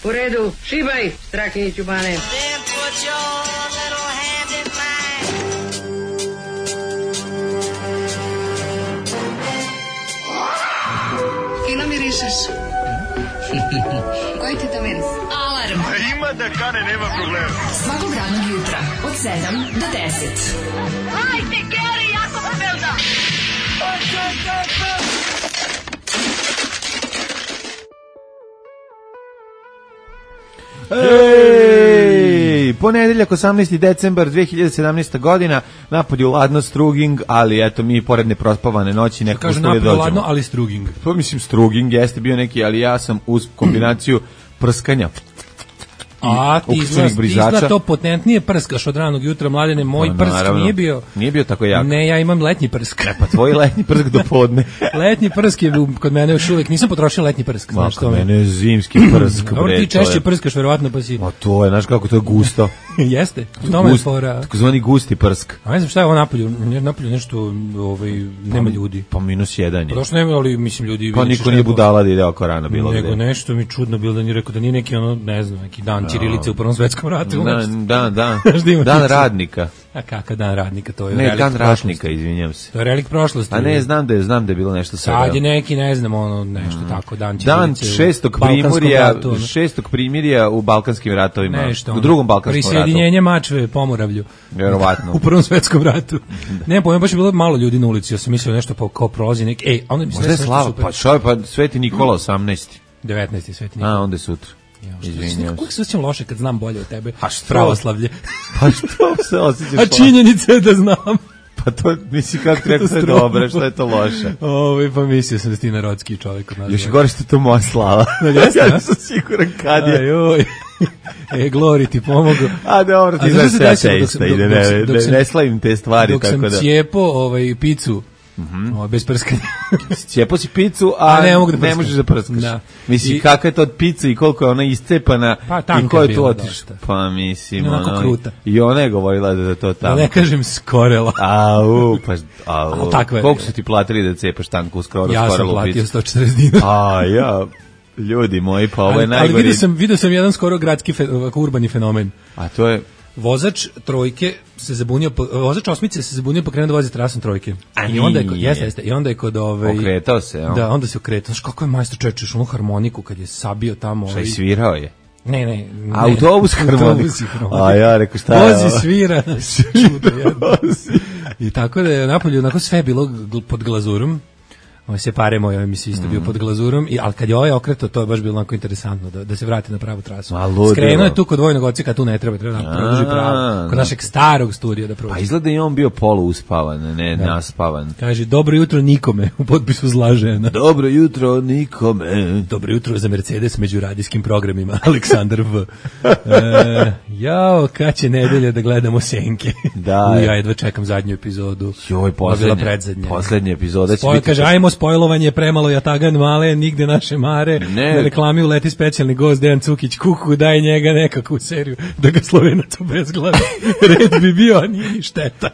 U redu, šibaj, Strahinjiću Bane. Fino mirišeš. Koji ti to miris? Alarm. Ima da kane, nema problema. Svakog radnog jutra od 7 do 10. Hajde, Geri, jako se velda. Ej, ponedeljak 18. decembar 2017. godina, napolju ladno struging, ali eto mi pored neprospavane noći nekako kaže napolju ladno, ali struging. Pa mislim struging jeste bio neki, ali ja sam uz kombinaciju prskanja A ti izgleda to potentnije prskaš od ranog jutra, Mladene, moj prsk naravno, nije bio tako jak. Ne, ja imam letnji prsk. Pa tvoj letnji prsk do podne. Letnji prsk je kod mene još uvijek, nisam potrošio letnji prsk. Znaš što mene je zimski prsk. Dobro, ti češće prskaš, verovatno, pa si... A to je, znaš kako to je gusto. Jeste, u tome je fora. Takozvani gusti prsk. A ne znam šta je ovo napolju nešto, nema ljudi. Pa -1 je. Pa došto nema, ali mislim ljudi... Pa niko nije budala da ide oko rana bilo gde. Nego nešto mi čudno bilo da nije rekao da nije neki ne znam, neki dan ćirilice u Prvom svetskom ratu. Dan radnika. A kakav dan radnika, to je ne, relik dan prošlosti. ratnika, izvinjam se. To je relik prošlosti. A ne, znam da je bilo nešto sada. Sad je neki, ne znam, nešto tako, dan šestog primirja u Balkanskim ratovima. Nešto, u drugom Balkanskom ratu. Prisjedinjenje Mačve Pomoravlju. Vjerovatno. U Prvom svetskom ratu. Ne, pojma, baš je bilo malo ljudi na ulici, ja sam mislio nešto kao prolazi neki, onda mi se nešto super. Pa Sveti Nikola 18. 19. Sveti Nikola. A, onda je sutra. Izvinjam. Kako se osjećam loše kad znam bolje od tebe? Pravoslavlje. Pa što se osjećaš loše? A činjenica je da znam. Pa to, misli kako treba se dobro, što je to loše? Pa mislio sam da si ti narodski čovjek od nas. Još gore što je to moja slava. Ja sam siguran kad je. Ajoj. Glori ti pomogu. A dobro, ti znaš se ateista i ne slavim te stvari. Dok sam cijepo picu, bez prskanja. Cijepo si picu, a ne možeš da prskaš. Da. Mislim, kakva je to od pice i koliko je ona iscepana i ko je tu otišao. Pa mislim, i ona je govorila da je to tamo. Da ne kažem skorela. Koliko su ti platili da cepaš tanku u skorelu picu? Ja sam platio 140 dinara. Ljudi moji, pa ovo je najgori. Ali vidio sam jedan skoro gradski urbani fenomen. A to je... Vozač trojke se zabunio, vozač osmice se zabunio pa krenuo da vozi trasom trojke. I onda je kod okretao se, da, onda se okretao. Znaš kako je majstor čečeš onu harmoniku kad je sabio tamo. Šta je svirao je? Ne. Autobus harmoniku. A ja rekao šta je? Vozi svira. I tako da je napolju onako sve bilo pod glazurom. Se pare moj mi se isto bio pod glazurom, ali kad je ovaj okreto, to je baš bilo onako interesantno da se vrati na pravu trasu. Skrenuo je tu kod vojnog odseka, tu ne treba da produži pravo. Kod našeg starog studija da prođe. Pa izgleda i on bio poluuspavan, ne naspavan. Kaže, dobro jutro nikome, u potpisu zla žena. Dobro jutro nikome. Dobro jutro za Mercedes među radijskim programima, Aleksandar V. Jao, kad će nedelja da gledamo senke. Da. Ja jedva čekam zadnju epizodu. Joj, poslednja epizoda će biti. Kaže, ajmo spojlovanje, premalo jatagan male, nigde naše mare, na reklami uleti specijalni gost Dejan Cukić, kuku, daj njega nekakvu seriju, da ga Slovenac obezglava. Red bi bio, a nije ni šteta.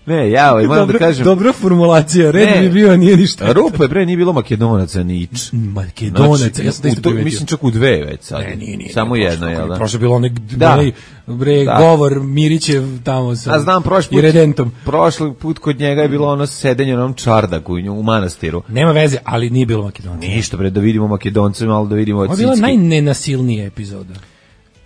Ne, moram da kažem... Dobra formulacija, red bi bio, a nije ni šteta. Rupa je nije bilo Makedonaca nič. Makedonaca, ja sam da isto primetio. Mislim čak u dve već sad. Nije. Samo jedno, jel da? Prošlo je bilo onaj govor Mirićev tamo sa Iredentom. Prošli put kod njega je bilo ono sedenje na onom čardaku u manastiru. Nema veze, ali nije bilo Makedonca. Ništa, da vidimo Makedonce, malo da vidimo Cicki. Ovo je bila najnenasilnija epizoda.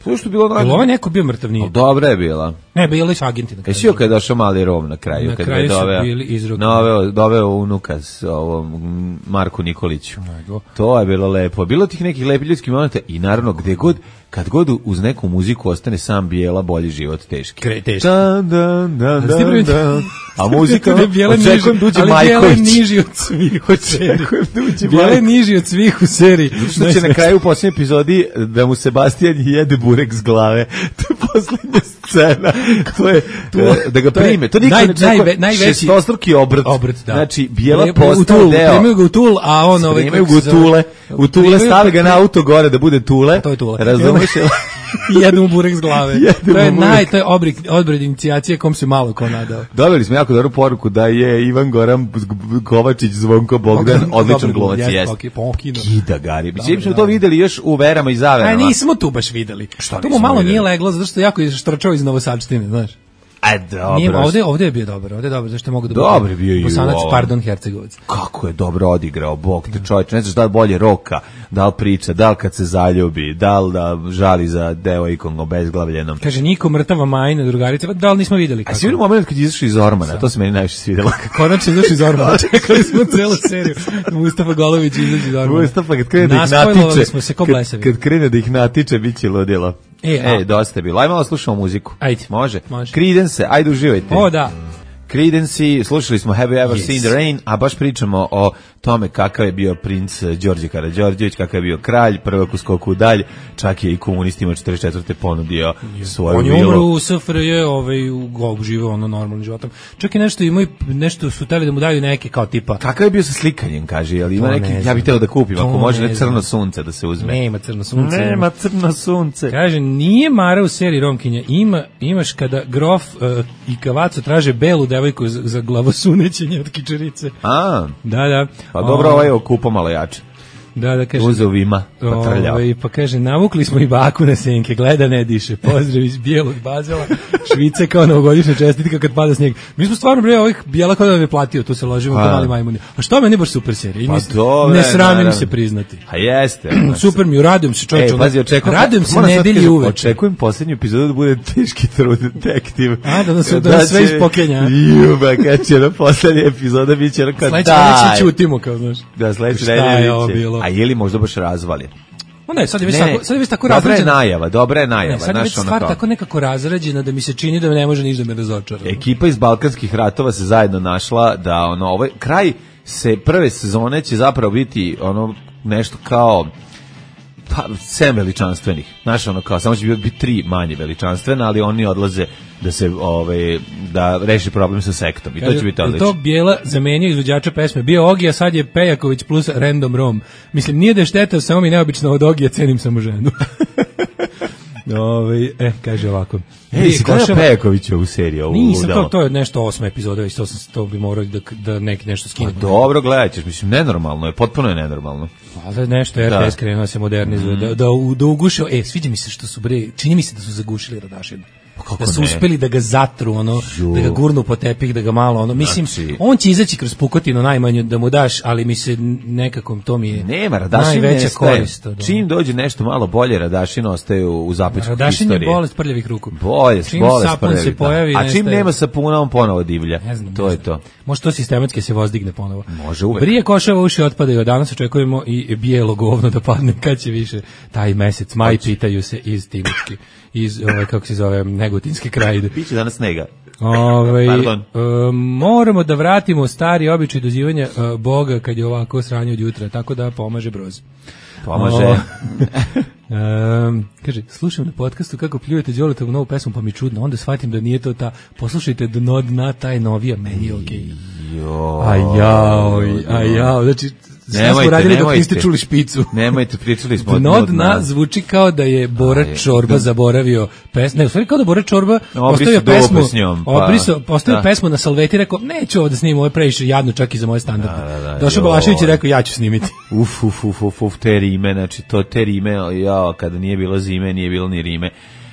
Što je bilo Jel ovo neko bio mrtav nije? Dobra je bila. Ne, bili su agenti na kraju. Jesi joj kad je došao mali Rom na kraju? Na kraju su bili izrokni. Doveo unuka s ovom Marku Nikoliću. To je bilo lepo. Bilo tih nekih lepih ljudskih momenta i naravno kad god uz neku muziku ostane sam Bijela, bolji život teški. Teški. A muzika očekujem da uđe Majković. Ali Bijela je niži od svih u seriji. Bijela je niži od svih u seriji. Što će na kraju u posljednjoj epizodi da mu Sebastijan jede burek s glave. To je posljednja scena. To je da ga prime. To niko ne čeka. Šestostruki obrt. Znači, Bijela postao deo. Primaju ga u Tul, a on... Primaju ga u Tule. U Tule stavi ga na auto gore da bude Tule. To je Tule. Razumeš? I jednu burek s glave. To je obred inicijacije kom se malo ko nadao. Dobili smo jako dobru poruku da je Ivan Goran Kovačić, Zvonko Bogdan, odličan glumac, jest. Kida Gari. Mislim smo to videli još u Verama i Zaverama. Nismo tu baš videli. To mu malo nije leglo, zato što jako je štrčao iz Novosadštine, znaš. Dobro. Ovde je bio dobar, zašto mogu da dobar bio i Bosanac, pardon, Hercegovac. Kako je dobro odigrao, bog te čovječ, ne znaš da li bolje roka, da li priča, da li kad se zaljubi, da li da žali za devojkom obezglavljenom. Kaže, Niko mrtava majna, drugarica, da li nismo videli kako. A si vidio moment kad je izašao iz Ormana, to se meni najviše svidjelo. Konačno izašao iz Ormana, čekali smo celu seriju. Mustafa Golović izašao iz Ormana. Mustafa kad krene da ih natiče, bit će ludilo. Dosta je bilo. Ajde malo slušamo muziku. Ajde. Može. Creedence, ajde uživajte. O, da. Creedence, slušali smo Have You Ever Seen the Rain, a baš pričamo o tome kakav je bio princ Đorđe Karađorđević, kakav je bio kralj, prvak u skoku u dalj, čak je i komunistima 44. ponudio svoju vilu. On je umro u SFRJ, živeo normalnim životom. Čak i nešto su teli da mu daju neke kao tipa. Kakav je bio sa slikanjem, kaže, ali ima neki, ja bih htio da kupim, ako može ne crno sunce da se uzme. Nema crno sunce. Kaže, nije Mara u seriji Romkinja, imaš kada grof i Kavaco traže belu devojku za glavosunećenje od kičerice. Da. Pa dobro, ovaj je okupo malo jače. Da, kaže. Uzeo Vima, pa trljao. Pa kaže, navukli smo i baku na senke, gleda ne diše, pozdrav iz bijelog Bazela, Švice kao novogodišnja čestitka kad pada snijeg. Mi smo stvarno, ovih bijela kao da me platio, tu se ložimo kao mali majmuni. A što meni baš super serija? Ne sramim se priznati. A jeste. Super mi, radujem se čovječe. Radujem se nedelji uveče. Očekujem posljednju epizodu da bude teški trud detektiv. Da sve ispokenja. Kad će na posljednja epizoda bit će kao daj. Sledeće ćutimo kao, znaš. Da, sledeće nedelje. A je li možda baš razvaljen? Ne, sad je već tako razrađena. Dobra je najava. Sad je već stvar tako nekako razrađena da mi se čini da ne može ništa da me razočara. Ekipa iz Balkanskih ratova se zajedno našla da ovaj kraj prve sezone će zapravo biti nešto kao 7 veličanstvenih. Znaš, kao samo će biti 3 manje veličanstvena, ali oni odlaze da se da reši problem sa sektom i to će biti odlično. To Bijela zamenio izvođača pesme. Bio Ogi, a sad je Pejaković plus Random Rom. Mislim, nije da je šteta, samo mi neobično od Ogija cenim samo ženu. Kaže ovako. Si gledao Pejakovića u seriji? Nisam, to je nešto 8 epizoda, već to bi morao da nešto skinem. Dobro, gledat ćeš, mislim, nenormalno je, potpuno je nenormalno. Da nešto RTS krenuo se modernizuje, da ugušio, sviđa mi se što su čini mi se da su zagušili Radašina. Da su uspeli da ga zatru, da ga gurnu po tepih, da ga malo, mislim, on će izaći kroz pukotinu najmanje da mu daš, ali mi se nekako to mi je najveća korist. Čim dođe nešto malo bolje, Radašin ostaje u zapećku historije. Radašin je bolest prljavih ruku. Bolest prljavih se pojavi, a čim nema sapuna, on ponovo divlja. To je to. Može to sistematski se vozdigne ponovo. Može uvek. Brije košava uši otpadaju, danas očekujemo i bijelo govno da padne, kad će više taj mesec, maj, pitaju se iz Timočki, iz, kako se zove, Negotinske krajine. Biće danas snega. Moramo da vratimo stari običaj dozivanja Boga kad je ovako sranje od jutra, tako da pomaže broz. Pomaže. Kaže, slušam na podcastu kako pljujete Đoletovu novu pesmu, pa mi čudno, onda shvatim da nije to ta, poslušajte Dno dna, taj novija, meni je okej. Ajao, znači, sve smo radili dok niste čuli špicu. Nemojte, pričali smo Dno dna zvuči kao da je Bora Čorba zaboravio pesmu. Ne, u stvari kao da Bora Čorba postavio pesmu, postavio pesmu na salveti i rekao, neću ovo da snimim, ovo je previše jadno čak i za moje standarde. Došao Balašević i rekao, ja ću snimiti. Te rime, znači to te rime, kada nije bilo zime, nije bilo ni rime.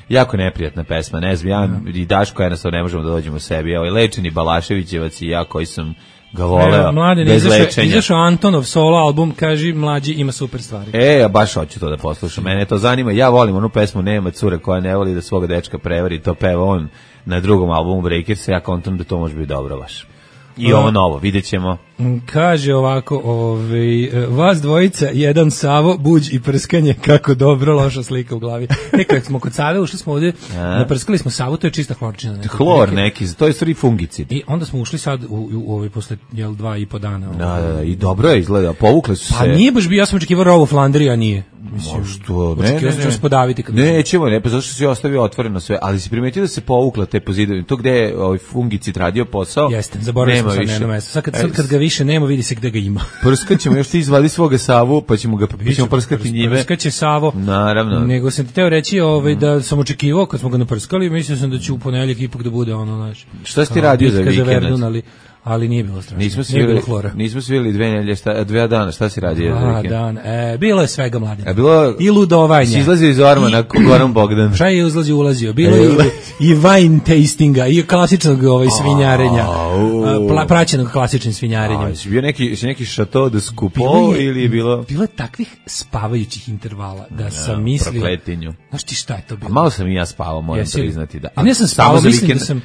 Jako neprijatna pesma, ne znam, ja i Daško jednostavno ne možemo da dođemo u sebi. Lečeni Balaševićevac i ja koji sam ga voleo bez lečenja. Izašao Antonov solo album, kaži mlađi, ima super stvari. Ja baš hoću to da poslušam, mene to zanima, ja volim onu pesmu Nema cure koja ne voli da svoga dečka prevari, to peva on na drugom albumu Breakersa, ja kontam da to može biti dobro baš. I ovo novo, vidjet ćemo. Kaže ovako, vas dvojica, jedan Savo, buđ i prskanje, kako dobro, loša slika u glavi. Kad smo kod Save, ušli smo ovdje, naprskali smo Savu, to je čista hlorčina. Hlor neki, to je stvari fungicid. I onda smo ušli sad posle 2,5 dana. Da, i dobro je izgleda, povukli su se. Pa nije baš bio, ja sam očekivao rovu Flandrija, nije. Što? Nećemo, pa zato što si ostavio otvoreno sve, ali si primetio da se povukla te pozidovi, to gde je fungicid radio posao. Jeste, zaboravili smo sad na jedno mesto. Sad kad ga više više nema, vidi se gde ga ima. Prskaćemo, još ti izvadi svoga Savu, pa ćemo prskati njime. Prskaće Savo. Naravno. Nego sam ti teo reći da sam očekivao kad smo ga naprskali, mislio sam da će u ponedeljak ipak da bude ono, znaš. Šta si ti radio za vikend? Ali nije bilo strašno. Nismo svili 2 nedelje, 2 dana, šta si radio za vikend? 2 dana, bilo je svega, Mladine. Bilo i ludovanja. Si izlazio iz ormana, Goran Bogdan. Šta je ulazio? Bilo je i wine tastinga, i klasičnog svinjarenja, praćenog klasičnim svinjarenjem. Si bio neki šato de skupo ili je bilo? Bilo je takvih spavajućih intervala da sam mislio. Prokletinju. Znaš ti šta je to bilo? Malo sam i ja spavao, moram priznati. A ne sam spavao, mislim da sam...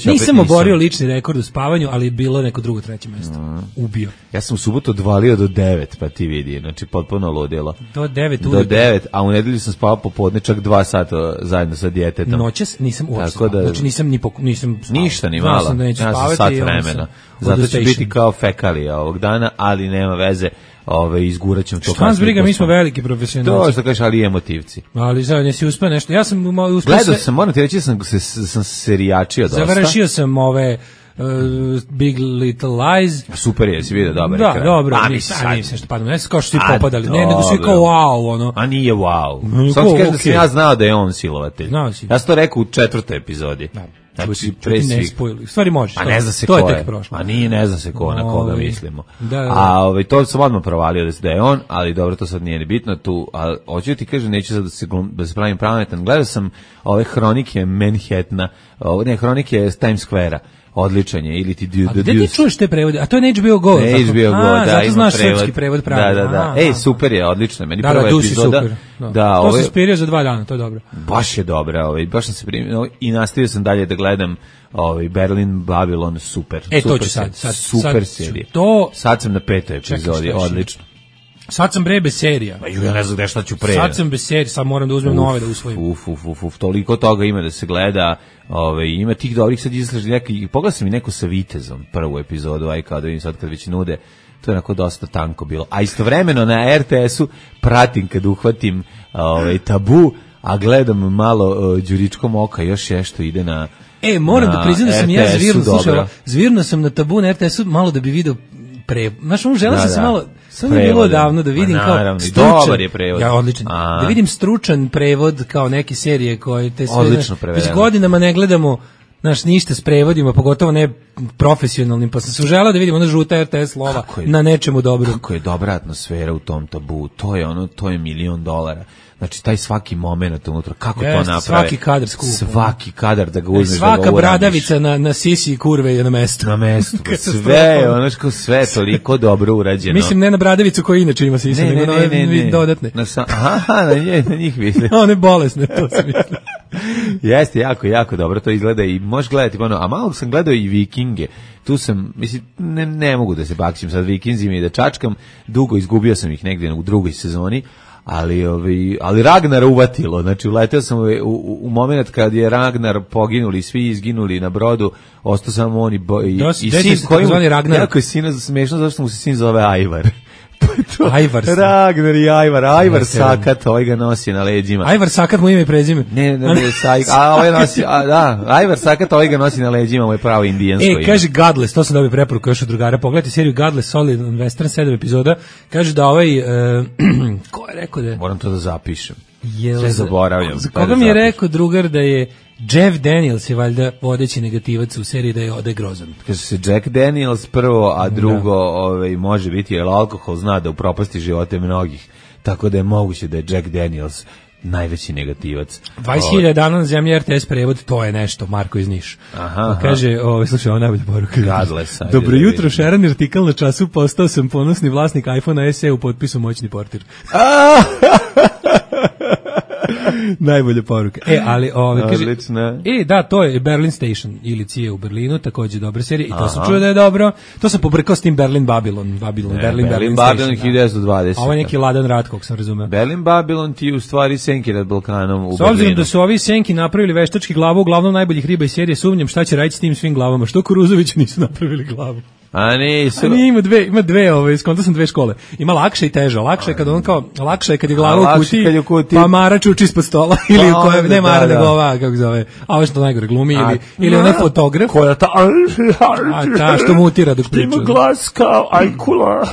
Nisam oborio lični rekord u spavanju, ali bilo neko drugo, treće mesto. Ubio. Ja sam u subotu odvalio do 9, pa ti vidi, znači potpuno ludilo. Do 9 Do 9, a u nedelju sam spavao popodne čak 2 sata zajedno sa djetetom. Noćas nisam uopšte spavao. Znači nisam ništa ni malo. Sam da neću ja sam sat vremena. Zato će biti kao fekalija ovog dana, ali nema veze. Izgurat ćemo to. Šta nas briga, mi smo veliki profesionalci. To što kažeš, ali emotivci. Ali sad nesi uspeo nešto. Ja sam uspeo. Gledao sam, moram ti reći, sam serijačio dosta. Završio sam ove Big Little Lies. Super je, si vidio, dobar ekran. Da, dobro, nisam što padamo. Ne kao što svi popadali, nego svi kao wow, ono. A nije wow. Samo ti kažem da sam ja znao da je on silovatelj. Ja sam to rekao u 4. epizodi. Znači, pre svih. Stvari možeš. A ne zna se ko je. A nije, ne zna se ko, na koga mislimo. A to sam odmah provalio da je on, ali dobro, to sad nije ni bitno tu. A hoću ti kažem, neću sad da se pravim pametan. Gledao sam ove hronike Manhattana, hronike Times Square-a. Odličan je, ili ti A gde ti čuješ te prevode? A to je HBO Go. HBO Go, da, zato znaš srpski prevod pravi. Da. Super je, odlično. Meni prva epizoda. To se spirio za 2 dana, to je dobro. Baš je dobra, baš sam se primio i nastavio sam dalje da gledam Berlin, Babylon, super. To ću sad. Super serija. Sad sam na 5. epizodi, odlično. Sad sam bez serija. Ja ne znam gde šta ću pre. Sad sam bez serija, sad moram da uzmem nove da usvojim. Toliko toga ima da se gleda, ima tih dobrih, sad izlaži neki, pogledaj sam i neko sa Vitezom, prvu epizodu, kao da vidim sad kad već nude, to je onako dosta tanko bilo. A istovremeno na RTS-u pratim kad uhvatim Tabu, a gledam malo Đuričkom oka, još nešto ide na moram da priznam da sam ja zvirno sam na Tabu na RTS-u malo da bi video znaš, želeo sam se malo, samo je bilo davno da vidim kao stručan, ja odličan, da vidim stručan prevod kao neke serije koje te sve, odlično prevedeno. Već godinama ne gledamo, znaš, ništa s prevodima, pogotovo ne profesionalnim, pa sam se želeo da vidim ona žuta RTS lova na nečemu dobro. Kako je dobra atmosfera u tom Tabu, to je $1.000.000. Znači, taj svaki moment unutra, kako to naprave. Svaki kadar skupo. Svaki kadar da ga uzmeš, da ga uradiš. Svaka bradavica na sisi i kurve je na mestu. Na mestu. Sve toliko dobro urađeno. Mislim, ne na bradavicu koja inače ima sisi, nego na ove dodatne. Na njih mislim. One bolesne, to se misli. Jeste, jako, jako dobro to izgleda i možeš gledati, a malo sam gledao i Vikinge. Tu sam, mislim, ne mogu da se bakćim sad Vikinzima i da čačkam. Dugo izgubio sam ih negdje u 2. sezoni. Ali Ragnar uvatilo, znači uleteo sam u moment kad je Ragnar poginuli, svi izginuli na brodu, ostao samo on i sin koji mu, jako je sin smešno, zašto mu se sin zove Ajvar. Ragnar i Ajvar Sakat, ovaj ga nosi na leđima. Ajvar Sakat mu ime i prezime. Ajvar Sakat, ovaj ga nosi na leđima, ovo je pravo indijansko ime. Kaže Godless, to sam dobio preporuku još od drugara, pogledajte seriju Godless, Solid Western, 7 epizoda, kaže da ko je rekao da je? Moram to da zapišem. Sve zaboravljam. Za koga mi je rekao drugar da je Jeff Daniels je valjda vodeći negativac u seriji da je grozan. Kaže se Jack Daniels prvo, a drugo može biti jer alkohol zna da upropasti živote mnogih. Tako da je moguće da je Jack Daniels najveći negativac. 20.000 dana na zemlji RTS prevod, to je nešto, Marko iz Niš. Kaže, slušaj, ovo najbolja poruka. Dobro jutro, Šeran artikal na Času, postao sam ponosni vlasnik iPhone SE u potpisu moćni portir. Najbolja poruka. Ali kaže, da, to je Berlin Station ili Cije u Berlinu, također dobra serija i to sam čuo da je dobro. To sam pobrkao s tim Berlin Babylon Berlin 1920. A ovo je neki ladan rat, kog sam razumeo. Berlin Babylon ti u stvari senki nad Balkanom u Berlinu. S obzirom da su ovi senki napravili veštački glavu, uglavnom najboljih riba iz serije, sumnjam šta će raditi s tim svim glavama. Što Kuruzoviću nisu napravili glavu? A nisu. Ima dve, skonto sam dve škole. Ima lakše i teže. Lakše je kad on kao, lakše je kad je glava u kutiji, pa Mara čuči ispod stola, ili u kojoj, ne Mara, nego ova, kako zove, a ovo što najgore glumi, ili onaj fotograf. Koja ta, ta što mutira dok priča. Što ima glas kao ajkula.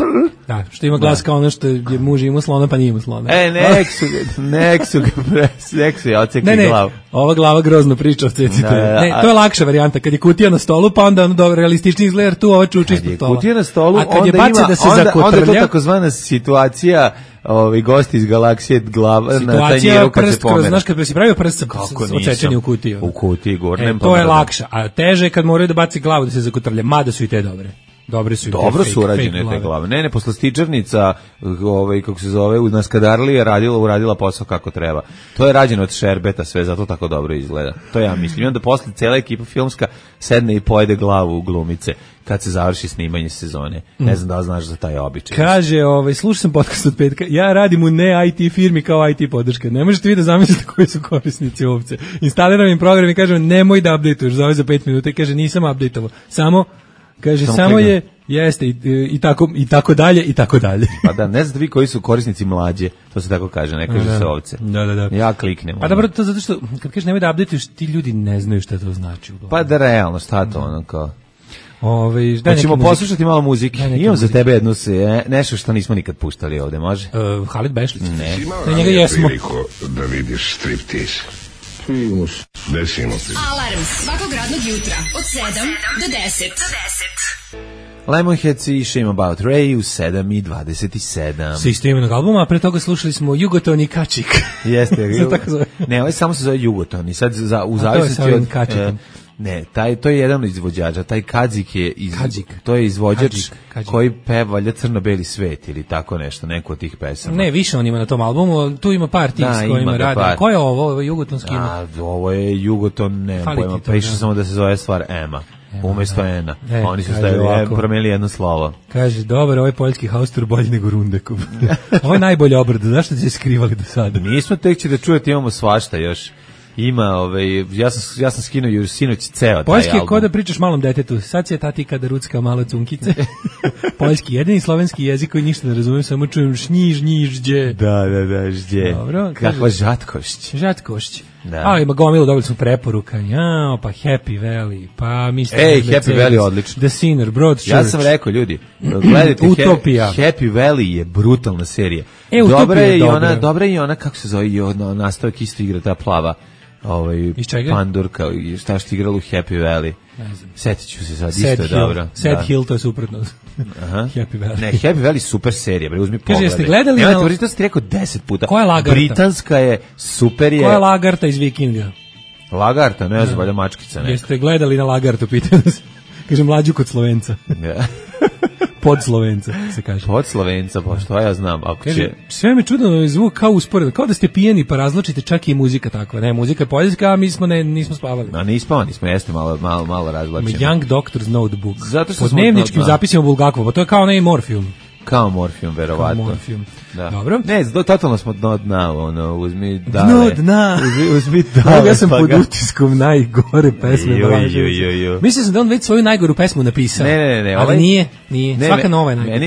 Da, što ima glas kao ono što je muž imao slona, pa nije imao slona. Nek su ga ocekli glavu. Ova glava grozno priča o cecite. Ne, to je lakša varijanta, kad je kutija na stolu, pa onda ono dobro realistični izgleda, tu ovo čuči ispod stola. Kutija na stolu, a kad je baci da se zakotrlja, onda je to takozvana situacija gosti iz galaksije glava na tanjiru kad se pomera. Znaš, kad si pravio prst odsečeni u kutiji. U kutiji, gornjem. To je lakša, a teže je kad moraju da baci glavu da se zakotrlja, mada su i te dobre. Dobro su urađene te glave. Ne, poslastičarnica, kako se zove, u Naskadarli je uradila posao kako treba. To je rađeno od šerbeta sve, zato tako dobro izgleda. To ja mislim. I onda posle cela ekipa filmska sedne i pojede glavu u glumice kad se završi snimanje sezone. Ne znam da li znaš za taj običaj. Kaže, slušao sam podcast od petka, ja radim u ne IT firmi kao IT podrška. Ne možete vi da zamislite koji su korisnici ovce. Instaliram im program i kažem, nemoj da updateuješ, zove za 5 minuta i kaže, nisam updateovao. Samo je, jeste, i tako dalje, i tako dalje. Pa da, ne znate vi koji su korisnici mlađe, to se tako kaže, ne kaže se ovce. Da. Ja kliknem. Pa dobro, to zato što, kad kažeš nemoj da updatuješ, ti ljudi ne znaju šta to znači. Pa da, realno, šta to ono kao... Hoćemo poslušati malo muzike. Imam za tebe jednu nešto što nismo nikad puštali ovde, može? Halid Bešlić. Ne. Na njega jesmo. Da vidiš striptease. Desimo ti. Alarm svakog radnog jutra od 7 do 10. Lemonheads i Shame About Ray u 7:27. Sa istoimenog albuma, a pre toga slušali smo Jugoton i Kačik. Jeste. Ne, ovaj samo se zove Jugoton i sad u zavisnosti od Kačikom. Ne, to je jedan od izvođača, taj Kadzik je to je izvođač koji peva valjda Crno-beli svet ili tako nešto, neko od tih pesama. Ne, više on ima na tom albumu, tu ima par tih s kojima radi. Ko je ovo? Ovo je Jugotonski ima? Ovo je Jugoton, ne pojma, pa išao samo da se zove stvar Ema. Umesto Ena. Oni su promenili jedno slovo. Kaže, dobar, ovaj poljski haustor bolji nego Rundekov. Ovo je najbolji obrad, zašto ste se skrivali do sada? Nismo, tek će da čujete, imamo svašta još. Ima, ja sam skinuo još sinoć ceo taj album. Poljski je ko da pričaš malom detetu, sad će tati kada rucka malo cunkice. Poljski, jedini slovenski jezik koji ništa ne razumijem, samo čujem žđe. Da, žđe. Dobro. Kakva žatkošć. Da. A ima gomilu, dobili smo preporuka. Pa Happy Valley, pa Mr. Happy Valley odlično. The Sinner, Broadchurch. Ja sam rekao, ljudi, gledajte, Utopija. Happy Valley je brutalna serija. Dobra je i ona, kako se zove, nastavak isto igra ta plava. Pandurka, šta što igrala u Happy Valley. Setit ću se sad, isto je dobro. Sad Hill, to je suprotno. Happy Valley. Ne, Happy Valley super serija, bre, uzmi pogled. Kaže, jeste gledali? Evo, to si rekao 10 puta. Koja je Lagarta? Britanska je, super je. Koja je Lagarta iz Vikinga? Lagarta, ne znam, valjda mačkica neka. Jeste gledali na Lagartu, pitam se. Kaže, mlađu kod Slovenca. Pod Slovenca, se kaže. Pod Slovenca, pa što ja znam. Kaže, sve me čudno zvuk kao usporedno, kao da ste pijeni pa razločite, čak i muzika takva. Ne, muzika je poljska, a mi nismo spavali. A nismo, jeste malo razlačeni. Young Doctor's Notebook. Po dnevničkim zapisima Bulgakova, to je kao onaj Morfium. Kao Morfium, verovatno. Da. Dobro. Ne, totalno smo dno dna, uzmi dale. Dno dna. Uzmi dale. Ja sam pod utiskom najgore pesme Balaševića. Mislio sam da on već svoju najgoru pesmu napisao. Ne. Ali nije. Svaka nova je najgora.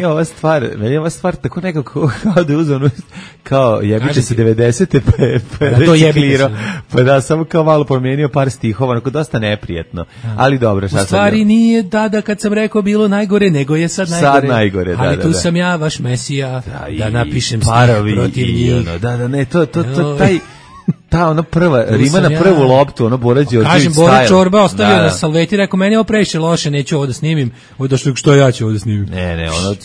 Meni je ova stvar tako nekako kao da je uzano, kao jebiće se 90-te, pa je reciklirao. Pa da, samo kao malo promijenio par stihova, onako dosta neprijetno. Ali dobro, šta sad. U stvari nije tada kad sam rekao bilo najgore, nego je sad najgore. Ali tu sam ja, vaš mesija, da napišem stih protiv njih. Ta ona prva, rima na prvu loptu, ono Bora Đorđević style. Kažem, Bora Čorba ostavio na salveti, rekao, meni je ovo previše loše, neću ovo da snimim, ovo došlo, što ja ću ovo da snimim. Ne, ono,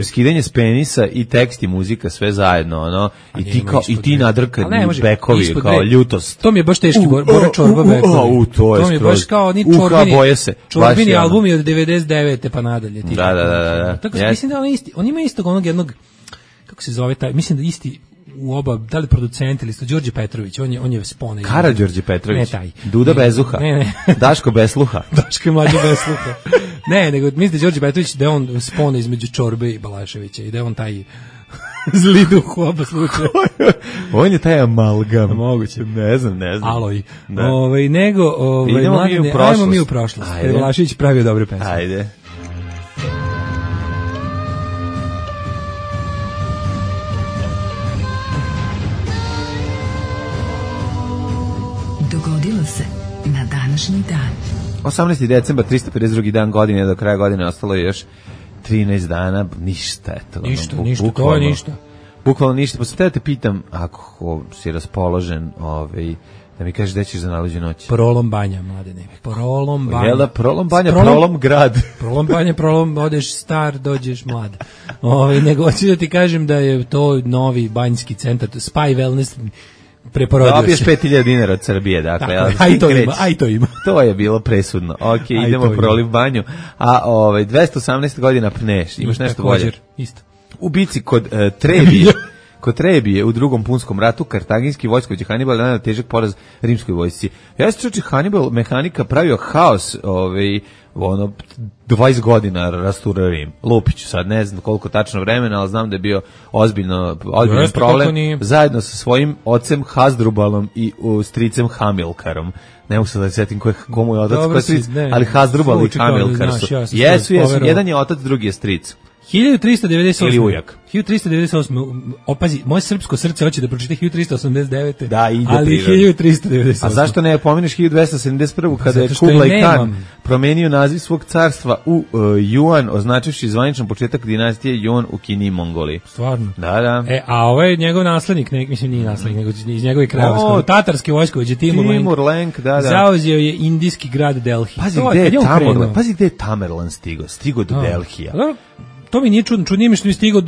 skidanje s penisa i tekst i muzika, sve zajedno, ono, i ti nadrkani bekovi, kao ljutost. To mi je baš teški Bora Čorba bekovi. To mi je baš kao oni Čorbini albumi od 99. pa nadalje. Da. Tako se mislim da on ima istog onog jednog, kako se zove taj, mislim da isti u oba, da li producent ili Đorđe Petrović, on je spona. Karađorđe Petrović. Ne taj. Duda Bezuha. Ne. Daško Besluha. Daško je mlađe Besluha. Ne, nego mislim da Đorđe Petrović da on spona između Čorbe i Balaševića i da on taj zli duh u oba slučaja. On je taj amalgam. Moguće. Ne znam. Aloj. Ajmo mi u prošlost. Jer Balašević pravio dobre pesme. Ajde. Dogodilo se na današnji dan. 18. decembar, 352. dan godine, do kraja godine ostalo je još 13 dana, ništa. Eto, ništa, to je ništa. Bukvalno ništa, pa sam te pitam, ako si raspoložen, da mi kažeš gde ćeš za nalađu noći. Prolom banja, mladene. Prolom banja. Jel da, prolom banja, prolom grad. Prolom banja, odeš star, dođeš mlad. Nego hoću da ti kažem da je to novi banjski centar, Spy Wellness preporodio se. Dobiješ 5.000 dinara od Srbije, dakle. Aj to ima. To je bilo presudno. Ok, idemo proliv banju. A 218 godina pneš, imaš nešto bolje? Isto. U bici kod Trebije. Kod Trebije u Drugom punskom ratu kartaginski vojskovođa Hanibal naneo težak poraz rimskoj vojsci. Ja se čuči Hanibal mehanika pravio haos 20 godina rasturao Rim. Lupić, sad ne znam koliko tačno vremena, ali znam da je bio ozbiljan problem zajedno sa svojim ocem Hasdrubalom i stricem Hamilkarom. Ne mogu se da setim komu je otac, ko je stric, ali Hasdrubal i Hamilkar su. Jesu, jedan je otac, drugi je stric. 1398. Ili ujak. 1398. Opazi, moje srpsko srce hoće da pročita 1389. Da, ide ali 1398. A zašto ne pomeniš 1271. kada je Kublai Khan promenio naziv svog carstva u Yuan, označivši zvaničan početak dinastije Yuan u Kini i Mongoliji. Stvarno? Da. A ovo je njegov naslednik, mislim nije naslednik, nego iz njegove krajeva. Tatarski vojskovođe Timur Lenk, zauzeo je indijski grad Delhi. Pazi gde je Tamerlan stigao? Stigao do Delhija. To mi nije čudno, čudnije mi što mi stigao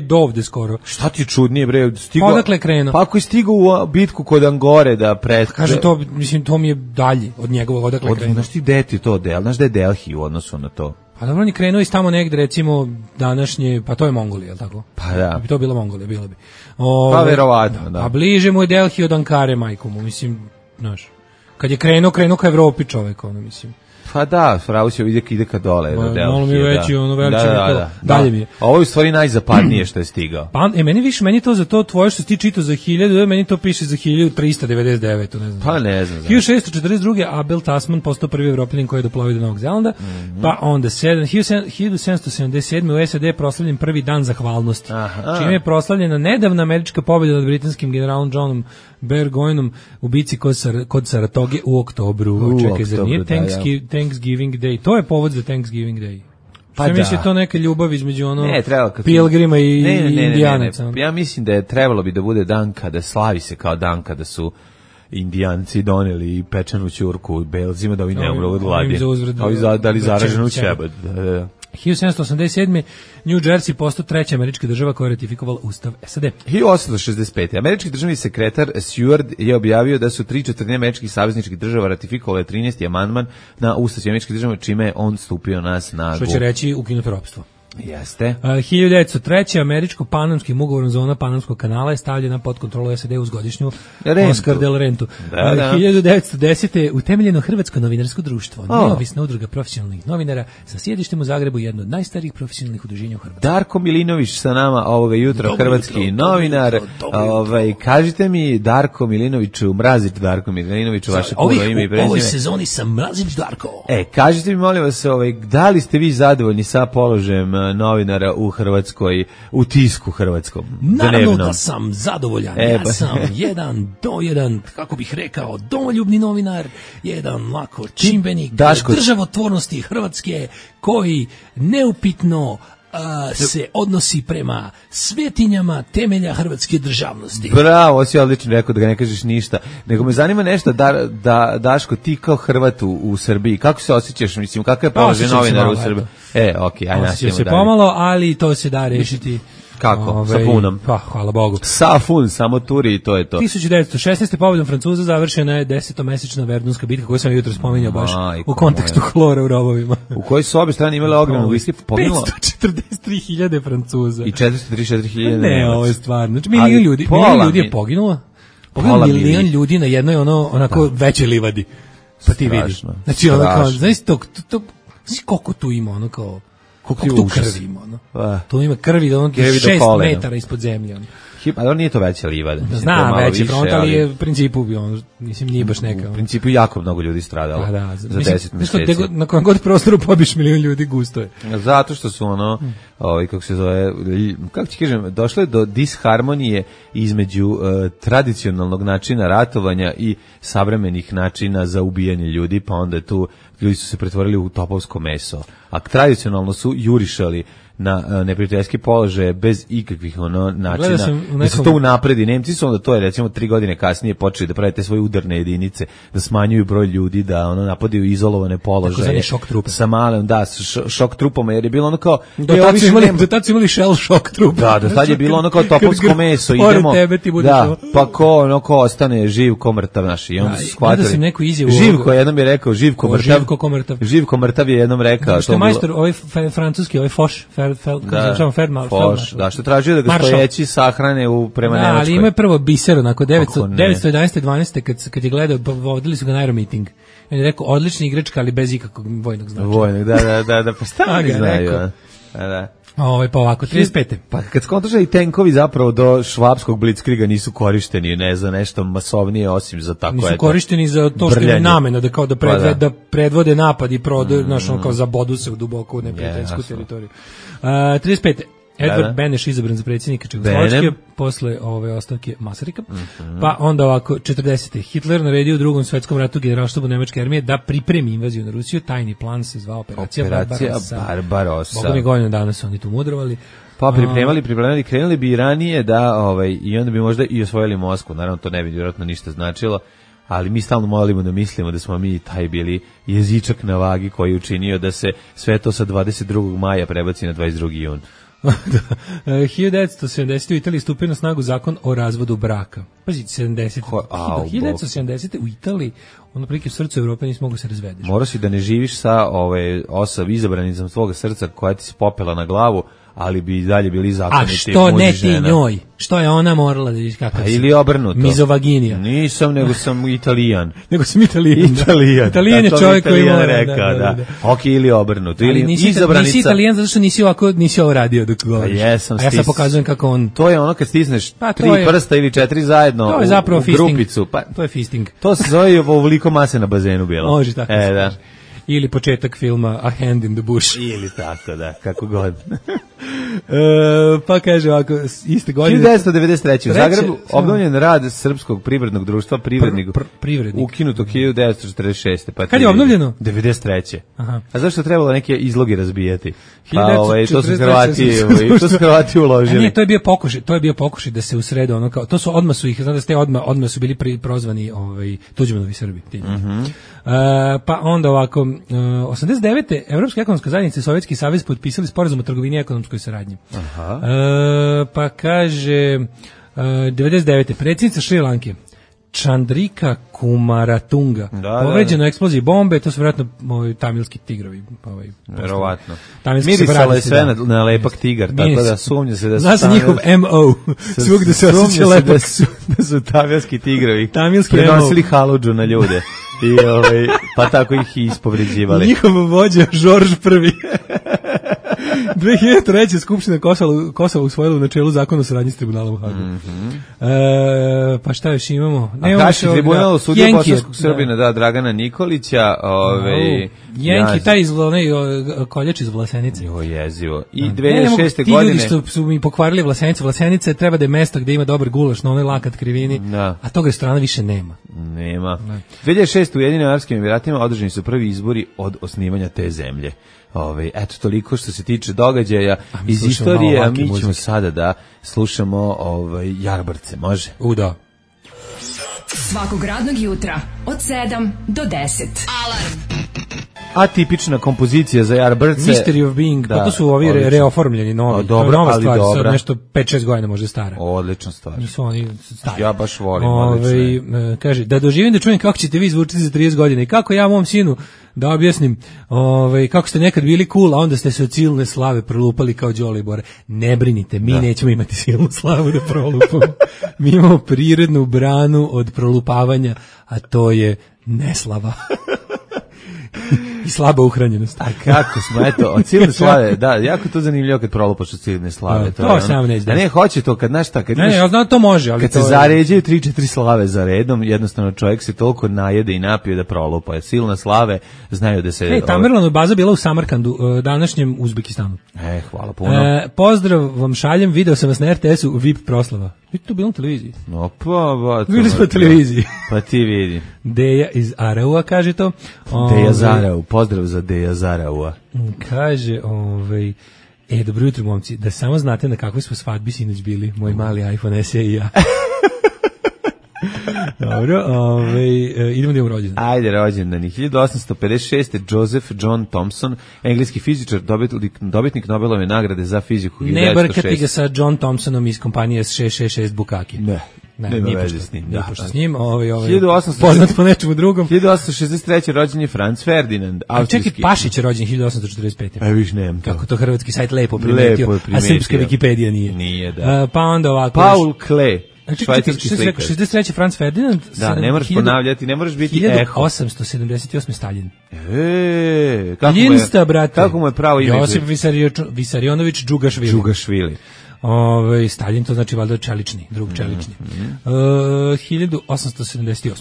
do ovde skoro. Šta ti čudnije, bre? Stigao, odakle krenuo? Pa ako je stigao u bitku kod Angore da kaže to, mislim, to mi je dalje od njegovog, odakle krenuo. Znaš ti gde ti to znaš da je Delhi u odnosu na to? Pa dobro, on je krenuo iz tamo negde, recimo, današnje, pa to je Mongolija, je li tako? Pa da. To bila Mongolija, bila bi. Pa verovatno, da. A bliže mu je Delhi od Ankare, majko mu, mislim, znaš. Kad je krenuo ka Evropi čovek, mislim. Pa da, Frausio ide ka dole. Malo mi veći, veliče dalje mi je. A ovo je u stvari najzapadnije što je stigao. Pa, meni to za to tvoje što ti čitao za 1000, meni to piše za 1399, ne znam. Pa ne znam. 1642. Abel Tasman postao prvi Evropljanin koji je doplovio do Novog Zelanda, pa onda 1777. u SAD je proslavljen prvi dan zahvalnosti, čime je proslavljena nedavna američka pobjeda nad britanskim generalom Johnom Burgoynom u bici kod Saratoge u oktobru. Čekaj, zar nije Thanksgiving Day? To je povod za Thanksgiving Day. Pa da. Mislim to neka ljubav između Pilgrima i Indijanaca. Ja mislim da je trebalo bi da bude dan kada slavi se kao dan kada su Indijanci doneli pečenu ćurku Belzima da ovi ne umru od gladi. Ovi dali zaraženu ćebad. 1787. New Jersey postao treća američka država koja je ratifikovala Ustav SAD. 1865. Američki državni sekretar Seward je objavio da su 3/4 američkih savezničkih država ratifikovale 13. amandman na Ustav američkih država, čime je on stupio na snagu. Što će reći ukinuto ropstvo. Jeste. 1903. američko-panamskim ugovorom zona Panamskog kanala je stavljena pod kontrolu SAD uz godišnju Oscar del Rentu. 1910. utemeljeno Hrvatsko novinarsko društvo, neovisna udruga profesionalnih novinara sa sjedištem u Zagrebu, jedno od najstarijih profesionalnih udruženja u Hrvatskoj. Darko Milinović sa nama ovoga jutra, hrvatski novinar. Kažite mi, Darko Milinoviću, Mrazić Darko Milinoviću, vaše puno ime i prezime. U ovoj sezoni sam Mrazić Darko. Kažite mi, molim vas, da li ste vi zadovoljni sa položajem novinara u Hrvatskoj, u tisku hrvatskom? Naravno da sam zadovoljan. Ja sam jedan, kako bih rekao, domoljubni novinar, jedan lako čimbenik državotvornosti Hrvatske koji neupitno se odnosi prema svetinjama temelja hrvatske državnosti. Bravo, si odlično rekao da ga ne kažeš ništa. Nego me zanima nešto, Daško, ti kao Hrvat u Srbiji, kako se osjećaš, mislim, kakav je položaj novinara u Srbiji? Okej, ajde nastavimo dalje. Osjećam se pomalo, ali to se da rešiti. Kako? Sa punom? Pa, hvala Bogu. Sa fun, samo turi i to je to. 1916. pobjedom Francuza završena je 10-mesečna Verdunska bitka koju sam jutro spominjao baš u kontekstu hlora u rovovima. U kojoj su obje strane imale ogromnu bitku. 543.000 Francuza. I 434.000 Ne, ovo je stvarno. Znači, milion ljudi je poginulo. Milion ljudi na jednoj onako većoj livadi. Pa ti vidi. Znači, onako, znaš koliko tu ima, ono kao... Koliko tu krvi ima, tu ima krvi da 6 metara ispod zemlje. Ali nije to veća livada. Znam, veći front, ali je u principu, mislim, nije baš neka. U principu jako mnogo ljudi stradalo za 10 meseci. Na kojem god prostoru pobiš milion ljudi, gusto je. Zato što su kako se zove, kako ti kažem, došlo je do disharmonije između tradicionalnog načina ratovanja i savremenih načina za ubijanje ljudi, pa onda ljudi su se pretvorili u topovsko meso. A tradicionalno su jurišali na neprijateljski položaje bez ikakvih načina da se to unapredi. Nemci su onda to je recimo 3 godine kasnije počeli da prave te svoje udarne jedinice, da smanjuju broj ljudi, da napadaju izolovane položaje sa malim, šok trupama, jer je bilo kao do tad su imali shell šok trupa. Do tad je bilo kao topovsko meso, idemo, pa ko ostane živ ko mrtav naš, i onda su shvatili. Živko jednom je rekao, Živko mrtav je jednom rekao. Što je majstor, ovaj francuski, ovaj Foch, što tražio da ga stojeći sahrane prema Nemačkoj. Ali ima je prvo biser, onako 911-12, kad je gledao, vodili su ga na aeromiting. On je rekao, odlična igračka, ali bez ikakvog vojnog značaja. Da, pa šta oni znaju? Pa ovako, 35. Pa kad skontaš i tenkovi zapravo do švapskog blitzkriga nisu korišteni, ne za nešto masovnije osim za tako nisu korišteni za to što je namena da kao da predvode napad i prodaju, kao zabodu se u duboko u neprijateljsku teritoriju. 35. Edward Beneš izabran za predsjednika Čehoslovačke posle ove ostavke Masarika. Pa onda ovako 40. Hitler naredio u Drugom svetskom ratu generalštabu nemačke armije da pripremi invaziju na Rusiju. Tajni plan se zvao Operacija Barbarossa. Boga mi godinu dana su oni tu mudrovali. Pa pripremali, krenuli bi i ranije i onda bi možda i osvojili Moskvu. Naravno to ne bi vjerojatno ništa značilo. Ali mi stalno molimo da mislimo da smo mi taj bili jezičak na vagi koji je učinio da se sve to sa 22. maja prebaci na 22. jun. 1970. u Italiji stupio na snagu zakon o razvodu braka. Pazi, 1970. u Italiji, prilike u srcu Evrope nisi mogu se razvedeš. Morao si da ne živiš sa izabranicom svoga srca koja ti se popela na glavu, ali bi i dalje bili zakoniti. A što ne ti njoj? Što je ona morala da vidiš kakav si? Ili obrnuto. Mizovaginija. Nisam, nego sam Italijan. Italijan je čovjek koji mora. Da. Ok, ili obrnuto. Ili nisi Italijan zato što nisi ovo radio dok govoriš. A jesam. A ja sad pokazujem kako on... To je ono kad stisneš 3 prsta ili 4 zajedno u grupicu. To je fisting. To se zove ovoliko mase na bazenu bilo. Može tako. Da. Ili početak filma A Hand in the Bush. Ili tako, da, kako god. Pa kaže ovako, iste godine... 1993. U Zagrebu obnovljen rad Srpskog privrednog društva Privrednik. Ukinuto 1946. Pa kad je obnovljeno? 93. Aha. A zašto trebalo neke izloge razbijati? Pa to su Hrvati uložili. Nije, to je bio pokušaj da se usrede to su odmah su ih, znači da ste odmah su bili prozvani Tuđmanovi Srbi. Pa onda ovako, 89. Evropska ekonomska zajednica i Sovjetski savez potpisali sporazum o trgovini i ekonomskoj saradnji. Pa kaže 99. predsjednica Šri Lanke Chandrika Kumaratunga povređena u eksploziji bombe, to su vjerojatno tamilski tigrovi. Verovatno. Mirisalo je sve na lepak tigar, tako da sumnja se da su... Zna se njihov MO, svugde se osjeća lepak. Da su tamilski tigrovi tamilski prenosili haludžu na ljude. Pa tako ih i ispovređivali. Njihov vođa Žorž I. 2003. Skupština Kosova usvojila u načelu zakon o saradnji s tribunalom u Hagu. Pa šta još imamo? Haški tribunal osudio bosanskog Srbina, Dragana Nikolića. Jenki, taj koljač iz Vlasenice. Jezivo. I 2006. godine... Ti ljudi su mi pokvarili Vlasenicu. Vlasenice treba da je mesto gde ima dobar gulaš na onoj lakat krivini, a tog restorana više nema. 2006. u Ujedinjenim Arapskim Emiratima održani su prvi izbori od osnivanja te zemlje. Eto toliko što se tiče događaja iz istorije, a mi ćemo sada da slušamo Jarbrce, može? Da. Svakog radnog jutra od 7 do 10. Alarm. Atipična kompozicija za Jarbrce. Mystery of Being, pa to su ovi reoformljeni novi. Dobro, nova ali stvar, dobra. Nešto 5-6 godina možda stara. Odlična stvar. Nisu oni stari. Ja baš volim odlične. Kaže, da doživim da čujem kako ćete vi zvučiti za 30 godina i kako ja mom sinu da objasnim kako ste nekad bili cool, a onda ste se od silne slave prolupali kao Đole Bore. Ne brinite, mi nećemo imati silnu slavu da prolupamo. Mi imamo prirodnu branu od prolupavanja, a to je neslava. I slaba uhranjenost. A kako smo, eto, od silne slave, da, jako to zanimljivo kad prolupaš od silne slave. To sam neće. Da ne, hoće to kad, znaš šta, kad ne, ja znam to može, ali kad to se zaređaju 3-4 slave za redom, jednostavno čovjek se toliko najede i napije da prolupa. Silne slave znaju da se... Tamerlanova baza bila u Samarkandu, današnjem Uzbekistanu. Hvala puno. Pozdrav vam šaljem, video sam vas na RTS-u, VIP proslava. Vidite to bilo na televiziji? No, pa bili smo na televiziji. Pa ti vidi. Deja iz Araua, kaže to. Deja Zarau, pozdrav za Deja Zaraua. Kaže, dobro jutro, momci, da samo znate na kakvoj smo svadbi sinoć bili, moj mali iPhone SE i ja. Dobro, idemo da imamo rođendan. Ajde, rođendani. 1856. Joseph John Thomson, engleski fizičar, dobitnik Nobelove nagrade za fiziku. Ne brkati ga sa John Thompsonom iz kompanije 666 Bukaki. Nema veze s njim. Pošto s njim, poznat po nečemu drugom. 1863. rođen je Franz Ferdinand, austrijski. Čekaj, Pašić je rođen 1845. Viš nemam to. Kako to hrvatski sajt lepo primetio, a srpska Wikipedija nije. Nije, da. Pa onda ovako. Paul Klee. Švajcarski slikar. 63. Franz Ferdinand. Da, ne moraš ponavljati, ne moraš biti eho. 1878. Stalin. Ljinsta, brate. Kako mu je pravo ime? Josip Visarionović Džugašvili. Stalin, to znači valjda čelični, drug čelični. 1878.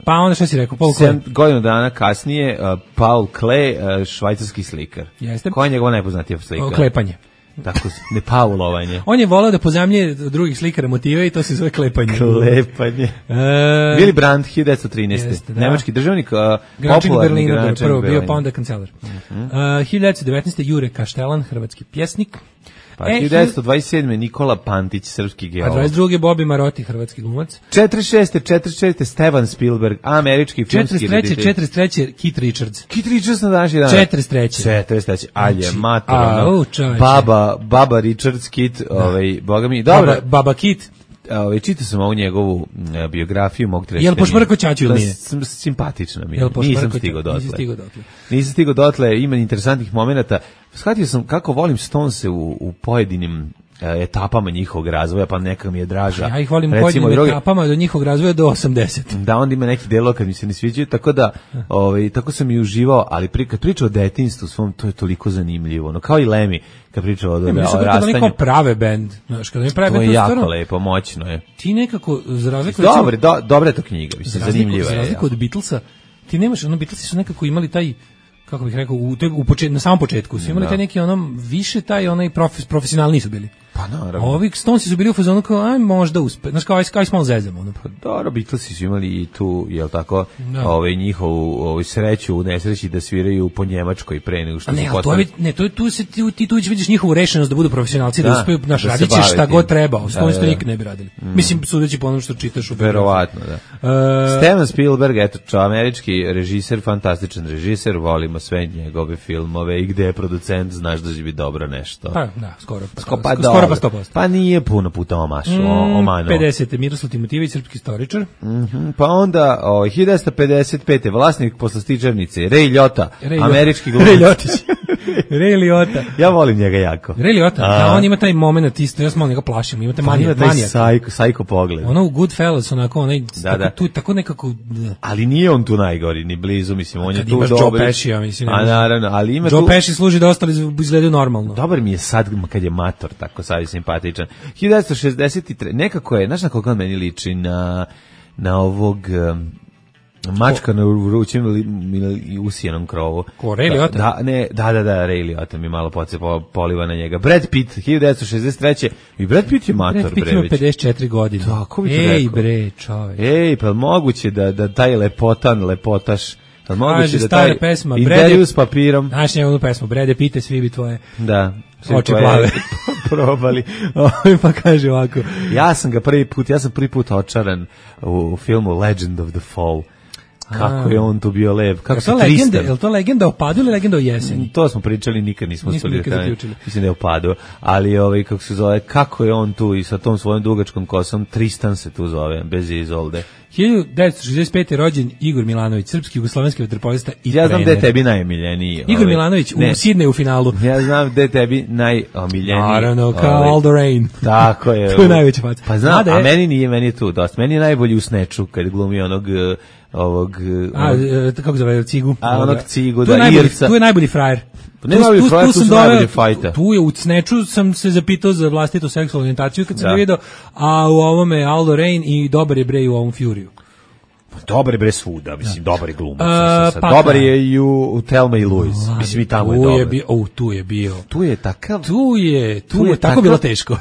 Pa onda šta si rekao? Paul Klee. Godinu dana kasnije, Paul Klee, švajcarski slikar. Jeste. Koja je njegova najpoznatija slika? Klepanje. Tako, ne paulovanje. On je volao da pozamlje drugih slikara motive i to se zove klepanje. Klepanje. Willy Brandt, 1913. Nemački državnik, popularni gradonačelnik prvo bio, pa onda kancelar. 1919. Jure Kaštelan, hrvatski pjesnik. Pa 1927. Nikola Pantić, srpski geolog. A 22. Bobi Maroti, hrvatski glumac. 46. Steven Spielberg, američki filmski reditelj. 43. Keith Richards. Keith Richards na današnji dan. 43. Alje, materno. Baba Richards, Keith, boga mi. Dobro. Baba Keith. Čitao sam ovu njegovu biografiju, mogu ti reći. Jel pošmrko ćaću ili nije? Simpatična mi je. Nisam stigao dotle. Ima interesantnih momenata. Shvatio sam kako volim Stonese u pojedinim etapama njihovog razvoja, pa neka mi je draža. Ja ih volim u pojedinim etapama do njihovog razvoja do 80. Da, onda ima neki delo kad mi se ne sviđaju, tako da tako sam i uživao, ali kad priča o detinjstvu svom, to je toliko zanimljivo. No, kao i Lemmy, kad priča o rastanju. Neko prave bend. To je jako lepo, moćno je. Ti nekako, za razliku... Dobra je to knjiga, zanimljiva je. Za razliku od Beatlesa, ti nemaš, Beatlesi su nekako imali taj, kako bih rekao, na samom početku su imali taj neki više taj profesionalni su bili. Pa naravno. Ovi Stonesi su bili u fazonu kao, aj možda uspe. Znaš kao, aj smo zezamo. Pa dobro, Beatlesi su imali i tu, jel tako, njihovu sreću u nesreći da sviraju po Njemačkoj pre nego što su postali. Ti tu vidiš njihovu rešenost da budu profesionalci, da uspeju, radit će šta god treba. Stonesi to nikad ne bi radili. Mislim, sudeći po onom što čitaš u verovatno, da. Steven Spielberg, eto, američki režiser, fantastičan režiser, volimo sve njegove filmove i gde je producent, znaš da će biti dobro nešto. Pa, da, skoro pa 100%. Pa nije puno puta omano. 50. Miroslav Timotijević, srpski istoričar. Pa onda 1955. vlasnik poslastičarnice Ray Liotta, američki glumac. Ray Liotić. Ray Liotta. Ja volim njega jako. Ray Liotta, on ima taj moment isto, ja sam malo njega plašim, ima taj manijak. Sajko pogled. Ono u Goodfellas, onako, onaj, tu tako nekako... Ali nije on tu najgori, ni blizu, mislim, on je tu dobri. Joe Pesci, mislim. A naravno, ali ima Joe Pesci služi da ostali izgledaju normalno. Dobar mi je sad kad je mator, tako sad je simpatičan. 1963, nekako je, znaš na koga meni liči, na ovog... Mačka na vrućem i usijenom krovu. Ko, Ray Liotta? Da, Ray Liotta mi malo poliva na njega. Brad Pitt, 1963. I Brad Pitt je mator, bre. Brad Pitt ima 54 godine. Tako bi to rekao. Ej, bre, čoveč. Pa moguće da taj lepotaš, da moguće da taj pesma, intervju s papirom. Znaš njegovu pesmu, Brade Pitte, svi bi tvoje. Da. Oči plave. Probali. Pa kaže ovako. Ja sam prvi put očaran u filmu Legend of the Fall. Kako je on tu bio lep, kako se Tristan. Je to legenda o padu ili legenda o jeseni? To smo pričali, nikad nismo zaključili. Mislim da je o padu, ali kako se zove, kako je on tu i sa tom svojom dugačkom kosom, Tristan se tu zove, bez izolde. 1965. rođen Igor Milanović, srpski jugoslovenski vaterpolista i trener. Ja znam da je tebi najomiljeniji. Igor Milanović u Sidneju u finalu. Ja znam da je tebi najomiljeniji. Naravno, kao All the Rain. Tako je. To je najveća faca. Pa znam, a meni je tu dosta. Meni je najbolji u Snatchu, kad glumi kako zove, Cigu. A onog Cigu, da, Irca. Tu je najbolji frajer. Ne najbolji frajer, tu su najbolji fajta. Tu je u Snatchu sam se zapitao za vlastitu seksualnu orijentaciju kad sam ga vidio, a u ovome All the Rain i dobar je bre u ovom Furiju. Dobar je bre svuda, mislim, dobar je glumac. Dobar je i u Thelma i Louise. Mislim, i tamo je dobar. Tu je bio. Tu je takav. Tu je tako bilo teško.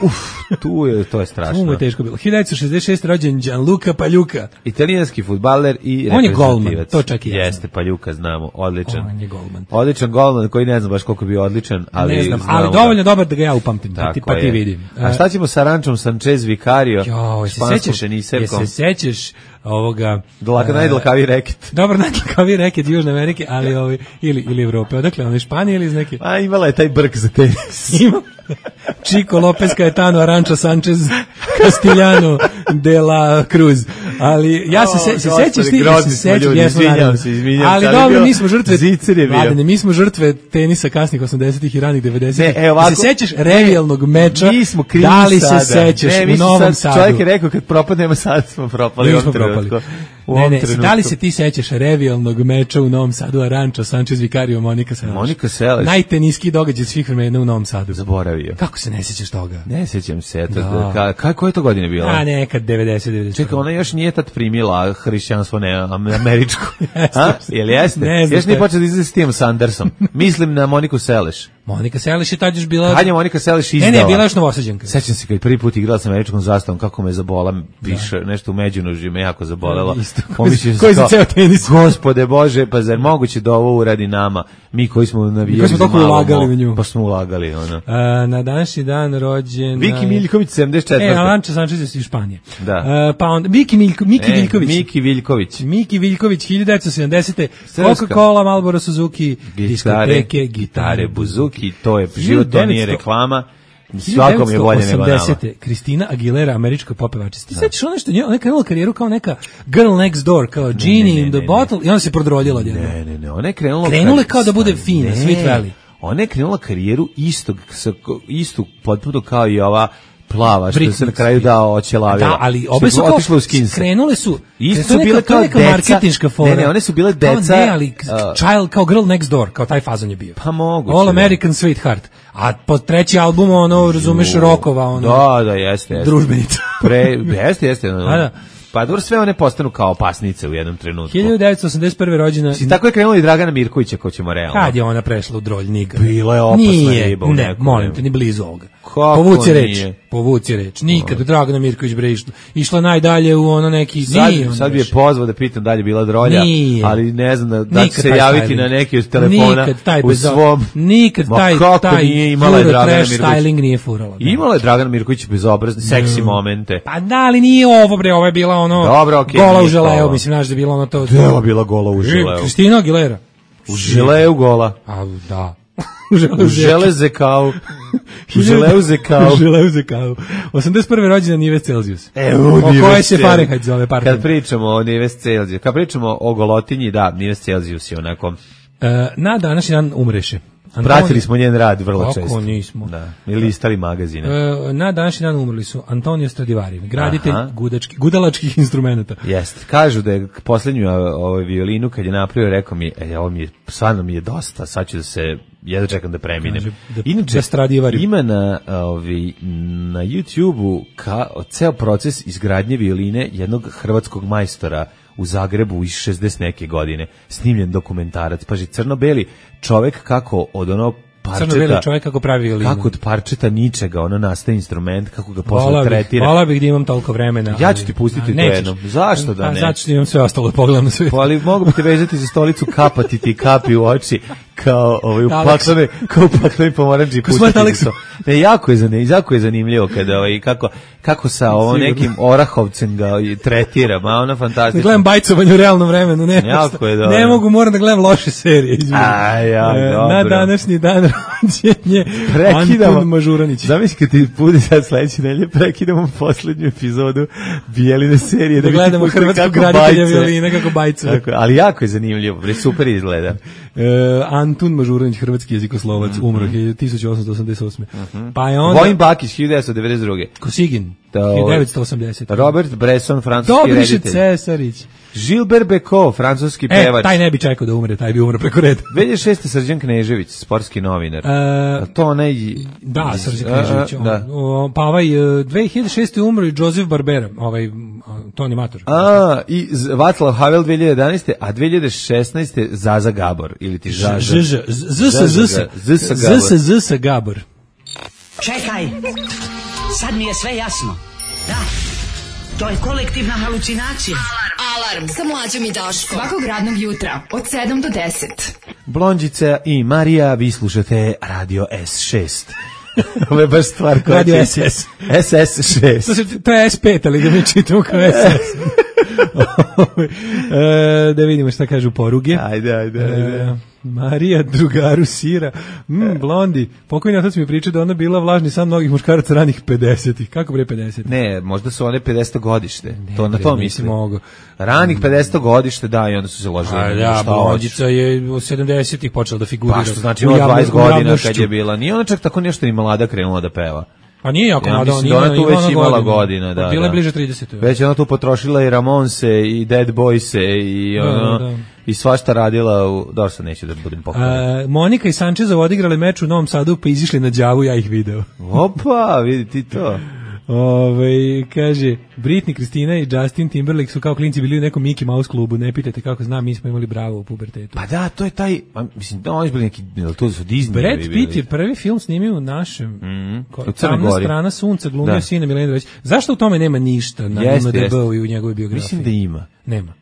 To je strašno. Tu mu je teško bilo. 1966. rođen Gianluca Pagliuca. Italijanski fudbaler i on je golman, to čak i jeste, Pagliuca znamo, odličan. On je golman. Odličan golman koji ne znam baš koliko bi odličan, ali ne znam, ali dovoljno dobar da ga ja upamtim, pa ti vidim. A šta ćemo sa Rančom Sanchez Vicario? Se sećaš ovoga najdlakaviji reket. Dobro, najdlakaviji reket Južne Amerike, ali ili Evrope. Odakle, on iz Španije ili iz neke? A imala je taj brk za tenis. Ima. Chico Lopez Caetano Aranča Sanchez Castellano de la Cruz. Ali ja se sećaš ti, ali dobro, mi smo žrtve Mladene, mi smo žrtve tenisa kasnih 80-ih i ranih 90-ih. Se sećaš revijalnog meča? Da li se sećaš u Novom Sadu? Čovjek je rekao kad propadnemo sad smo propali. Da li se ti sećaš revijalnog meča u Novom Sadu Aranča Sanchez Vicario Monika Seles? Najteniskiji događaj svih vremena u Novom Sadu. Zaboravio. Kako se ne sećaš toga? Ne sećam se. Koje je to godine bilo? A nekad 90. Čekaj, ona još nije tad primila hrišćanstvo američko. Jel jeste? Još nije počela da izlazi s tim Sandersom. Mislim na Moniku Seleš. Monika Seleš je tad još bila... Kad je Monika Seleš izdala? Ne, bila još Novosađanka. Sećam se kad prvi put igrala sa američkom zastavom, kako me zabola, piše nešto u međunožju, me jako zabolela. Koji za ceo tenis? Gospode Bože, pa zar moguće da ovo uradi nama? Mi koji smo navijali koji smo toliko ulagali u nju. Pa smo ulagali, ono. Na današnji dan rođen... Viki Miljković, 74. Alanča Sanchez iz Španije. Da. Pa onda, Miki Viljković. Miki Viljković, 1970. Coca-Cola, Marlboro, Suzuki, diskoteke, gitare, buzuki, to je život, to nije reklama. Svakom je bolje nego nama. 1980. Kristina Aguilera, američka popevačica. Ti sećaš ono što ona je krenula karijeru kao neka girl next door, kao Genie in the bottle, i ona se prodroljila od jednog. Ne, ona je krenula kao da bude fina, Sweet Valley. Ona je krenula karijeru istu potpuno kao i ova plava, što se na kraju oćelavila. Da, ali obe su otišle u skins. Krenule su bile kao neka marketinška fora. Ne, one su bile deca. Ne, ali child kao girl next door, kao taj fazon je bio. Pa moguće. All American Sweetheart. A po treći album, razumeš, rokova, Da, jeste. Družbenica. Jeste. Pa dobro, sve one postanu kao opasnice u jednom trenutku. 1981. rođena... Tako je krenula i Dragana Mirkovića, ko ćemo realno. Kad je ona prešla u drolj Niga? Bila je opasna riba. Ne, molim te, ni blizu ovoga. Povuci reč. Nikad Dragana Mirković bre išla najdalje u ono neki... Sad bi je pozvao da pitam da li je bila drolja, ali ne znam da će se javiti na neki od telefona u svom... Nikad taj styling nije furala. Imala je Dragana Mirković bezobrazni, seksi momente. Pa da, ali nije ovo bre, ovo je bila gola u želeo, mislim, znaš da je bilo ono to... Dela bila gola u želeo. Kristina Aguilera. U želeu gola. A, da. U železe kao. U želeu zekao. 81. rođendan Nives Celzijus. O koje se Fahrenheit zove parfum? Kad pričamo o Nives Celzijus, kad pričamo o golotinji, da, Nives Celzijus je onako... Na današnji dan umreše. Pratili smo njen rad vrlo često. Kako nismo. Da, ili listali magazine. Na današnji dan umrli su Antonio Stradivari, graditelj gudalačkih instrumenta. Jeste. Kažu da je posljednju violinu kad je napravio, rekao mi, stvarno mi je dosta, sad ću da se, jedno čekam da preminem. Inače, ima na YouTube-u ceo proces izgradnje violine jednog hrvatskog majstora u Zagrebu iz 60 neke godine, snimljen dokumentarac, paži, crno-beli čovek kako od ono parčeta, crno-beli čovek kako pravi violinu, kako od parčeta ničega ono nastaje instrument, kako ga posle tretira. Hvala bih da imam toliko vremena. Ja ću ti pustiti to jednom. Zašto da ne? Zato što imam sve ostalo, pogledam na sve. Ali mogu bi te vezati za stolicu, kapati ti kapi u oči, kao upaklane pomoranđi pušti. Ne, jako je zanimljivo kada kako sa ovom nekim Orahovcem ga tretira, ma ona fantastična. Gledam bajcovanje u realnom vremenu, ne mogu, moram da gledam loše serije. Na današnji dan rođenje Antun Mažuranić. Zamisli kad ti bude sad sledeće nedelje, prekidamo poslednju epizodu Bijeline serije. Da gledamo hrvatskog graditelja violine kako bajcuje. Ali jako je zanimljivo, super izgleda. Antun Mažuranić, hrvatski jezikoslovac, umro 1888. Pa je onda Vojin Bakić 1992. Kosigin 1980. Robert Bresson, francuski reditelj. Dobriše Cesarić. Gilbert Bécaud, francuski pevač. Taj ne bi čekao da umre, taj bi umro preko reda. 2006. Srđan Knežević, sportski novinar. To onaj... Da, Srđan Knežević. Pa 2006. umro i Joseph Barbera, to animator. I Václav Havel 2011. A 2016. Zaza Gabor. Ili ti Zaza. ZS Gabor. Čekaj, sad mi je sve jasno. Da, to je kolektivna halucinacija. Alarm sa Mlađom i Daškom. Svakog radnog jutra od 7 do 10. Blondjica i Marija, vi slušate Radio S6. Ovo je baš stvar koja Radio SS. SS6. To je S5, ali ga mi čitamo kao SS. Da vidimo šta kažu poruge. Ajde. Marija, drugaru sira. Blondi. Pokojni otac mi priča da ona bila vlažni san mnogih muškaraca ranih 50-ih. Kako bre 50? Ne, možda su one 50 godište. To na to mislim. Ranih 50 godište, da, i onda su se ložili. Blondica je u 70-ih počela da figurira. Pa što znači ima 20 godina kad je bila. Nije ona čak tako nešto ni mlada krenula da peva. Pa nije jako mlada, ona tu već imala godina, da. Bila je bliže 30. Već ona tu potrošila i Ramonse i Dead Boyse i i svašta radila dobro, sad neću da budem pokojna. Monika i Sančezov odigrali meč u Novom Sadu pa izišli na Đavu, ja ih video. Opa, vidi ti to. Kaže, Britney, Kristina i Justin Timberlake su kao klinci bili u nekom Mickey Mouse klubu, ne pitajte kako znam, mi smo imali Bravo u pubertetu. Pa da, to je taj, mislim, da oni su bili neki, to su Disney. Brad Pitt je prvi film snimio u našem, Tamna strana sunca, glumio sina Milena Dragić. Zašto u tome nema ništa na IMDb-u i u njegovoj biografiji? Mislim da ima. Nema.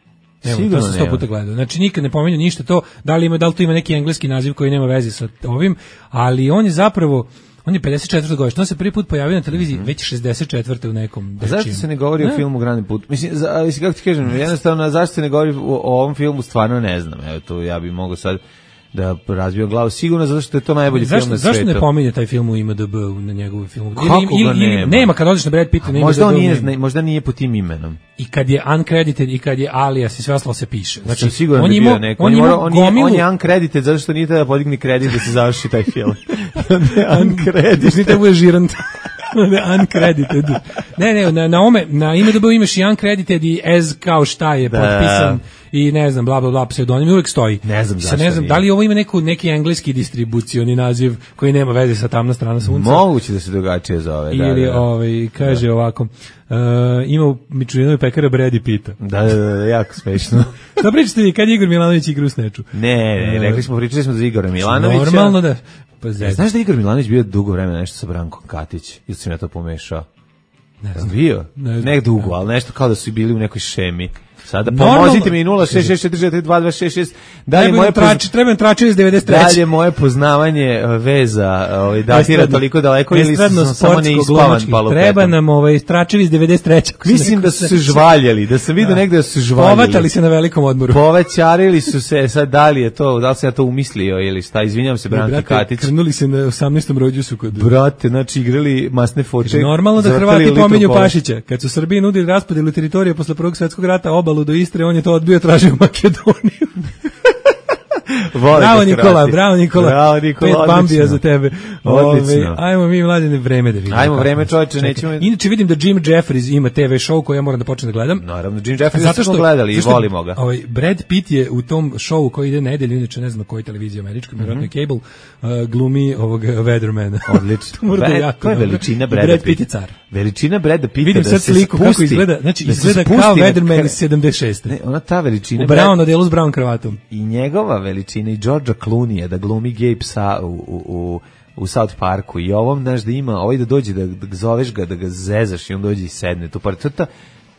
To sam 100 puta gledao. Znači nikad ne pominju ništa to, da li to ima neki engleski naziv koji nema veze sa ovim, ali on je zapravo, on je 54. godište, on se prvi put pojavio na televiziji već 64. u nekom dečinu. Zašto se ne govori o filmu Grani put? Mislim, kako ti kažem, jednostavno, zašto se ne govori o ovom filmu, stvarno ne znam. Evo to, ja bih mogao sad da razbio glavu, sigurno zato što je to najbolji film na svetu. Zašto ne pominje taj film u IMDb na njegovu filmu? Kako ga nema? Nema, kad odeš na Brad Pitta, možda nije po tim imenom. I kad je uncredited i kad je alias i sve ostalo se piše. Znači, sigurno bi bio neko. On je uncredited zato što nije da podigni kredit da se završi taj film. Uncredited. Nije da bude žirant. Uncredited. Ne, na IMDb imaš i uncredited i as kao šta je potpisan i ne znam, bla, bla, bla, pseudonim uvijek stoji. Ne znam zašto. Ne znam, da li ovo ima neki engleski distribucioni naziv koji nema veze sa Tamna strana sunca? Moguće da se drugačije zove. Ili, kaže ovako, ima u Mičurinovoj pekara Brady Pitta. Da, jako smešno. Da pričate vi, kad je Igor Milanović igra u Sneču? Ne, pričali smo za Igora Milanovića. Normalno da. Znaš da Igor Milanović bio dugo vremena nešto sa Brankom Katić? Ili sam ja to pomešao? Ne znam. Bio? Ne dugo, ali nešto kao da su bili u nekoj šemi. Sada pomozite mi 066442266. Trebam tračevi iz 93. Dalje moje poznavanje veza datira toliko daleko ili sam samo neispavan palopetom. Treba nam tračevi iz 93. Mislim da su se žvaljeli, da sam vidio negde da su se žvaljeli. Povatali se na velikom odmoru. Povećarili su se, sad da li je to, da li sam ja to umislio ili šta, izvinjam se Branki Katić. Krnuli se na 18. rođusu kod... Brate, znači igrali masne foče. Normalno da Hrvati pominju Pašića. Kad su Srbiji nudili raspodelu teritorije posle Prvog svjetskog rata, obalu do Istre, on je to odbio, tražio Makedoniju. Bravo Nikola. Pet bambija za tebe. Ajmo mi Mladine vreme da vidimo. Ajmo vreme, čovječe, nećemo. Inače vidim da Jim Jeffries ima TV show koji ja moram da počnem da gledam. Naravno, Jim Jeffries smo gledali i volimo ga. Brad Pitt je u tom showu koji ide nedelju, inače ne znam na kojoj televiziji američkoj, vjerojatno Cable, glumi ovog Weathermana. Odlično. To je veličina Brada Pitta. Brad Pitt je car. Veličina Brada Pitta. Vidim sad sliku kako izgleda, znači izgleda kao Weatherman iz 76. Ne, ona ta veličina. U brown odelu s brown kravatom. I njegova veličina i Georgea Clooney da glumi Gabe Psa u South Parku i ovom, znaš, da ima, ovaj da dođe, da zoveš ga, da ga zezaš i on dođe i sedne tu par.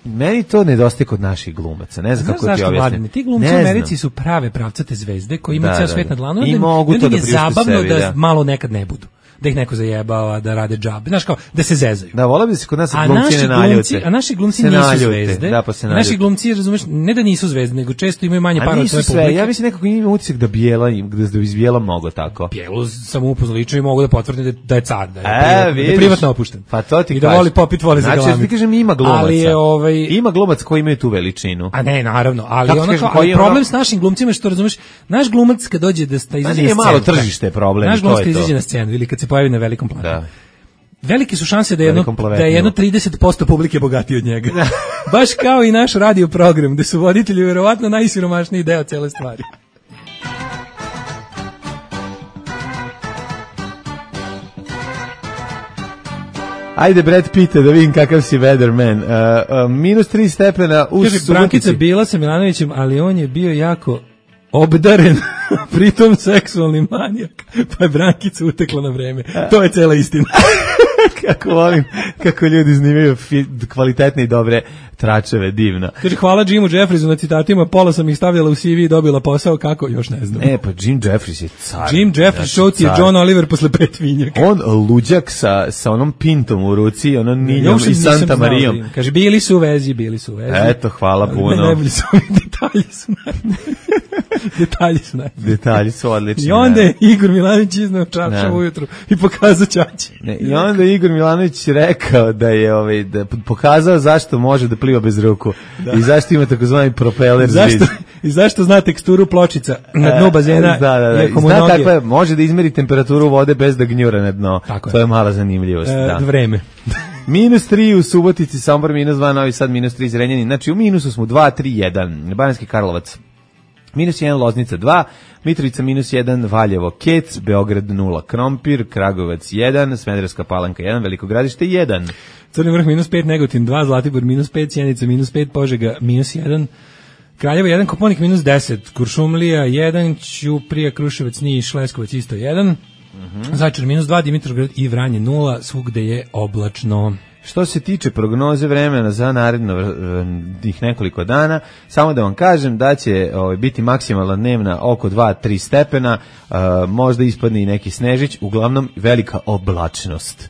Meni to nedostaje kod naših glumaca. Ne znam kako ti objasnim. Ti glumci u Americi su prave pravcate zvezde koji imaju ceo svet na dlanu. I mogu to da priušte zabavno sebi, da malo nekad ne budu. Da ih neko zajebava, da rade džabe. Znaš kao, da se zezaju. Da, volao bi se kod nas glumci ne naljute. A naši glumci nisu zvezde. Da, pa se naljute. Naši glumci, razumeš, ne da nisu zvezde, nego često imaju manje para od svoje publike. Ja mislim nekako ima utisak da Bijela, da izbijela mnogo tako. Bijelu sam upoznao lično i mogu da potvrdim da je car, da je privatno opušten. Pa to ti i da voli popit, voli za galami. Znači, ti kažem ima glumaca. Ima glumac koji imaju tu veličinu. A ne, naravno, ali problem s našim glumcima što razumeš, naš glumac kad dođe da izađe na scenu. Malo tržište problem, naš glumac kad izađe na scenu ili kad se pojavi na velikom planu. Velike su šanse da je jedno 30% publike bogatiji od njega. Baš kao i naš radio program, gde su voditelji verovatno najsiromašniji deo cele stvari. Ajde, Brad Pitt, da vidim kakav si weatherman. -3 stepena u Subotici. Brankica bila sa Milanovićem, ali on je bio jako obdaren, pritom seksualni manijak, pa je Brankica utekla na vreme. To je cela istina. Kako volim, kako ljudi snimaju kvalitetne i dobre tračeve, divno. Kaže, hvala Jimu Jeffriesu na citatima, pola sam ih stavljala u CV i dobila posao, kako, još ne znam. Pa Jim Jeffries je car. Jim Jeffries, show ti je John Oliver posle 5 vinjaka. On luđak sa onom pintom u ruci, onom Niljom i Santa Marijom. Kaže, bili su u vezi. Eto, hvala puno. Najbolji su ovi detalji su Detalji su odlični. I onda je Igor Milanović iznao čaršav ujutru i pokazao ćaći. I onda je Igor Milanović rekao da je da pokazao zašto može da pliva bez ruku i zašto ima takozvani propeler zid. I zašto zna teksturu pločica na dnu bazena. Zna kakva je, može da izmeri temperaturu vode bez da gnjura na dno. To je mala zanimljivost. Vreme. -3 u Subotici, Sombor -2, Novi Sad -3, Zrenjanin. Znači u minusu smo 2, 3, 1. Banatski Karlovac -1, Loznica 2, Mitrovica -1, Valjevo Kec, Beograd 0, Krompir, Kragujevac 1, Smederevska Palanka 1, Veliko Gradište 1. Crni Vrh -5, Negotin 2, Zlatibor -5, Sjenica -5, Požega -1, Kraljevo 1, Koponik -10, Kuršumlija 1, Ćuprija, Kruševac, Niš, Leskovac isto 1, Zaječar -2, Dimitrovgrad i Vranje 0, svugde je oblačno. Što se tiče prognoze vremena za narednih nekoliko dana, samo da vam kažem da će biti maksimalna dnevna oko 2-3 stepena, možda ispadne i neki snežić, uglavnom velika oblačnost.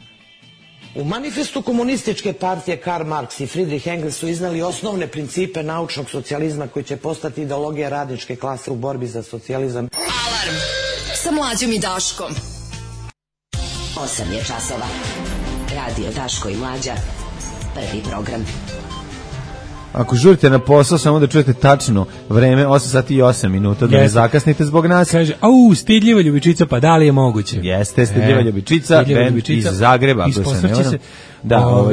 U manifestu komunističke partije Karl Marx i Friedrich Engels su iznali osnovne principe naučnog socijalizma koji će postati ideologija radničke klase u borbi za socijalizam. Alarm sa Mlađom i Daškom. 8 je časova. Radio Daško i Mlađa. Prvi program. Ako žurite na posao, samo da čujete tačno vreme, 8 sati i 8 minuta, da ne zakasnite zbog nas. Kaže, stidljiva ljubičica, pa da li je moguće? Jeste, stidljiva ljubičica, band iz Zagreba, ako se ne varam. Da,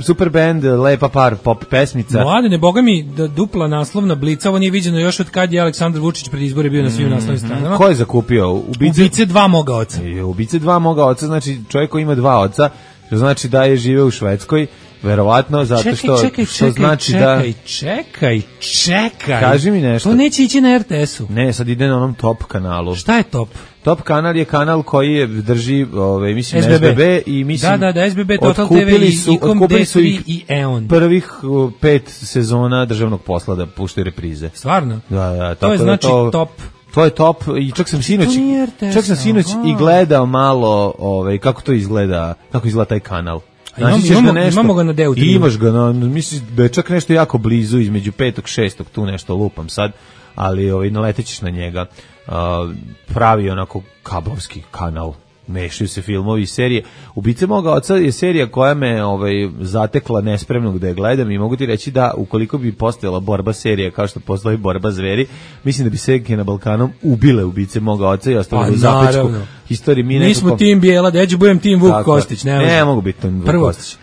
super band, lepa par pop pesmica. Mladene, boga mi, da dupla naslovna Blica, ovo nije viđeno još od kad je Aleksandar Vučić pred izbore bio na svim naslovnim stranama. Ko je zakupio? Ubice 2 moga oca. Ubice 2 moga oca, znači čovjek koji ima 2 oca, što znači da je živeo u Švedskoj, verovatno, zato što znači da... Čekaj. Kaži mi nešto. To neće ići na RTS-u. Ne, sad ide na onom Top kanalu. Šta je Top? Top kanal je kanal koji drži, mislim, SBB i mislim... Da, SBB, Total TV i Com3 i EON. Prvih 5 sezona državnog posla da puštaju reprize. Stvarno? Da, to je znači Top. To je Top i čak sam sinoć i gledao malo kako to izgleda, kako izgleda taj kanal. Imamo ga na DU3. Imaš ga, misliš da je čak nešto jako blizu između 5. i 6. tu nešto lupam sad, ali naletećeš na njega. Pravi onako kablovski kanal. Mešaju se filmovi i serije. Ubice moga oca je serija koja me zatekla nespremnog da je gledam i mogu ti reći da ukoliko bi postojala borba serija kao što postoji borba zveri, mislim da bi Senke na Balkanom ubile Ubice moga oca i ostavili u zapečku istoriji. Mi smo tim Bijela, da ja ću budem tim Vuk Kostić. Ne mogu biti tim Vuk Kostić.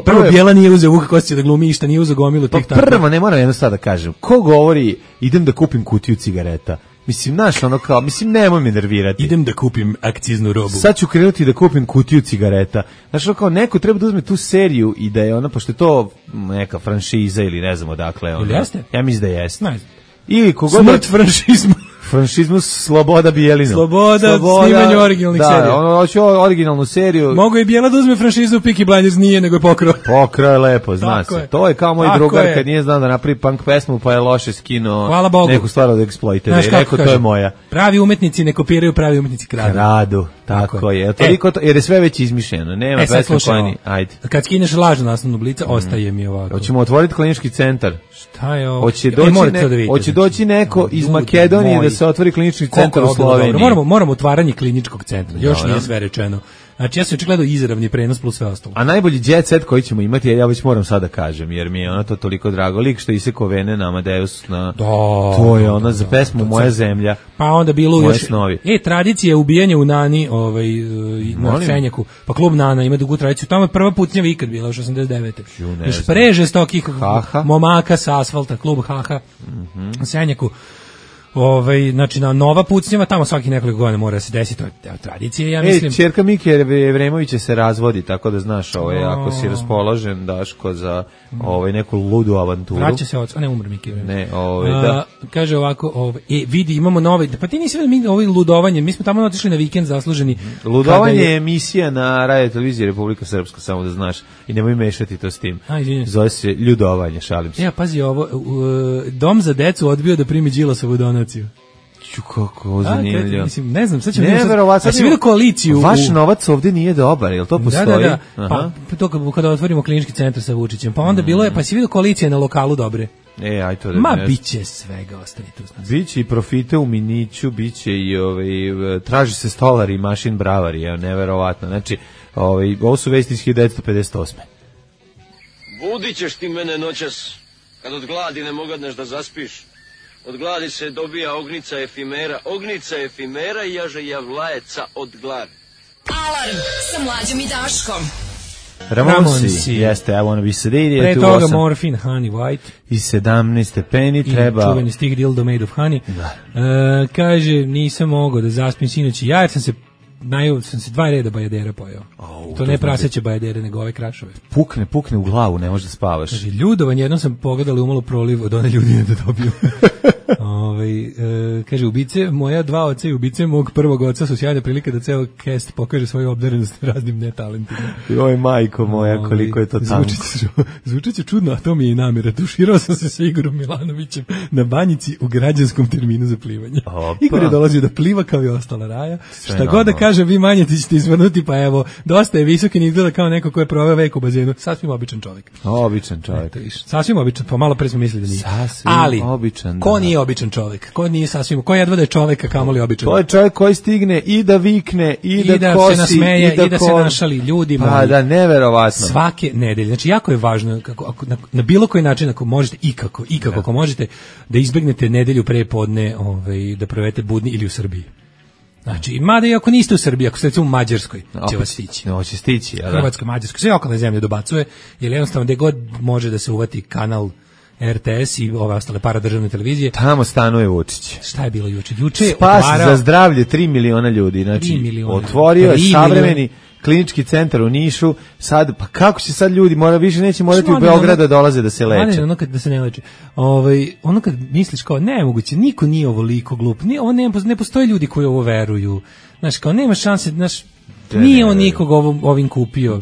Prvo Bijela nije uzeo Vuka Kostića da glumi išta, nije uzeo gomilu tih tako. Prvo, ne moram jedno sad da kažem, ko govori idem da kupim kutiju cigareta? Mislim, nemoj me nervirati. Idem da kupim akciznu robu. Sad ću krenuti da kupim kutiju cigareta. Znaš, neko treba da uzme tu seriju i da je pošto je to neka franšiza ili ne znam odakle. Ili jeste? Ja mislim da jeste. Ne. Ili smrt franšizmu. Franšizmu Sloboda Bijelina. Sloboda snimanju originalnih serija. Da, ono hoće originalnu seriju. Mogu i Bijela da uzme franšizu Peaky Blinders, nije, nego je pokrao. Pokrao je lepo, zna se. To je kao moj drugar kad nije znao da napravi punk pesmu, pa je loše skinuo neku stvar od Exploited. I rekao, to je moja. Pravi umetnici ne kopiraju, pravi umetnici kradu. Kradu, tako je. Jer je sve već izmišljeno. Nema pesme koja ni... Ajde. Kad skineš lažnu naslovnu Blica, ostaje mi ovako. Hoćemo otvoriti klinički centar. Šta je ovo? Hoće doći neko iz Makedonije da se otvori klinički centar u Sloveniji. Moramo otvaranje kliničkog centra. Još nije sve rečeno. Znači ja sam očigledno izravni prenos plus sve ostalo. A najbolji jet set koji ćemo imati, ja već moram sad da kažem, jer mi je ono to toliko drago. Lik što isekao vene na Amadeus, to je ona za pesmu Moja zemlja. Pa onda bilo još snovi. Tradicija ubijanja u Nani, na Senjaku. Pa klub Nana ima dugu tradiciju. Tamo je prva pucnjava ikad bila, još 89. Još prežestokih momaka sa asfalta, klub Haha, na Senjaku. Znači na nova pucnjava, tamo svakih nekoliko godina mora se desiti, to je tradicija, ja mislim. Ćerka Mike Evremovića se razvodi, tako da znaš, ako si raspoložen, Daško, za neku ludu avanturu. Vraća se oca, ne umre Mike Evremović. Da. Kaže ovako, vidi, imamo nove, pa ti nisi vidio ovo ludovanje, mi smo tamo otišli na vikend zasluženi. Ludovanje je emisija na Radio televiziji Republika Srpska, samo da znaš, i nemoj mešati to s tim. Zove se ljudovanje, šalim se. Pazi ovo, dom za decu odbio da primi Đilasovu donaciju. Kako zanimljivo. Mislim, ne znam, sad ćemo vidio koaliciju. Vaš novac ovdje nije dobar, jel to postoji? Da. Pa to kada otvorimo klinički centar sa Vučićem. Pa onda bilo je, pa si vidio koalicije na lokalu dobre. Aj to da. Ma biće svega, ostani tu. Biće i profite u Miniću, biće i traži se stolari i mašin bravari, neverovatno. Znači, ovo su vesti iz 1958. Budit ćeš ti mene noćas, kad od gladi ne mogadneš da zaspiš. Od gladi se dobija ognica efimera i jaže javlajeca od gladi. Alarm sa Mlađom i Daškom. Ramonsi, jeste, I wanna be sedated. Pre toga Morphine, Honey White. I 17 stepeni treba... I čuveni stih Dildo Made of Honey. Kaže, nisam mogao da zaspim sinoć ja, jer sam se 2 reda bajadera pojeo. To ne praseće bajadere, nego ove krašove. Pukne u glavu, ne možeš da spavaš. Kaže, ljudovanje, jednom sam pogledala umalo proliv od one ljudine da dobiju. Kaže, ubice, moja 2 oca i ubice mog prvog oca su sjajne prilike da ceo cast pokaže svoju obdarenost raznim netalentima. Joj, majko moja, koliko je to tanko. Zvučit će čudno, a to mi je i namjera. Tuširao sam se s Igorom Milanovićem na banjici u građanskom terminu za plivanje. Igor je dolazio da pliva kao i ostala raja. Šta god da kaže, vi manje ti ćete izvrnuti, pa evo, dosta je visoki, ne izgleda kao neko ko je proveo vek u bazenu. Sasvim običan čovjek. Običan čovjek. Sasvim običan, pa malo pre smo mislili da nije. Ali, običan, ko nije običan čovjek? Ko nije sasvim, ko jedva da je čovjek, a kamoli običan? To je čovjek koji stigne i da vikne, i da kosi, se nasmeje, i da se našali ljudi. Pa da, neverovatno. Svake nedelje. Znači, jako je važno, na bilo koji način, ako možete, ikako ako možete, da izbegnete nedelju pre podne, da provedete budni ili u Srbiji. Znači, mada i ako niste u Srbiji, ako ste recimo u Mađarskoj, će vas stići. Će stići, ja da. Hrvatska, Mađarska, sve okolne zemlje dobacuje, jer jednostavno gde god može da se uvati kanal RTS i ove ostale paradržavne televizije. Tamo stanuje Vučić. Šta je bilo juče? Juče je spas za zdravlje 3 miliona ljudi. Znači, otvorio je savremeni klinički centar u Nišu. Sad, pa kako će sad ljudi, više neće morati u Beograd da dolaze da se leče. Ono kad da se ne leče. Ono kad misliš kao nemoguće, niko nije ovoliko glup. Ne postoje ljudi koji ovo veruju. Znaš, kao nema šanse, znaš, nije on nikog ovim kupio.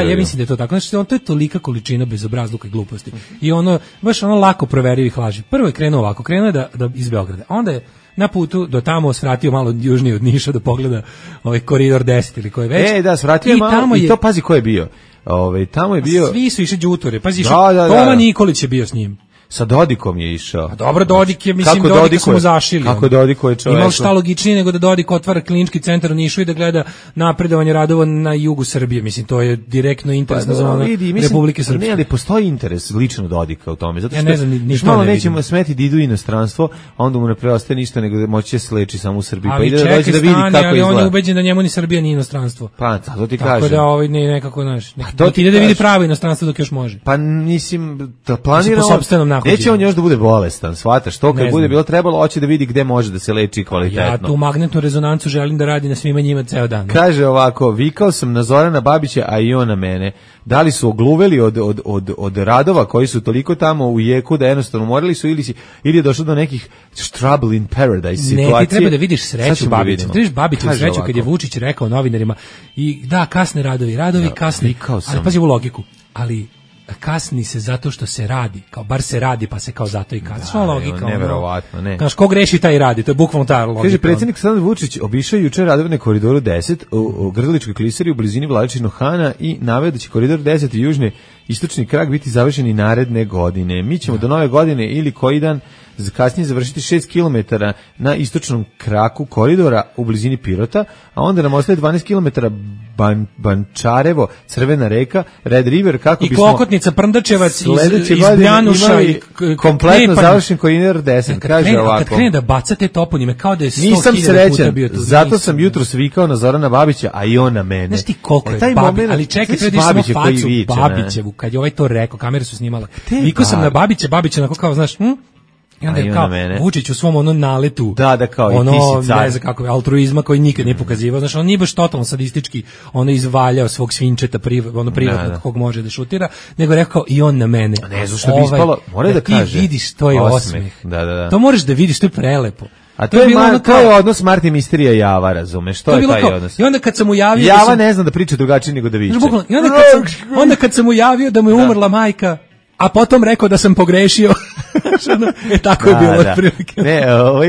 Ja mislim da je to tako. Znači, to je tolika količina bezobrazluka i gluposti. I baš lako proverivih laži. Prvo je krenuo ovako, krenuo je da iz Beograda. Onda je na putu do tamo svratio malo južnije od Niša da pogleda koridor 10 ili koji već. Da, svratio malo i to pazi ko je bio. Tamo je bio... Svi su išli đuture. Pazi, Toma Nikolić je bio s njim. Sa Dodikom je išao. A dobro, Dodik je, mislim, Dodika smo zašili. Kako Dodiko je čovjek? Imao šta logičnije nego da Dodik otvara klinički centar u Nišu i da gleda napredovanje radova na jugu Srbije. Mislim, to je direktno interesna zona Republike Srpske. Ne, ali postoji interes lično Dodika u tome. Zato što ne znam, ništa malo nećemo smeti da idu u inostranstvo, a onda mu ne preostaje ništa nego da moći se leči samo u Srbiji. Pa ide da dođe da vidi kako izgleda. Ali on je ubeđen da njemu ni Srbija ni inostranstvo. Pa, to ti kažem. Tako da nekako, znaš, ide da vidi pravo inostranstvo dok još može. Pa mislim, da planira Neće on još da bude bolestan, shvataš, to kad bude bilo trebalo, hoće da vidi gde može da se leči kvalitetno. Ja tu magnetnu rezonancu želim da radi na svima njima ceo dan. Kaže ovako, vikao sam na Zorana Babića, a i on na mene. Da li su ogluveli od radova koji su toliko tamo u jeku da jednostavno morali su ili je došlo do nekih trouble in paradise situacije. Ne, ti treba da vidiš sreću Babića. Ti vidiš Babiću sreću kad je Vučić rekao novinarima i da, kasne radovi kasne. Ali pazi u logiku, ali kasni se zato što se radi, kao bar se radi pa se kao zato i kasni. Što logika? Neverovatno, ne. Znaš, ko greši taj radi, to je bukvalno ta logika. Kaže, predsjednik Aleksandar Vučić obišao juče radove na Koridoru 10 u Grdeličkoj klisari u blizini Vladičinog Hana i naveo da će Koridor 10 i južni istočni krak biti završeni naredne godine. Mi ćemo do nove godine ili koji dan kasnije završiti 6 km na istočnom kraku koridora u blizini Pirota, a onda nam ostaje 12 km Bančarevo, Crvena reka, Red River, kako bismo... I Klokotnica, Prndačevac, iz Brjanuša i... kompletno završen Koridor 10, kaže ovako. Kad krene da bacate toponime, kao da je 100.000 nisam srećan, bio tu. zato sam jutro svikao na Zorana Babića, a i on na mene. Znaš ti koliko je Babić, ali čekaj, treba da samo facu Babićevu, kad je ovaj to rekao, kamere su snimale. Vikao sam na Babića, onako kao, znaš, i onda je kao Vučić u svom onom naletu da kao i ti si car. Ne znam kako, altruizma koji nikad nije pokazivao, znaš, on nije baš totalno sadistički izvaljao svog svinčeta privatnog kog može da šutira, nego rekao i on na mene. Ne znam što bi ispalo, mora da kaže. Ti vidiš, to je osmeh. Da. To moraš da vidiš, to je prelepo. A to je odnos Marti Misterija Java, razumeš? To je taj odnos. I onda kad sam mu javio... Java ne zna da priča drugačije nego da viče. I onda kad sam mu javio da mu je umrla majka, a potom rekao da sam pogrešio. Tako je bilo otprilike. Ne,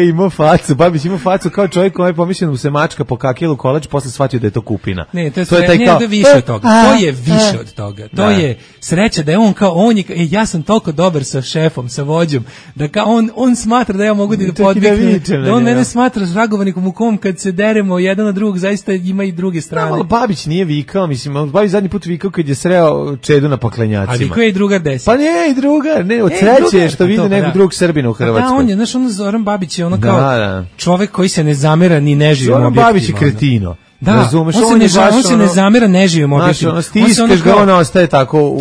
imao facu, Babić imao facu kao čovjek koji je pomišljen mu se mačka pokakila u kolač, posle shvatio da je to kupina. Ne, to je više od toga. To je više od toga. To je sreća da je on kao ja sam toliko dobar sa šefom, sa vođom, da kao on smatra da ja mogu da podviknem, da on mene smatra zagovornikom u kom kad se deremo jedan na drugog, zaista ima i druge strane. Ali Babić nije vikao, mislim, Babić zadnji put vikao kad je sreo Čedu na Paklenjacima. A vikao je i drugar 10. Pa nije i drugar, ne, od sreće što vidi nekog drugog Srbina u Hrvatskoj. Da, on je, znaš, Zoran Babić je kao čovek koji se ne zamera ni neživim objektima. Zoran Babić je kretino. Da, razumeš, on se ne zamera neživim objektima. Stiskaš ga, on ostaje tako,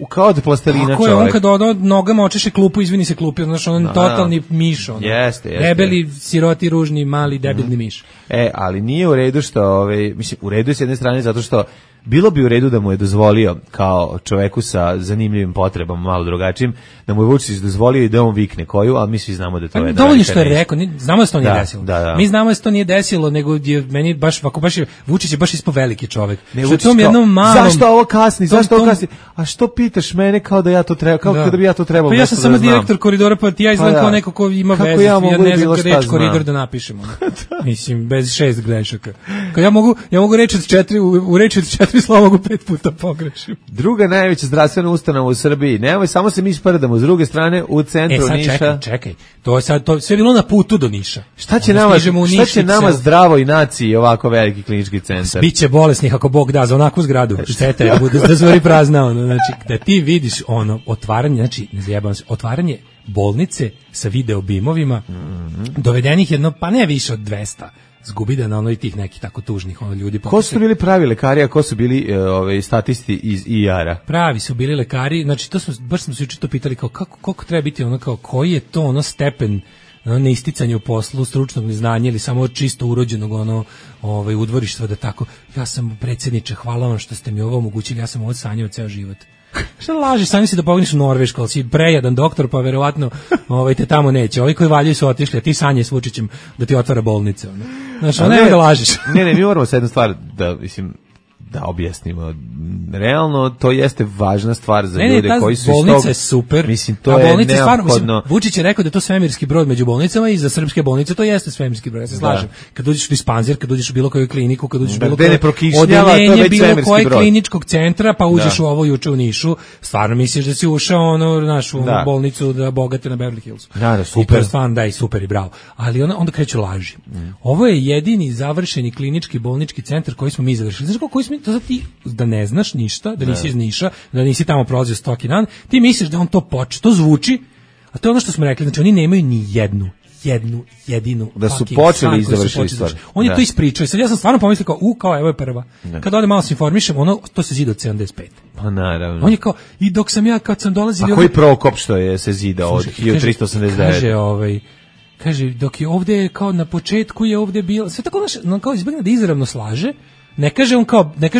kao od plastelina čovek. Tako je, on kada nogama očeše klupu, izvini se klupi, znaš, on totalni miš. Jeste. Debeli, siroti, ružni, mali, debilni miš. Ali nije u redu što, mislim, u redu je s jedne strane zato što bilo bi u redu da mu je dozvolio kao čoveku sa zanimljivim potrebama, malo drugačijim, da mu je Vučić dozvolio i da on vikne koju, ali mi svi znamo da to je... Dovoljno što je rekao, znamo da se to nije desilo. Da. Mi znamo da se to nije desilo, nego je meni baš Vučić je baš ispo veliki čovek. Ne, što tom jednom malom... Zašto ovo kasni? A što pitaš mene kao da ja to treba, kao da bi ja to trebalo pa ja sam samo direktor koridora, pa ja izgledam kao neko ko ima vezu, ja ne znam kada reč koridor da napišemo. Mislim, bez 6 grešaka. Ja mogu reći u reči od 4 slova mogu 5 puta pogrešim. Druga najveća zdravstvena ustanova u Srbiji. Nemoj, samo se mi sprdamo. S druge strane, u centru Niša. Čekaj. To je sad sve bilo na putu do Niša. Šta će nama zdravoj naciji ovako veliki klinički centar? Biće bolesnih ako Bog da za onakvu zgradu. Šteta je da zvori prazna. Znači, da ti vidiš otvaranje, znači, ne zajebam se, otvaranje bolnice sa video bimovima, dovedenih jedno, pa ne više od 200. Zgubi na tih nekih tako tužnih ljudi. Ko su bili pravi lekari, a ko su bili statisti iz IR-a? Pravi su bili lekari, znači baš smo se juče to pitali kao koliko treba biti kao koji je to stepen neisticanje u poslu, stručnog neznanja ili samo čisto urođenog udvorištva da tako, ja sam predsjedniče, hvala vam što ste mi ovo omogućili, ja sam ovo sanjao ceo život. Šta lažiš, sami si da pogniš u Norvešku, ali si prejadan doktor, pa verovatno te tamo neće. Ovi koji valjaju su otišli, a ti sanje s Vučićem da ti otvara bolnice. Znači, nemoj da lažiš. Ne, mi moramo sa jednu stvar da objasnimo. Realno, to jeste važna stvar za ljude koji su iz tog... bolnica je super. Mislim, to je neophodno. Vučić je rekao da je to svemirski brod među bolnicama i za srpske bolnice to jeste svemirski brod. Ja se slažem. Kad uđeš u dispanzer, kad uđeš u bilo koju kliniku, kad uđeš u bilo koje odeljenje bilo koje kliničkog centra, pa uđeš u ovo juče u Nišu, stvarno misliš da si ušao našu bolnicu da bogate na Beverly Hillsu. Da, super. I super i bravo. Ali onda kreću laži. Ovo je jedini završeni klinički bolnički centar koji smo mi završili. Znaš koji smo to ti da ne znaš ništa, da nisi iz Niša, da nisi tamo prolazio stoki dan, ti misliš da on to zvuči, a to je ono što smo rekli, znači oni nemaju ni jednu jedinu da su počeli i završili stvar. On je to ispričao. Sad ja sam stvarno pomislio kao evo je prva. Kad ode malo se informišem, to se zida od 75. Pa naravno. On je kao, i dok sam ja kad sam dolazio... A koji Prokop što je se zida od 1389? Kaže, dok je ovde kao na početku je ovde bilo, sve tako kao izbegne da izravno slaže, ne kaže on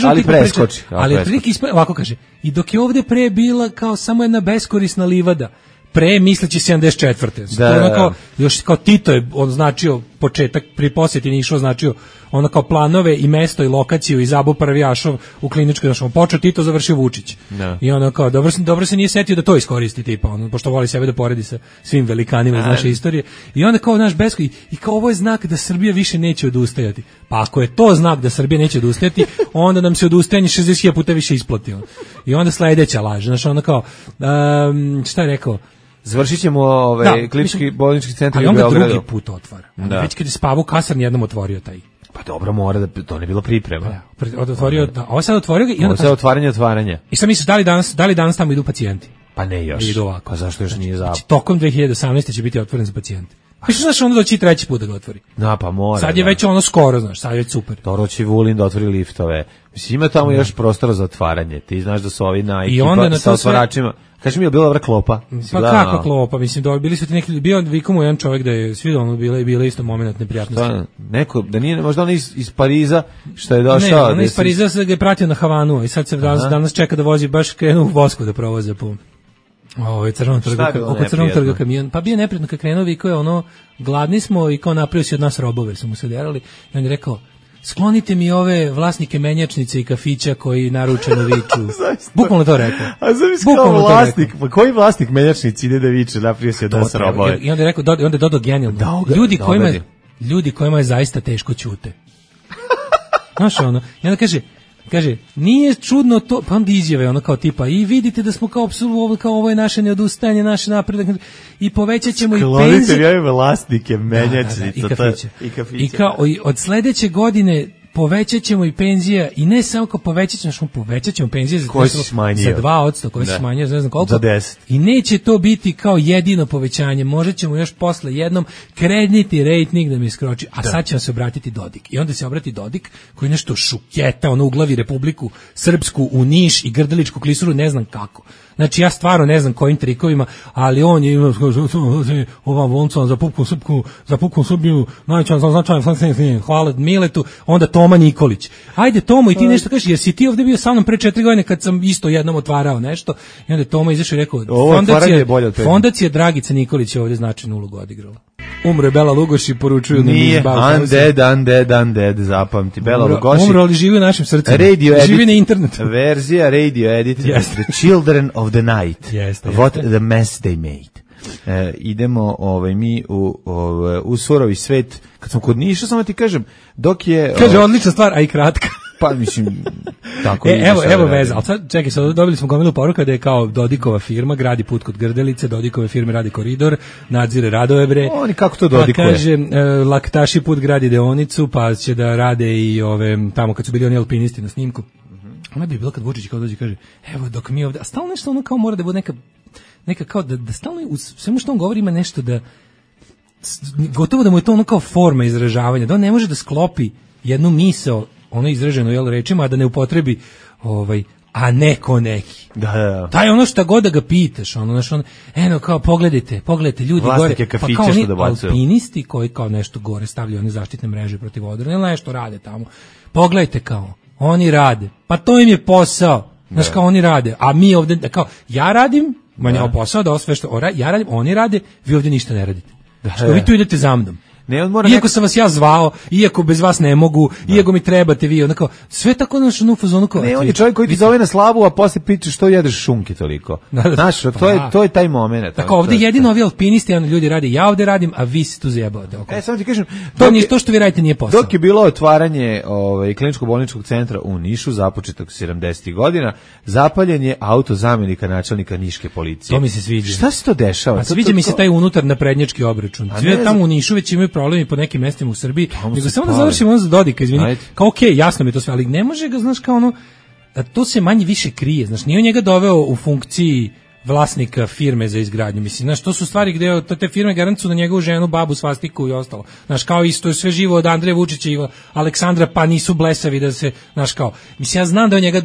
ali preskoči. Ali ovako kaže, i dok je ovde pre bila kao samo jedna beskorisna livada, pre misleći 74. Da, ono kao, još kao Tito je označio početak, pri posjeti Nišu označio ono kao planove i mesto i lokaciju i Zabo Prvijašov u kliničkoj, znači počeo Tito, završio Vučić. Da. I ono kao, dobro se nije setio da to iskoristi tipa, ono, pošto voli sebe da poredi sa svim velikanima iz naše istorije. I onda kao naš besko, i kao ovo je znak da Srbija više neće odustajati. Pa ako je to znak da Srbija neće odustajati, onda nam se odustajanje 60.000 puta više isplati. I onda sledeća laž, znači ono kao, šta je rekao, završit ćemo klinički bolnički centar u Beogradu. Ali on ga drugi put otvara. Već kad je spavao kasarni jednom otvorio taj. Pa dobro, mora da to ne bilo priprema. Otvorio, ovo sad otvorio ga i onda sad otvaranje. I sad misliš da li danas tamo idu pacijenti? Pa ne još. Idu ovako. Pa zašto još nije znači, tokom 2018. će biti otvoren za pacijente. Pa što znaš, onda doći treći put da ga otvori. Da, pa mora. Sad je već ono skoro, znaš, sad je već super. Dobro će Vulin da otvori liftove. Mislim, ima tamo još prostora za otvaranje. Ti znaš da su ovi na ekipa sa otvaračima. Kaži mi, je bila dobra klopa? Pa kakva klopa, mislim, bili su ti neki, bio Vikomu jedan čovjek da je svi ono bile isto moment neprijatnosti. Šta, neko, da nije, možda on iz Pariza, što je došao? Ne, on iz Pariza se ga je pratio na Havanu i sad se danas čeka da vozi, baš krenu u Vosku da provoze po Crvenom trgu, oko Crvenog trga kamion. Pa bio neprijatno kad krenuo, Viko je ono, gladni smo i kao napravio si od nas robove, su mu se derali i on je rekao, sklonite mi ove vlasnike menjačnice i kafića koji naručeno viču. Bukvalno to rekao. A zamisli kao vlasnik, pa koji vlasnik menjačnice ide da viče, napravio se da se robove. I onda je rekao, onda je dodao genijalno. Ljudi kojima je zaista teško ćute. Znaš ono, i onda kaže, nije čudno to, pa onda izjave ono kao tipa, i vidite da smo kao apsolutno, kao ovo je naše neodustajanje, naš napredak, i povećat ćemo i penzije. Sklonite mi vlasnike menjačnice i kafića. I kao od sledeće godine povećat ćemo i penzija, i ne samo kao povećat ćemo penzije za 2%, koje se smanjio, ne znam koliko. Za 10. I neće to biti kao jedino povećanje, možda ćemo još posle jednom kreditni rejting da mi iskroči, a sad će vam se obratiti Dodik. I onda se obrati Dodik, koji nešto šuketa, ono uglavi Republiku Srpsku u Niš i Grdeličku klisuru, ne znam kako. Znači ja stvarno ne znam kojim trikovima, ali on je imao ovam volncom za pupkom Srbiju, najvećan značajan, hvala Miletu, onda Toma Nikolić. Ajde Tomo, i ti nešto kažeš, jer si ti ovdje bio sa mnom pre 4 godine kad sam isto jednom otvarao nešto, i onda Toma izašao i rekao, fondacija Dragica Nikolić je ovdje značajnu ulogu odigrala. Umro je Bela Lugoš i poručuju da nije undead, zapamti. Bela Lugoš. Umro, ali živi u našim srcima. Živi na internetu. Verzija radio edit. The Children of the Night. What the mess they made. Idemo mi u surovi svet. Kad sam kod Niša, samo ti kažem, dok je... Kaže, odlična stvar, a i kratka. Pa mislim, tako evo veza, ali sad, čekaj, sad dobili smo gomilu poruka da je kao Dodikova firma, gradi put kod Grdelice, Dodikove firme radi koridor, nadzire radove bre. Oni kako to Dodikuje? Pa kaže, Laktaši put gradi deonicu, pa će da rade i tamo kad su bili oni alpinisti na snimku. Ona bi bilo kad Vučić kao dođe kaže, evo dok mi ovdje, a stalno nešto ono kao mora da bude neka kao da stalno u svemu što on govori ima nešto da, gotovo da mu je to ono kao forma izražavanja, da on ne može da sklopi jednu misao, ono izraženo rečima, a da ne upotrebi a neko neki. Da. Taj ono šta god da ga pitaš, eno kao pogledajte ljudi vlasnike gore, pa kao oni bacuju. Alpinisti koji kao nešto gore stavljaju one zaštitne mreže protiv odrona, ili nešto rade tamo. Pogledajte kao, oni rade. Pa to im je posao. Znaš kao oni rade, a mi ovdje kao ja radim, manje posao da sve što ja radim, oni rade, vi ovdje ništa ne radite. Što vi tu idete za mnom. Iako sam vas ja zvao, iako bez vas ne mogu, iako mi trebate vi, onako, sve tako naš u fazonu kao... Ne, on je čovjek koji ti zove na slavu, a posle piče što jedeš šunke toliko. Znaš, to je taj moment. Tako, ovdje jedino ovi alpinisti, ljudi radi, ja ovdje radim, a vi se tu zajebavate. Samo ti kažem... To što vi radite nije posao. Dok je bilo otvaranje kliničko-bolničkog centra u Nišu, započetak 70. godina, zapaljen je auto zamjenika načelnika niške policije. To mi se sviđa. Šta se to dešava? A sviđa mi se taj unutar naprednjački obračun. Sve tamo u Nišu već imaju problemi po nekim mestima u Srbiji, nego samo da završimo za Dodika, izvini. Kao okej, jasno mi je to sve, ali ne može ga, znaš, kao to se manje više krije, znaš, nije on njega doveo u funkciji vlasnika firme za izgradnju. Mislim, znaš, to su stvari gde te firme garantuju na njegovu ženu, babu, svastiku i ostalo. Znaš, kao isto je sve živo od Andreja Vučića i Aleksandra, pa nisu blesavi da se, znaš, kao, mislim, ja znam da on njega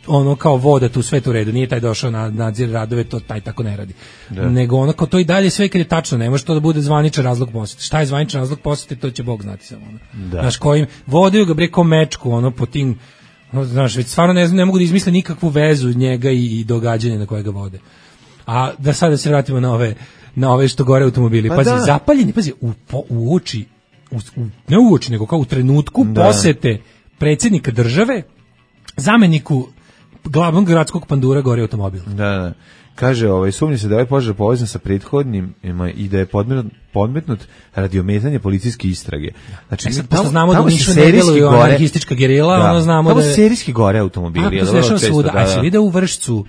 ono kao voda tu sve u redu, nije taj došao na nadzir radove, to taj tako ne radi. Da. Nego ono kao to i dalje sve kad je tačno, ne može to da bude zvaničan razlog posete. Šta je zvaničan razlog posete, to će Bog znati samo. Ono. Da. Znaš, kojim vodaju ga preko mečku, ono po tim, no, znaš, već stvarno ne mogu da izmisle nikakvu vezu njega i događanja na koje ga vode. A da sada se vratimo na ove što gore automobili. Pa pazi, zapaljeni, pazi, u oči, ne u oči, nego kao u trenutku posete predsjednika države, zameniku glavnog gradskog pandura gore automobil. Da. Kaže, sumnji se da je požar povezan sa prethodnim i da je podmetnut radi ometanja policijske istrage. Znači, sad, pošto znamo da nisu ne deluju anarhistička gerila, ono znamo tamo da je serijski gore automobili. To se dešava svuda. A se vide u Vršcu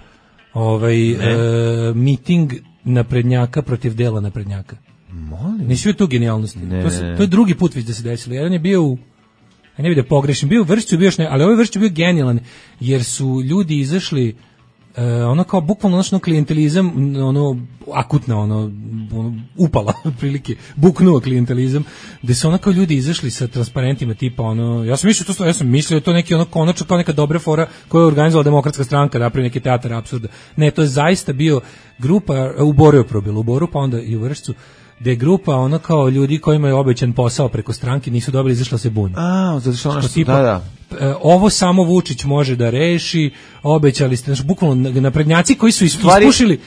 miting naprednjaka protiv dela naprednjaka. Molim. Nisi vidio tu genijalnosti. To je drugi put već da se desilo. Jedan je bio ne vidio pogrešim, bio u Vršcu, bio još ne, ali ovaj Vršcu bio genijalan, jer su ljudi izašli ono kao bukvalno ono klijentelizam, ono akutno, ono upala otprilike, buknuo klijentelizam, gde su ono kao ljudi izašli sa transparentima tipa ono, ja sam mislio da to neki ono konačno kao neka dobra fora koju je organizovala Demokratska stranka, napravi neki teatar apsurda. Ne, to je zaista bio grupa, u Boru je probilo, u Boru, pa onda i u Vršcu, gde je grupa ono kao ljudi kojima je obećan posao preko stranke, nisu dobili, izašla se bunja. Zato što ono što tipa, ovo samo Vučić može da reši, obećali ste, znači bukvalno naprednjaci koji su ispušili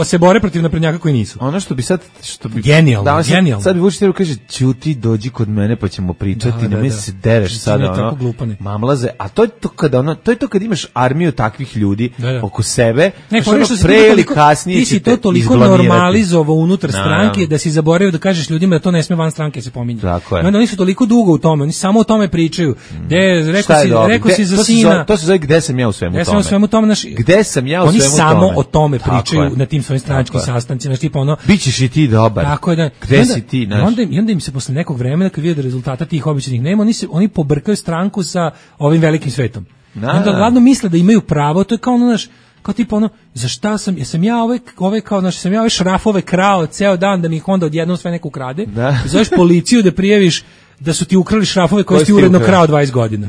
se bore protiv naprednjaka koji nisu. Ono što bi genijalno. Sad bi Vučić trebao kaže, ćuti, dođi kod mene pa ćemo pričati, ne se dereš sada, ono, mamlaze, a to je to kada to je to kad imaš armiju takvih ljudi oko sebe, pre ili kasnije ti si to toliko normalizovao unutar stranke da si zaboravio da kažeš ljudima da to ne sme van stranke se pominje. Oni su toliko dugo u tome, oni samo o tome pričaju. Rekao si za sina. To se zove gde sam ja u svemu tome. Ja sam u svemu tome, gde sam ja u svemu tome. Oni samo o tome pričaju na tim svojim stranačkim sastancima, tipa ono. Bićeš i ti dobar. Tako je da. Gde si ti, I onda im se posle nekog vremena kad vide da rezultata tih običajnih nema, oni pobrkaju stranku sa ovim velikim svetom. Onda glavno misle da imaju pravo, to je kao ono naš kao tipa ono, za šta sam ja ove kao, znači sam ja ove šrafove krao ceo dan da mi ih onda odjednom sve neko ukrade, zoveš policiju da prijaviš da su ti ukrali šrafove koje si uredno krao 20 godina.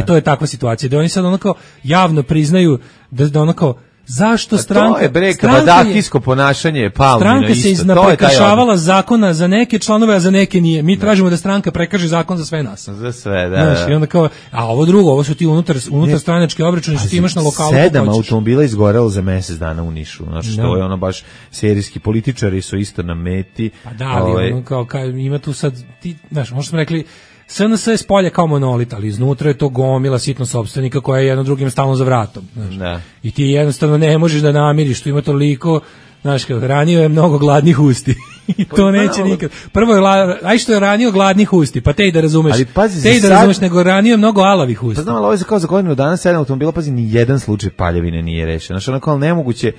To je takva situacija, da oni sad ono kao javno priznaju da ono kao, zašto stranka... To je breka, badahijsko ponašanje je Palmino stranka isto. Se iznaprekršavala zakona za neke članove, a za neke nije. Mi tražimo da stranka prekaže zakon za sve nas. Za sve, da. I onda kao, a ovo drugo, ovo su ti unutar stranački obračuni, što ti imaš na lokalu. 7 automobila izgorelo za mesec dana u Nišu. Znači, to je ono baš serijski političari su isto na meti. Pa da, ali ono kao, ima tu sad, ti, znaš, možda smo rekli, SNS je spolje kao monolit, ali iznutra je to gomila sitno sopstvenika koja je jedno drugim stalno za vratom. I ti jednostavno ne možeš da namiriš, tu ima toliko, znaš, ranio je mnogo gladnih usti. I to neće nikad. Prvo je, što je ranio gladnih usti, pa te i da razumeš. Ali pazi, te i da razumeš, nego ranio je mnogo alavih usti. Pa znam, ali ovo je kao za godinu dana 7 automobila, pazi, ni jedan slučaj paljevine nije rešen. Znači, ono kao nemoguće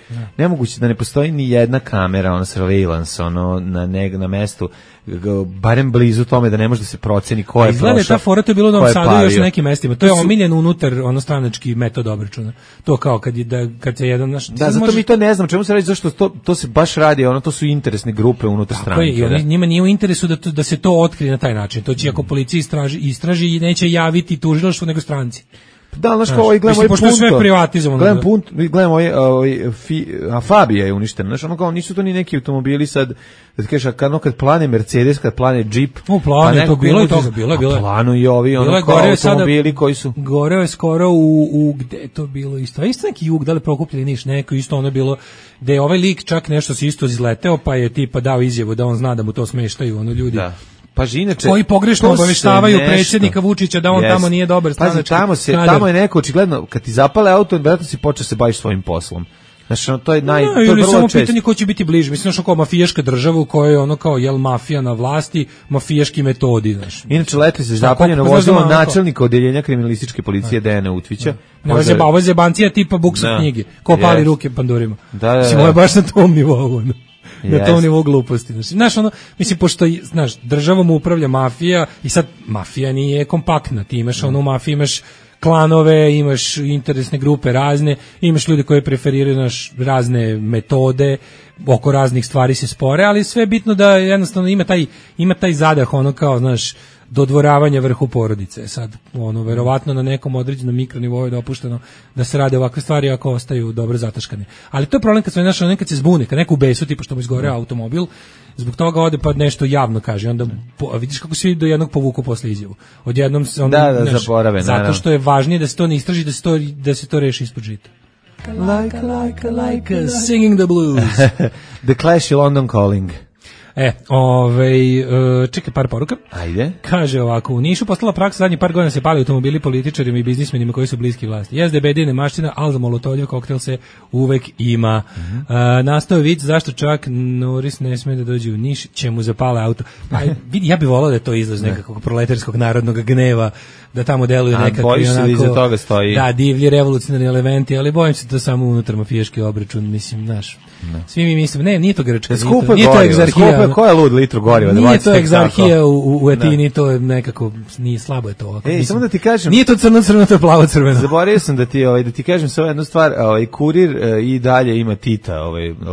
da ne postoji ni jedna kamera, ono surveillance, ono na mestu, barem blizu tome da ne može da se proceni ko je prošao. Izgleda ta fora, to je bilo u Novom Sadu i još na nekim mestima. To je omiljen unutar stranački metod obračuna. To kao kad se jedan naš... Da, zato mi to ne znam, čemu se radi, zašto to se baš radi, ono, to su interesne grupe unutar stranke. I njima nije u interesu da se to otkrije na taj način. To će ako policija istraži i neće javiti tužilaštvu nego stranci. Da, znaš kao, gledamo ovaj Punto. Sve privatizovano. Gledamo Fabija je uništen. Znaš, ono kao, nisu to ni neki automobili sad, da ti kažeš, kad plane Mercedes, kad plane Jeep. Plane, to bilo je toga, bilo je. Planu i ovi, ono kao automobili koji su... Goreo je skoro gde je to bilo isto? A isto neki jug, da li Prokupljeni Niš, neko isto ono bilo, gde je ovaj lik čak nešto se isto izleteo, pa je tipa dao izjavu da on zna da mu to smeštaju, ono ljudi. Da. Pa inače, koji pogrešno obaveštavaju predsjednika Vučića da on tamo nije dobar stranački. Tamo je neko očigledno, kad ti zapale auto, vjerojatno si počeo se baviš svojim poslom. Znači, to je to je vrlo samo pitanje ko će biti bliže. Mislim, kao mafijaška država u kojoj je ono kao, mafija na vlasti, mafijaški metodi, znaš. Inače, leti se zapaljeno vozilo načelnika odeljenja kriminalističke policije Dejana Utvića. Ovo je zebancija tipa buksa knjige, ko pali ruke pandurima. Mislim, ovo je baš na tom nivou, na tom nivou gluposti. Znaš, ono, mislim, pošto, znaš, državom upravlja mafija i sad mafija nije kompaktna. Ti imaš, u mafiji imaš klanove, imaš interesne grupe razne, imaš ljude koji preferiraju razne metode, oko raznih stvari se spore, ali sve je bitno da jednostavno ima taj zadah, ono kao, znaš, dodvoravanja vrhu porodice. Sad, ono, verovatno na nekom određenom mikronivou je dopušteno da se rade ovakve stvari ako ostaju dobro zataškane. Ali to je problem kad nekad se zbune, kad neko u besu, tipa što mu izgore automobil, zbog toga ode pa nešto javno kaže, onda vidiš kako svi do jednog povuku posle izjavu. Odjednom se onda zaborave, zato što je važnije da se to ne istraži, da se to reši ispod žita. Like singing the blues. The Clash i London Calling. Čekaj par poruka. Ajde. Kaže ovako, u Nišu postala praksa, zadnjih par godina se pali automobili političarima i biznismenima koji su bliski vlasti. Jezde bedine maština, ali za molotoljev koktel se uvek ima. Nastao je vic, zašto čak Norris ne smije da dođe u Niš, će mu zapale auto. Pa vidi, ja bih volao da je to izlaz nekakvog proletarskog narodnog gneva, da tamo deluju nekakvi onako, iza toga stoji. Da, divlji revolucionarni elementi, ali bojim se da samo unutar mafijaški obračun, mislim, znaš. Svi mi mislim, nije to Grčka, nije to egzarhija. Ko je lud litru goriva? Nije to egzarhija u Etini, to je nekako, nije slabo je to. Samo da ti kažem. Nije to crno-crveno, to je plavo-crveno. Zaboravio sam da ti kažem samo jednu stvar, Kurir i dalje ima Tita,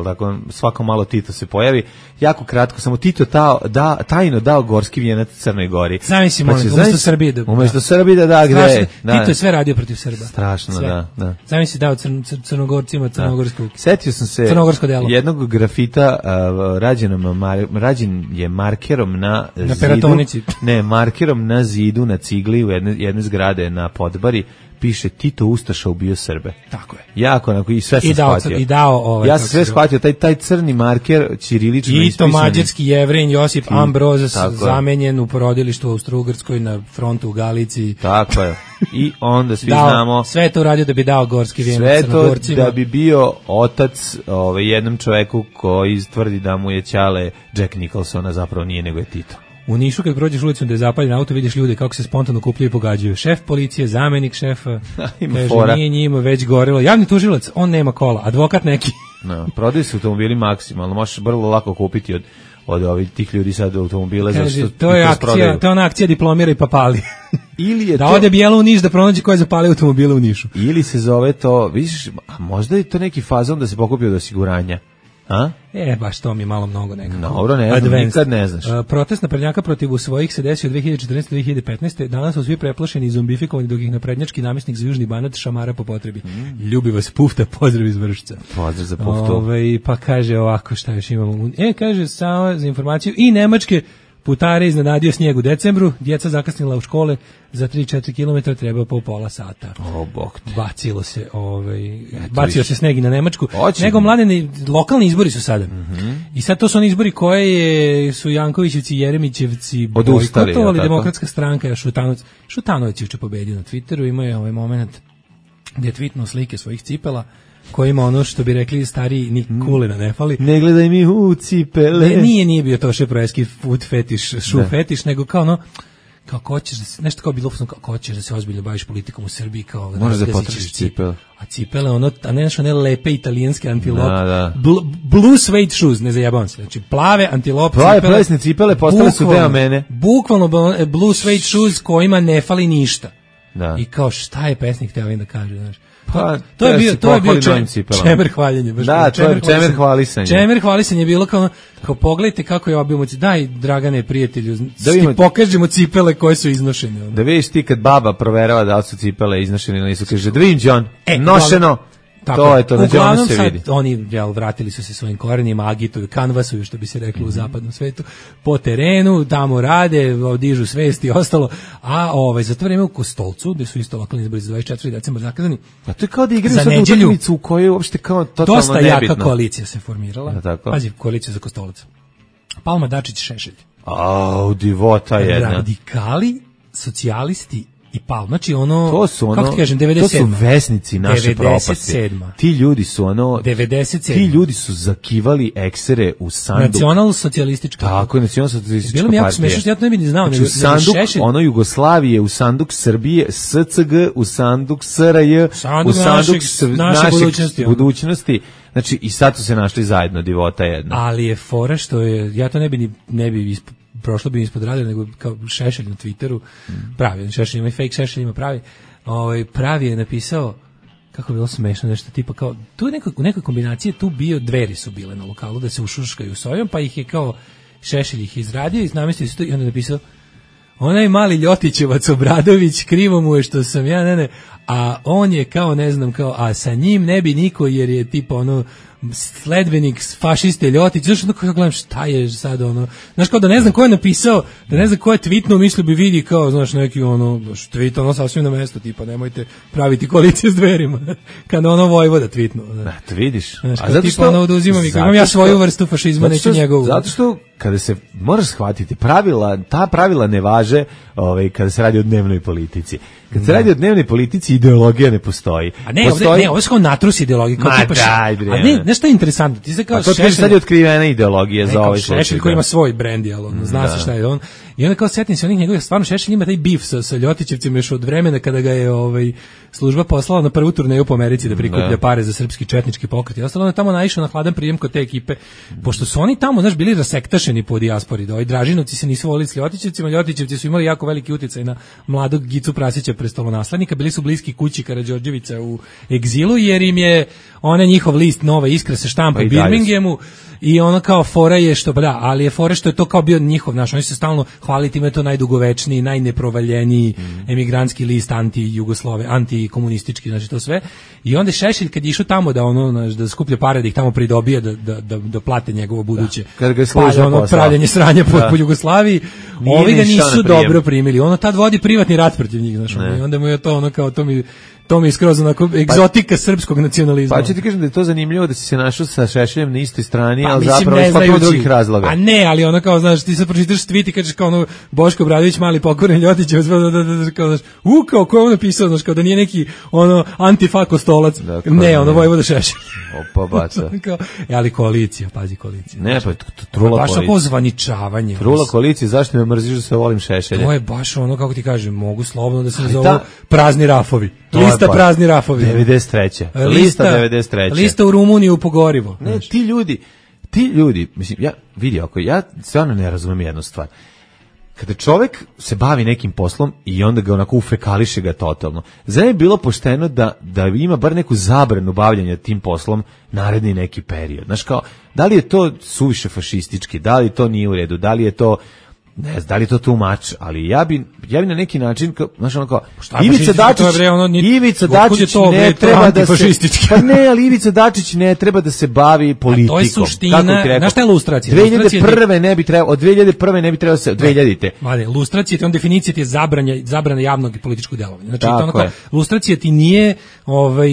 tako svako malo Tito se pojavi. Jako kratko, samo Tito tajno dao gorski vijenac Crnoj Gori. Zamisli, umesto Srbije da gde. Tito je sve radio protiv Srba. Strašno, da. Zamisli dao Crnogorcima crnogorskog. Setio sam se jednog grafita rađen je markerom na peratonici. Ne, markerom na zidu, na cigli u jedne zgrade na Podbari. Piše Tito Ustaša ubio Srbe. Tako je. Jako, onako, i sve sam shvatio. Ja sam sve shvatio, taj crni marker, ćirilično ispisani. I to mađarski Jevrin Josip Ambroz zamenjen u porodilištu u Austro-Ugrskoj na frontu u Galiciji. Tako je. I onda svi znamo... Sve to uradio da bi dao gorski vijenac Crnogorcima. Sve to da bi bio otac jednom čoveku koji tvrdi da mu je ćale Jack Nicholsona, zapravo nije, nego je Tito. U Nišu kad prođeš ulicom da je zapaljen auto, vidiš ljude kako se spontano kupljaju i pogađaju. Šef policije, zamenik šefa, kaže nije njima već gorilo. Javni tužilac, on nema kola, advokat neki. Prodaju se automobili maksimalno, možeš vrlo lako kupiti od ovih tih ljudi sad automobile. Kaže, to je ona akcija diplomira i papali. Da ode Bijelo u Niš da pronađe ko je zapalio automobile u Nišu. Ili se zove to, vidiš, a možda je to neki fazon da se pokupi od osiguranja. A? Baš to mi je malo mnogo nekako. Dobro, nikad ne znaš. Protest naprednjaka protiv svojih se desio 2014-2015. Danas su svi preplašeni i zombifikovani dok ih naprednjački namjesnik za Južni Banat šamara po potrebi. Ljubi vas Pufta, pozdrav iz Vršca. Pozdrav za Puftu. Pa kaže ovako, šta još imamo? Kaže samo za informaciju i nemačke putare iznenadio snijeg u decembru, djeca zakasnila u škole za 3-4 km, treba po pola sata. Bacilo se, bacio se sneg i na Nemačku. Nego mladeni, lokalni izbori su sada. I sad to su oni izbori koje su Jankovićevci i Jeremićevci bojkotovali, Demokratska stranka, Šutanović je pobedio na Twitteru, imao je ovaj moment gdje je tweetnuo slike svojih cipela, koji ima ono što bi rekli stariji, ni kulena ne fali. Ne gledaj mi u cipele. Nije bio to šeproeski food fetiš, fetiš, nego kao ono, kao ko ćeš, nešto kao bilo, kao ko ćeš da se ozbiljno baviš politikom u Srbiji, kao možeš da potražiš cipele. A cipele, ono, a ne one lepe italijanske antilope. Blue suede shoes, ne zajebavam se. Znači, plave antilope cipele. Plave plesne cipele postale su deo mene. Bukvalno blue suede shoes kojima ne fali ništa. I kao šta je pesnik htio da kaže, znaš. To je bio čemer hvaljenje. Da, to je čemer hvalisanje. Čemer hvalisanje je bilo kao pogledajte kako je obimo, daj Dragane prijatelju, pokažemo cipele koje su iznošene. Da vidiš ti kad baba proverava da li su cipele iznošene ili nisu, kaže da vidim John, nošeno. To je to, na Johnu se vidi. Oni vratili su se svojim korenima, agituju, kanvasuju, što bi se reklo u zapadnom svetu, po terenu, tamo rade, dižu svesti i ostalo, a za to vreme u Kostolcu, gde su isto lokalni izbori za 24. decembar zakazani. A to je kao da igraju sad utakmicu u kojoj je uopšte kao totalno nebitno. Dosta jaka koalicija se formirala. Pazi, koalicija za Kostolac. Palma, Dačić, Šešelj. Divota jedna. Radikali, socijalisti i Palma, znači kako ti kažem, 97. To su vesnici naše propasti. Ti ljudi su 97. Ti ljudi su zakivali eksere u sanduk. Nacionalsocijalistička. Tako je, nacionalsocijalistička partija. Bilo mi jako smešno, ja to ne bi ni znao. Znači, u sanduk, Jugoslavije, u sanduk Srbije, SCG, u sanduk SRJ, u sanduk naše budućnosti. Znači, i sad su se našli zajedno, divota jedna. Ali je fora što je, ja to ne bi prošlo bi ispod radara, nego kao Šešelj na Twitteru pravi, Šešelj ima i fake Šešelj ima pravi, Pravi je napisao, kako je bilo smešno, nešto tipa kao, tu je u nekoj kombinaciji tu bio, Dveri su bile na lokalu da se ušuškaju s ovim, pa ih je kao Šešelj ih izradio i namestio se to i onda je napisao, onaj mali Ljotićevac Obradović, krivo mu je što sam ja, a on je kao, ne znam, kao, a sa njim ne bi niko jer je tipa sledbenik fašiste Ljotić, znaš, ono kao gledam šta je sad znaš, kao da ne znam ko je napisao, da ne znam ko je tweetnuo, mislio bi vidi kao, znaš, neki tweet, sasvim na mesto, tipa, nemojte praviti koaliciju s Dverima, kada Vojvoda tweetnuo. Da, to vidiš. Znaš, a zato što, oduzimam i imam ja svoju vrstu fašizma, neću njegovu. Zato što, kada se, moraš shvatiti, ta pravila ne važe kada se radi o dnevnoj politici. Kad se radi o dnevnoj politici, ideologija ne postoji. A ne, ovo je kao natrus ideologija. A ne, nešto je interesantno. Ti se kao Šešelj... A to sad je otkrivena ideologija za ovaj slučaj. Šešelj koji ima svoj brend, zna se šta je on. I onda kao setim se onih njegovih, stvarno Šešelj ima taj bif sa Ljotićevcima još od vremena kada ga je služba poslala na prvu turneju po Americi da prikuplja pare za srpski četnički pokret. I ostalo on je tamo naišao na hladan prijem kod te ekipe. Pošto su oni tamo, znaš, bili rasektašeni po dijaspori. Dražinovci se nisu volili s Ljotićevcima, Ljotićevci su imali jako veliki uticaj na mladog Gicu Prasića, prestolonaslednika, bili su bliski kući Karađorđevića u egzilu, jer im je njihov list Nova Iskra se štampa u Birminghamu i kao fora je što, ali je fora što je to kao bio njihov, oni se stalno hvalili time, to najdugovečniji, najneprovaljeniji emigrantski list anti-Jugoslove, antikomunistički, znači to sve. I onda Šešelj kad je išao tamo da skuplja pare, da ih tamo pridobije, da plate njegovo buduće pravljenje sranja po Jugoslaviji, ovi ga nisu dobro primili. Tad vodi privatni rat protiv njih, znači, i onda mu je to kao, to mi je skroz onako egzotika srpskog nacionalizma. Pa ću ti kažem da je to zanimljivo da si se našao sa Šešeljem na istoj strani, ali zapravo iz potpuno drugih razloga. A ne, ali kao, znaš, ti sad pročitaš tweet i kažeš kao Boško Obradović, mali pokoren Ljotićevac, kao, znaš, kao ko je on napisao, znaš, kao da nije neki antifa Kostolac, ne, Vojvoda Šešelj. Opa, baca. Ali koalicija, pazi koalicija. Ne, pa trula koalicija. Baš ako zvaničavanje. Trula koalicija, zašto me mrziš da se volim Šešelja? To je baš kako ti kažem, mogu slobodno da se zovu prazni rafovi. Lista prazni rafovi. 93. Lista 93. Lista u Rumuniju po gorivo. Ne, ti ljudi, mislim, ja stvarno ne razumem jednu stvar. Kada čovjek se bavi nekim poslom i onda ga onako ufekališe ga totalno, zar je bilo pošteno da ima bar neku zabranu bavljanja tim poslom naredni neki period? Znaš, kao, da li je to suviše fašistički, da li to nije u redu, da li je to, ne znam, da li je to too much, ali ja bi na neki način, znaš, ono kao, Ivica Dačić ne treba da se, pa ne, ali Ivica Dačić ne treba da se bavi politikom. A to je suština, znaš šta je lustracija? 2001. ne bi trebalo, od 2001. ne bi trebalo se, od 2000. Vale, lustracija, on definicija ti je zabrana javnog i političkog djelovanja. Znači, to ono kao, lustracija ti nije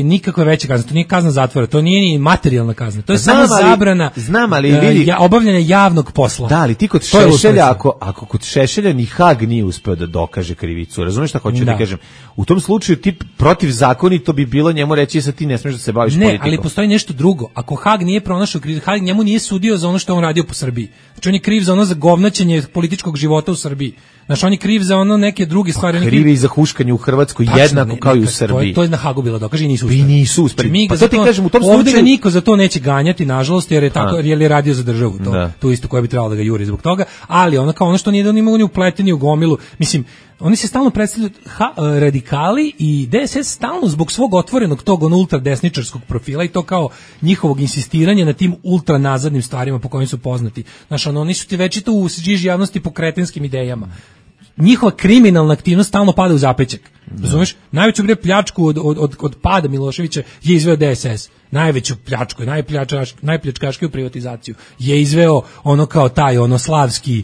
nikakva veća kazna, to nije kazna zatvora, to nije ni materijalna kazna, to je samo zabrana obavljanja javnog posla. Da, ali ti kod Šešelja, ako kod Šešelja ni Hag nije uspeo da dokaže krivicu, razumiješ šta hoću da kažem? U tom slučaju ti protivzakonito bi bilo njemu reći sa ti ne smiješ da se baviš politikom. Ne, ali postoji nešto drugo. Ako Hag nije pronašao krivicu, Hag njemu nije sudio za ono što on radio po Srbiji. Znači on je kriv za ono zagovnaćenje političkog života u Srbiji. Znači on je kriv za ono neke druge stvari. Kriv i za huškanje u Hrvatskoj jednako kao i u Srbiji. To je na Hagu bilo dokaže i nisu uspeli. I nisu uspeli. Pa to ti kažem, u tom slučaju ovdje niko za to neće ganjati, nažalost, jer je tako, jer je radio za državu. To isto koja bi trebalo da ga juri zbog toga, ali ono što nije da oni mogu ni upleteni u gomilu. Mislim, oni se stalno predstavljaju radikali i DSS stalno zbog svog otvorenog tog ultradesničarskog profila i to kao njihovog insistiranja na tim ultranazadnim stvarima po kojim su poznati. Znaš, oni su ti već i to u žiži javnosti po kretinskim idejama. Njihova kriminalna aktivnost stalno pada u zapećak. Razumeš? Najveću pljačku od pada Miloševića je izveo DSS. Najveću pljačku, najpljačkaškiju privatizaciju je izveo ono kao taj, slavski,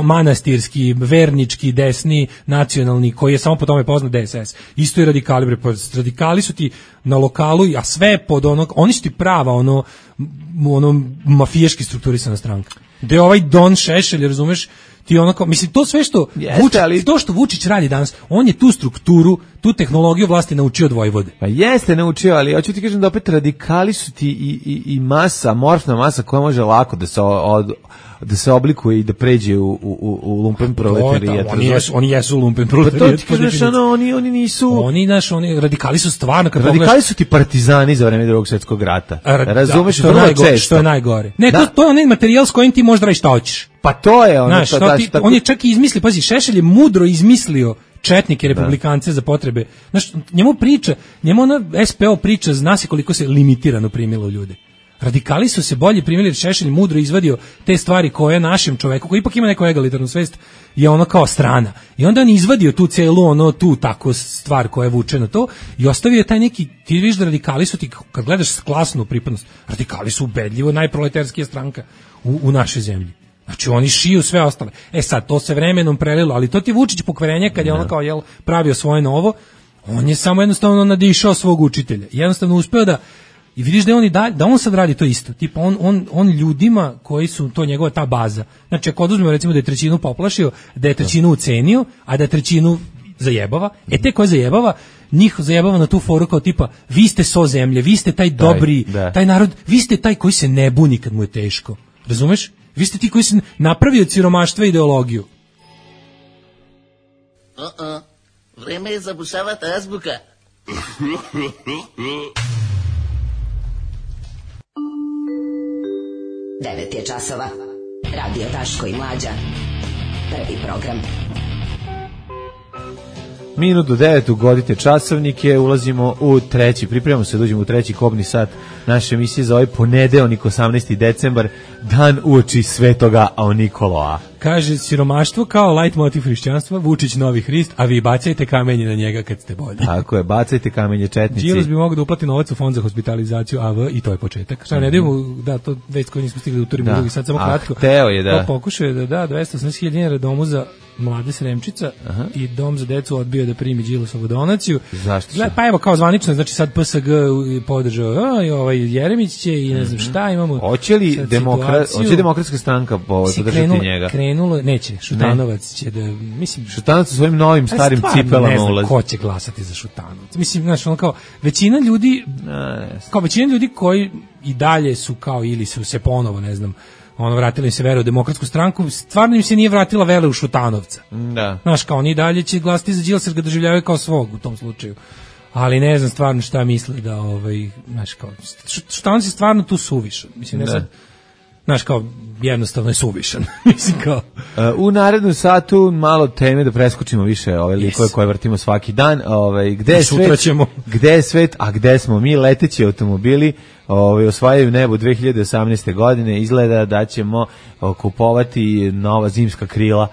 manastirski, vernički, desni, nacionalni, koji je samo po tome poznat DSS. Isto i radikali, radikali su ti na lokalu, a sve pod oni su ti prava, mafijaški strukturisana stranka. Gde je ovaj Don Šešelj, razumeš, ti mislim, to sve što to što Vučić radi danas, on je tu strukturu, tu tehnologiju vlasti naučio od Vojvode. Pa jeste naučio, ali hoću ti kažem da opet radikali su ti i masa, morfna masa koja može lako da se oblikuje i da pređe u lumpen proletarijat. Oni jesu lumpen proletarijat. Pa to ti kažeš, oni nisu... Oni radikali su stvarno... Radikali su ti partizani za vreme Drugog svjetskog rata. Razumeš, što je najgore. Ne, to je onaj materijal s kojim ti možda radiš šta hoćeš. Pa to je on je čak i izmislio, pazi, Šešelj je mudro izmislio četnike, republikance za potrebe. Znaš, njemu ona SPO priča, zna se koliko se limitirano primilo ljude. Radikali su se bolje primili, jer Šešelj mudro izvadio te stvari koje našem čoveku, koji ipak ima neku egalitarnu svest, je ono kao strana. I onda on izvadio tu celu, tu tako stvar koja je vuče na to i ostavio je taj neki, ti vidiš da radikali su ti, kad gledaš klasnu pripadnost, radikali su ubedljivo najproletarskija stranka u našoj zemlji. Znači oni šiju sve ostale. Sad, to se vremenom prelilo, ali to ti Vučić pokvarenje kad je ono kao pravio svoje novo, on je samo jednostavno nadišao svog učitelja. Jednostavno uspeo da i vidiš da on sad radi to isto. Tipa on ljudima koji su to njegova ta baza. Znači ako oduzmemo recimo da je trećinu poplašio, da je trećinu ucenio, a da je trećinu zajebava, te koje zajebava, njih zajebava na tu foru kao tipa vi ste so zemlje, vi ste taj dobri, taj narod, vi ste taj koji se ne buni kad mu je teško. Razumeš? Vi ste ti koji se napravio od siromaštva ideologiju. Vreme je zabušavati azbuka. 9 je časova. Radio Daško i Mlađa. Prvi program. Minut do 9 ugodite časovnike, ulazimo u treći, pripremamo se da uđemo u treći kobni sat naše emisije za ovaj ponedeljnik 18. decembar, dan uoči Svetoga Nikoloa. Kaže, siromaštvo kao light motiv hrišćanstva, Vučić novi Hrist, a vi bacajte kamenje na njega kad ste bolji. Tako je, bacajte kamenje četnici. Đilas bi mogao da uplati novac u fond za hospitalizaciju AV i to je početak. Šta ne dajemo, da, to već koji nismo stigli da utorimo drugi sad samo kratko. Hteo je da. Pokušao je da 280.000 dinara domu za mlade Sremčica i dom za decu odbio da primi Đilasovu donaciju. Zašto? Pa evo kao zvanično, znači sad PSG podržao i Jeremić će i ne znam šta imamo. Hoće li demokratska stranka podržati njega? Krenulo, neće, Šutanovac će da, mislim... Šutanovac sa svojim novim starim cipelama ulazi. Ne znam ko će glasati za Šutanovac. Mislim, znaš, ono kao, većina ljudi koji i dalje su kao, ili su se ponovo, ne znam, vratili im se vere u demokratsku stranku, stvarno im se nije vratila vere u Šutanovca. Da. Znaš, kao oni dalje će glasiti za Đilasa jer ga doživljavaju kao svog u tom slučaju. Ali ne znam stvarno šta misli da, znaš, kao, Šutanovac je stvarno tu suvišan. Mislim, ne znam, znaš, kao, jednostavno je suvišan. Mislim, kao... U narednom satu malo teme da preskočimo više ove likove koje vrtimo svaki dan. Gde je svet, a gde smo mi? Leteći automobili osvajaju nebo 2018. godine. Izgleda da ćemo kupovati nova zimska krila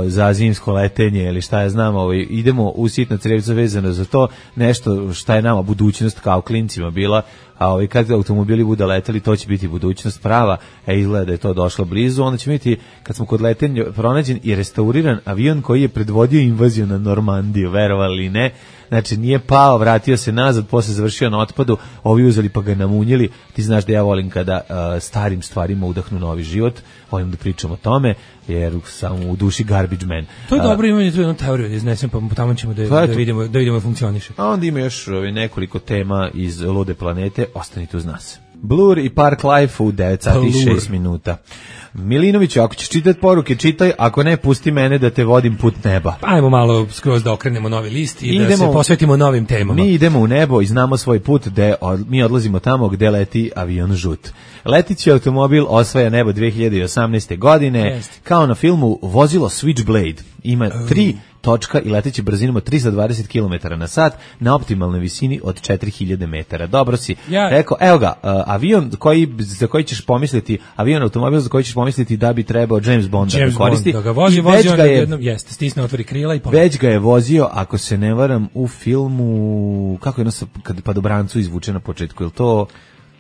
za zimsko letenje ili šta ja znam, idemo u sitno crevco vezano za to, nešto šta je nama budućnost kao klincima bila, a kad automobili budu leteli, to će biti budućnost prava, izgleda da je to došlo blizu, onda će biti, kad smo kod letenja, pronađen i restauriran avion koji je predvodio invaziju na Normandiju, verovali ili ne, znači nije pao, vratio se nazad, posle završio na otpadu, ovi uzeli pa ga namunjili. Ti znaš da ja volim kada starim stvarima udahnu novi život, volim da pričam o tome, jer sam u duši garbage man. To je dobro, imamo tu jednu teoriju da iznesem, pa tamo ćemo da vidimo da funkcioniše. A onda ima još nekoliko tema iz Lude planete, ostanite uz nas. Blur i Park Life u 9 sati i 6 minuta. Milinović, ako ćeš čitati poruke, čitaj, ako ne, pusti mene da te vodim put neba. Ajmo malo skroz da okrenemo novi list i da se posvetimo novim temama. Mi idemo u nebo i znamo svoj put, mi odlazimo tamo gde leti avion žut. Letići automobil osvaja nebo 2018. godine, kao na filmu vozilo Switchblade. Ima 3 točka i leteći brzinom od 320 km na sat na optimalnoj visini od 4000 metara. Dobro si rekao, evo ga, avion za koji ćeš pomisliti, automobil za koji ćeš pomisliti da bi trebao James Bond da ga koristi. Da ga vozi jednom, stisne, otvori krila i poleti. Već ga je vozio, ako se ne varam, u filmu, kako je kad Padobrancu izvuče na početku, ili to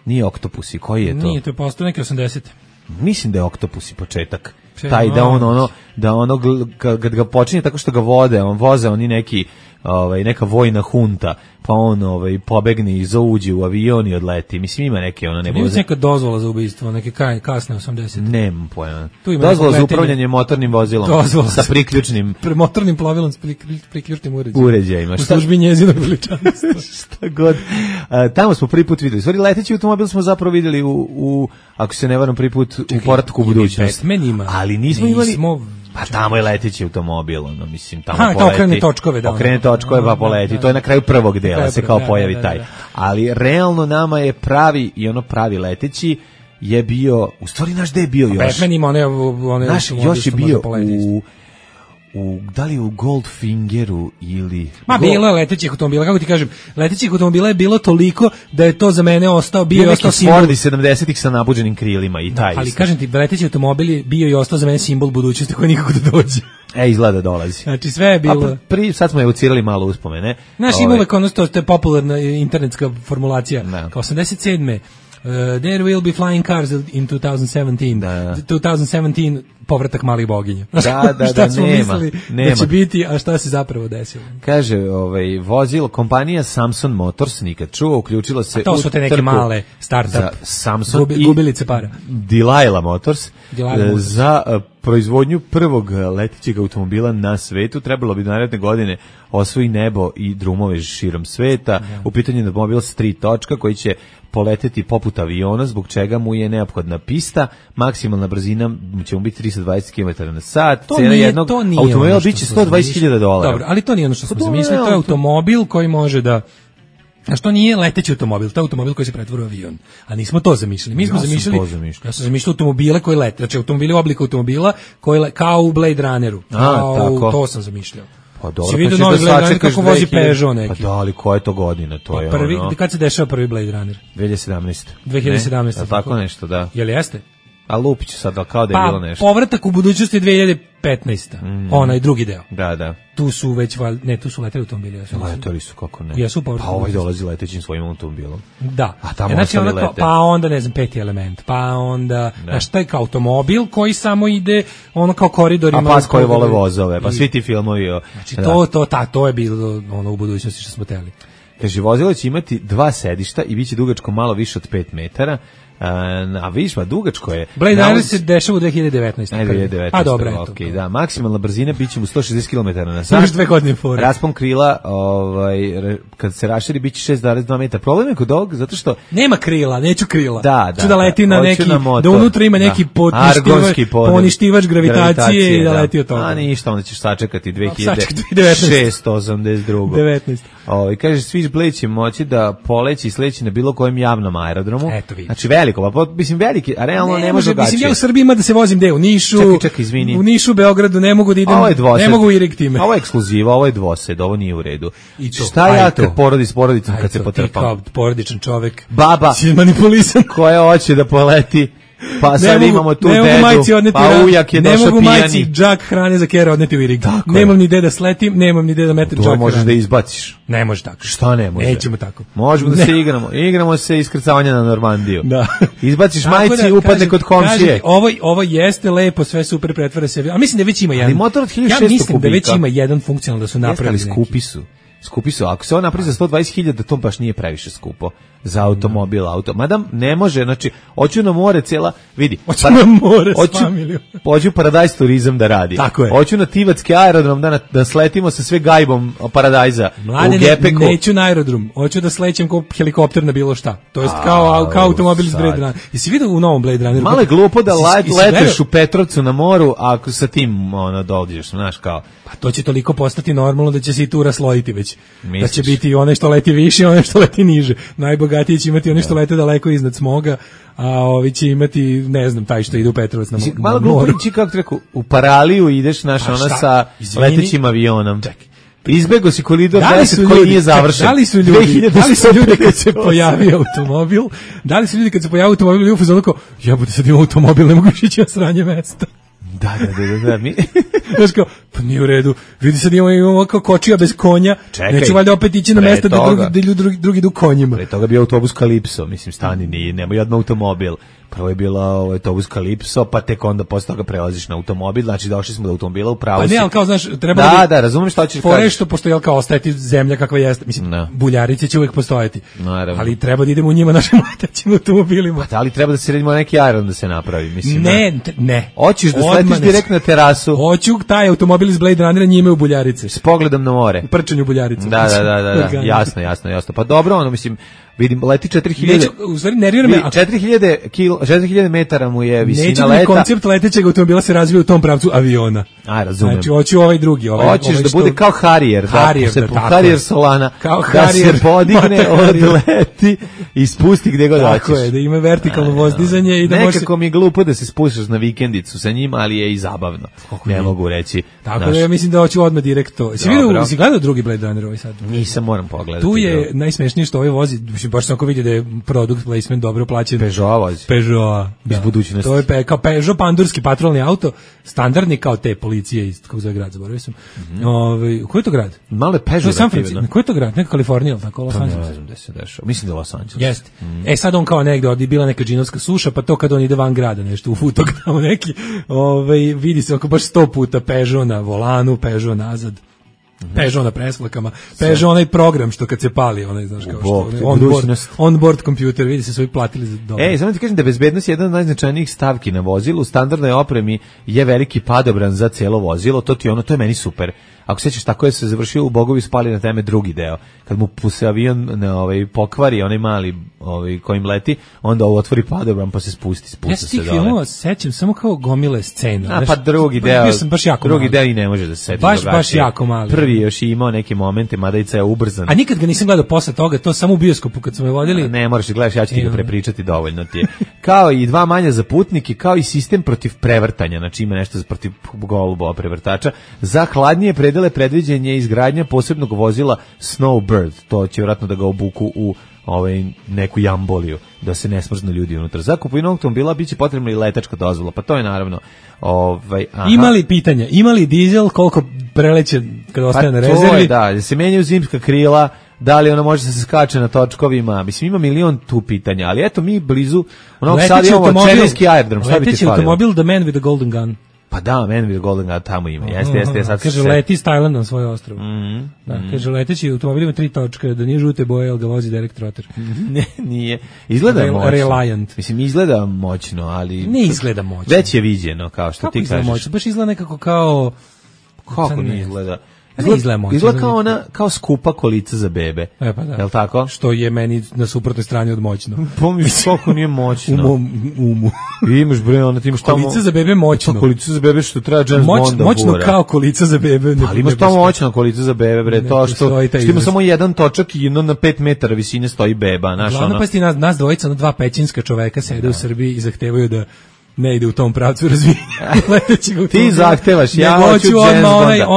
nije Oktopusi, koji je to? Nije, to je postao neki 80. Mislim da je Oktopusi početak. Taj da kad ga počinje tako što ga voze oni neki neka vojna hunta, pa on pobegne i zauđe u avion i odleti. Mislim, ima neke Ima neka dozvola za ubistvo, neke kasne 80. Nemam pojma. Dozvola za upravljanje motornim vozilom sa priključnim motornim plovilom s priključnim uređajima. U službi njezinog veličanstva. Šta god. Tamo smo prvi put videli. Stvari, leteći automobil smo zapravo videli ako se ne varam, prvi put u Povratku u budućnost. Ali nismo imali... Pa tamo je leteći automobil, mislim, tamo poleti. Okrene točkove, da. Okrene točkove, pa poleti. To je na kraju prvog dela, se kao pojavi taj. Ali realno nama je pravi leteći je bio, u stvari naš gde je bio još? Batman ima one još je bio da li u Goldfingeru ili... Bilo je letećih automobila, kako ti kažem, letećih automobila je bilo toliko da je to za mene bio i ostao simbol. Fordi 70-ih sa nabuđenim krilima i taj ali kažem ti, leteći automobil je bio i ostao za mene simbol budućnosti koji nikako da dođe. Izgleda dolazi. Znači sve je bilo... Sad smo evocirali malo uspomene. Znaš, ima uvek ono to je popularna internetska formulacija. Kao 87. There will be flying cars in 2017. 2017 povratak malih boginja. Šta smo mislili da će biti, a šta se zapravo desilo? Kaže, vozilo, kompanija Samsung Motors, nikad čuo, uključila se u trku. To su te neke male startup, Samsung gubilice para. Delilah Motors. Za proizvodnju prvog letećeg automobila na svetu. Trebalo bi naredne godine osvoji nebo i drumove širom sveta. U pitanju je automobil s 3 točka koji će poleteti poput aviona, zbog čega mu je neophodna pista. Maksimalna brzina će mu biti 320 km na sat. Cena jednog automobila biće $120.000. Dobro, ali to nije ono što smo zamislili. To je automobil koji može da... A što nije leteći automobil, to je automobil koji se pretvori u avion. A nismo to zamišljali. Mi smo zamišljali, ja sam zamišljao automobile koji lete, znači automobili u obliku automobila koji kao u Blade Runneru. To sam zamišljao. Pa dobro, si vidio novi Blade Runner kako vozi Peugeot neki. Pa da, ali koja je to godina? To je prvi, kad se dešava prvi Blade Runner? 2017. 2017. Tako nešto, da. Jel jeste? A Lupić sad, kao da je bilo nešto. Povratak u budućnosti 2015. Onaj drugi deo. Da. Tu su već, tu su leteli automobili. Leteli su, kako ne. Jesu povratak. Pa ovaj dolazi letećim svojim automobilom. Da. A tamo ostali lete. Pa onda, ne znam, Peti element. Pa onda, znaš, taj kao automobil koji samo ide, ono kao koridorima. A pas koji vole vozove, pa svi ti filmovi. Znači, to je bilo ono u budućnosti što smo teli. Kaže, vozilo će imati 2 sedišta i bit će dugačko malo više od 5 metara. A vidiš, dugačko je. Blade Runner se dešava u 2019. 2019. A dobro, eto. Okay, da, maksimalna brzina biće mu 160 km na sat. Još 2 godine fora. Raspon krila, kad se raširi, biće 6,2 metra. Problem je kod ovog, zato što... Nema krila, neću krila. Da. Ću da leti na neki, da unutra ima neki poništivač gravitacije i da leti od toga. A ništa, onda ćeš sačekati 2682. Kaže, Swiss Blade će moći da poleći i sleći na bilo kojem javnom aerodromu. Eto vidi. Znači veliko, pa mislim veliki, a realno ne može gaći. Mislim, ja u Srbiji ima da se vozim u Nišu, čekaj, izvini. U Nišu, Beogradu ne mogu da idem, ne mogu irig time. Ovo je ekskluziva, ovo je dvosed, ovo nije u redu. Šta ja kad porodi s porodicom, kad se potrpam? Ti kao porodičan čovek, baba, si manipulisan, koja hoće da poleti, pa sad imamo tu dedu, pa ujak je došao pijani. Ne mogu majci džak hrane za kera odneti u irig. Nemam ni gde da sletim, nemam ni gde da metem džak hrane. To možeš da izbaciš. Ne može tako. Šta ne može? Nećemo tako. Možemo da se igramo. Igramo se iskrcavanja na Normandiju. Da. Izbaciš majci i upadne kod komšije. Ovo jeste lepo, sve super, pretvara se. A mislim da već ima jedan. Ali motor od 1600 kubika. Ja mislim da već ima jedan funkcionalno da su napravili. Skupi su. Ako se on napravi za 120.000, to baš nije previše skupo za automobil. Mada ne može, znači, hoću na more cijela, vidi. Hoću na more s familijom. Hoću Paradise turizam da radi. Tako je. Hoću na Tivatski aerodrom da sletimo sa sve gajbom Paradajza u Gepeku. Neću na aerodrom, hoću da slećem kao helikopter na bilo šta. To jest kao automobil iz Blade Runnera. Jesi vidio u novom Blade Runneru? Malo je glupo da leteš u Petrovcu na moru, ako sa tim dođeš, znaš kao. Pa to će toliko postati normalno da će se i tu raslojiti već. Misliš? Da će biti one što leti više i one što leti niže. Najbogatiji će imati one što lete daleko iznad smoga, a ovi će imati, ne znam, taj što ide u Petrovac na moru. Malo glupo ići, kako ti rekao, u Paraliju ideš, znaš, ona sa letećim avionom. Čekaj. Izbego si koridor 10 koji nije završen. Da li su ljudi kad se pojavi automobil, i u fazonu kao, jebote, sad imam automobil, ne mogu ići na sranje mesta. Da. Znaš kao, pa nije u redu. Vidi sad imamo kao kočija bez konja. Čekaj, neću valjda opet ići na mesta da drugi idu konjima. Pre toga bio autobus Kalipso, mislim, stani, nemoj odmah automobil. Prvo je bila autobus Kalipso, pa tek onda posle toga prelaziš na automobil, znači došli smo do automobila u pravu. Pa ne, ali kao, znaš, treba da razumem šta ćeš kažeš. Što pošto je kao ostajati zemlja kakva jeste, mislim, buljarice će uvijek postojati. Naravno. Ali treba da idemo u njima našim letećim automobilima. Pa da li treba da se redimo neki aerodrom da se napravi, mislim. Ne. Hoćeš da sletiš direkt na terasu. Hoću taj automobil iz Blade Runnera, njime u buljarice. S pogledom na more. U prčanju buljarice. Da. Jasno. Pa dobro, mislim, vidim, leti 4000. U stvari nervira me. 4000 metara mu je visina leta. Neće mi koncept letećeg automobila se razvija u tom pravcu aviona. razumem. Znači, hoću ovaj drugi. Hoćeš da bude kao Harrier, Harrier Solana, kao da se podigne, odleti i spusti gdje god hoćeš. Tako je, da ima vertikalno vozdizanje i da može... Nekako mi je glupo da se spuštaš na vikendicu sa njim, ali je i zabavno. Ne mogu reći. Tako da ja mislim da hoću odmah direkt to. Si gledao drugi Blade Runner ovaj sad? Nisam, moram pogledati. Tu je najsmešnije što ovaj vozi, baš sam ako vidi da je product placement dobro plaćen. Peugeot vozi. Peugeot, iz budućnosti. To je kao Peugeot pandurski patrolni auto, standardni kao te policije iz kako zove grad, zaboravio sam. Koji je to grad? Malo je Peugeot. Koji je to grad? Neka Kalifornija, tako Los Angeles. Mislim da je Los Angeles. Jeste. Sad on kao negde ovdje bila neka džinovska suša, pa to kad on ide van grada nešto u futok tamo neki, vidi se oko baš 100 puta Peugeot na volanu, Peugeot nazad. Peugeot na presvlakama, Peugeot onaj program što kad se pali, onaj, znaš, kao što on-board kompjuter, vidi se su i platili za dobro. Samo ti kažem da je bezbednost jedan od najznačajnijih stavki na vozilu, u standardnoj opremi je veliki padobran za cijelo vozilo, to je meni super. Ako sećaš, tako je se završio u Bogovi spali na teme drugi deo. Kad mu se avion pokvari, onaj mali kojim leti, onda otvori padobran pa se spusti se dole. Ja se tih filmova sećam samo kao gomile scena. Pa drugi deo i ne može da se seti. Baš jako mali. Prvi još i imao neke momente, mada i je ubrzan. A nikad ga nisam gledao posle toga, to samo u bioskopu kad smo je vodili. Ne, moraš da gledaš, ja ću ti ga prepričati, dovoljno ti je. Kao i 2 manja za putnike, kao i sistem protiv prevrtanja, znači ima nešto protiv golubova prevrtača. Za hladnije predele predviđen je izgradnja posebnog vozila Snowbird, to će vjerojatno da ga obuku u neku jamboliju, da se ne smrznu ljudi unutra. Za kupovinu automobila biće potrebna i letačka dozvola, pa to je naravno... Ima li pitanja? Ima li dizel, koliko preleće kad ostane na rezervi? Pa to je, da se menjaju zimska krila, da li ona može da se skače na točkovima, mislim ima milion tu pitanja, ali eto mi blizu onog sad imamo Černiski aerodrom, šta bi ti falilo? Leteći automobil The Man with the Golden Gun. Pa da, Man with the Golden Gun tamo ima. Jeste, sad kaže leti s Tajlanda na svoj ostrvo. Kaže leteći automobil ima 3 točke, da nije žute boje, ali ga vozi direct rotor. Ne, nije. Izgleda moćno. Reliant. Mislim, izgleda moćno, ali... Ne izgleda moćno. Već je viđeno, kao što ti kažeš. Moćno? Baš izgleda nekako kao... Kako ne izgleda? Izgleda kao skupa kolica za bebe. Pa da. Jel tako? Što je meni na suprotnoj strani od moćno. Pomisli koliko nije moćno. U mom umu. Imaš bre, ti imaš tamo... Kolica za bebe moćno. Pa kolica za bebe što treba James Bonda moćno bura. Kao kolica za bebe. Ali imaš tamo moćna kolica za bebe, bre. To što ima samo jedan točak i na 5 metara visine stoji beba. Glavno pa sti nas dvojica, 2 pećinska čoveka sede u Srbiji i zahtevaju da ne ide u tom pravcu razvijenja. Ti zahtevaš, ja hoću James Bonda.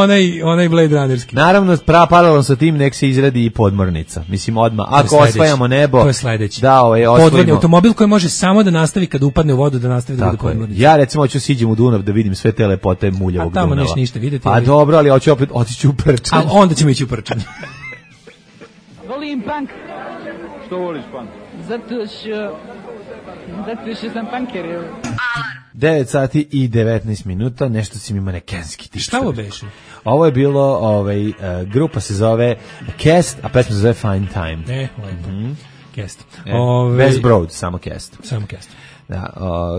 Onaj Blade Runnerski. Naravno, paralelno sa tim nek se izradi i podmornica. Mislim, odmah. Ako osvajamo nebo... To je sledeći. Da, podvodni automobil koji može samo da nastavi kad upadne u vodu, da nastavi da bude podmornica. Ja recimo hoću siđem u Dunav da vidim sve te lepote muljavog Dunava. A tamo neće ništa vidjeti. A dobro, ali hoću opet otići u Prčan. A onda ćemo ići u Prčan. Volim punk. Što voliš punk? Zato što sam punker. 9 sati i 19 minuta, nešto si mi ima nekenski. Šta ovo beše? Ovo je bilo, grupa se zove Cast, a pesma se zove Fine Time. Cast. Bez Broad, samo Cast. Samo Cast. Da,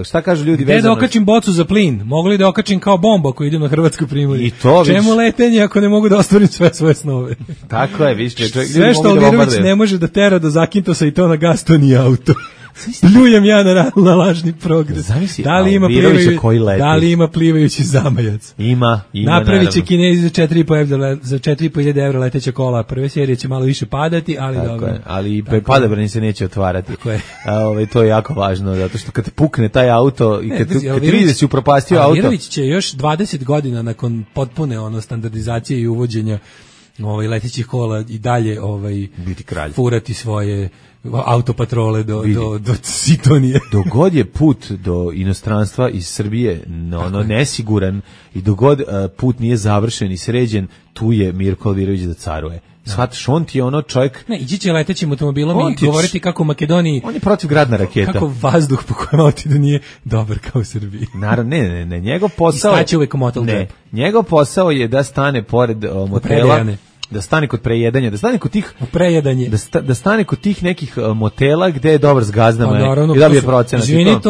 šta kažu ljudi vezano? Da okačim bocu za plin, mogli da okačim kao bomba ako idem na Hrvatsku primorje. I to čemu letenje ako ne mogu da ostvarim sve svoje snove? Tako je, viš, sve što Alvirović ne može da tera do Zakintosa i to na gas, to nije auto. Pljujem ja na lažni progres. Zavisi, da li ima plivajući zamajac? Ima. Napravit će Kinezi za 4.500 evra leteća kola. Prve serije će malo više padati, ali tako dobro. Je, ali padobrani se neće otvarati. To je jako važno, zato što kad pukne taj auto i kad vidi da si upropastio auto... Alvirović će još 20 godina nakon potpune standardizacije i uvođenja letećih kola i dalje biti kralj, furati svoje autopatrole do Sitonije. Dogod je put do inostranstva iz Srbije nesiguran i dogod put nije završen i sređen, tu je Mirko Alvirović da caruje. Shvataš, on ti je čovjek... Ne, ići će letećim automobilom i govoriti kako u Makedoniji... On je protiv gradna raketa. Kako vazduh po kojem auti da nije dobar kao u Srbiji. Naravno, ne, njegov posao... I staće uvek u motel džep. Njegov posao je da stane pored motela... Da stane kod prejedanja, da stane kod tih prejedanje, da stane kod tih nekih motela gde je dobar s gazdama i dobije procenat. Izvini,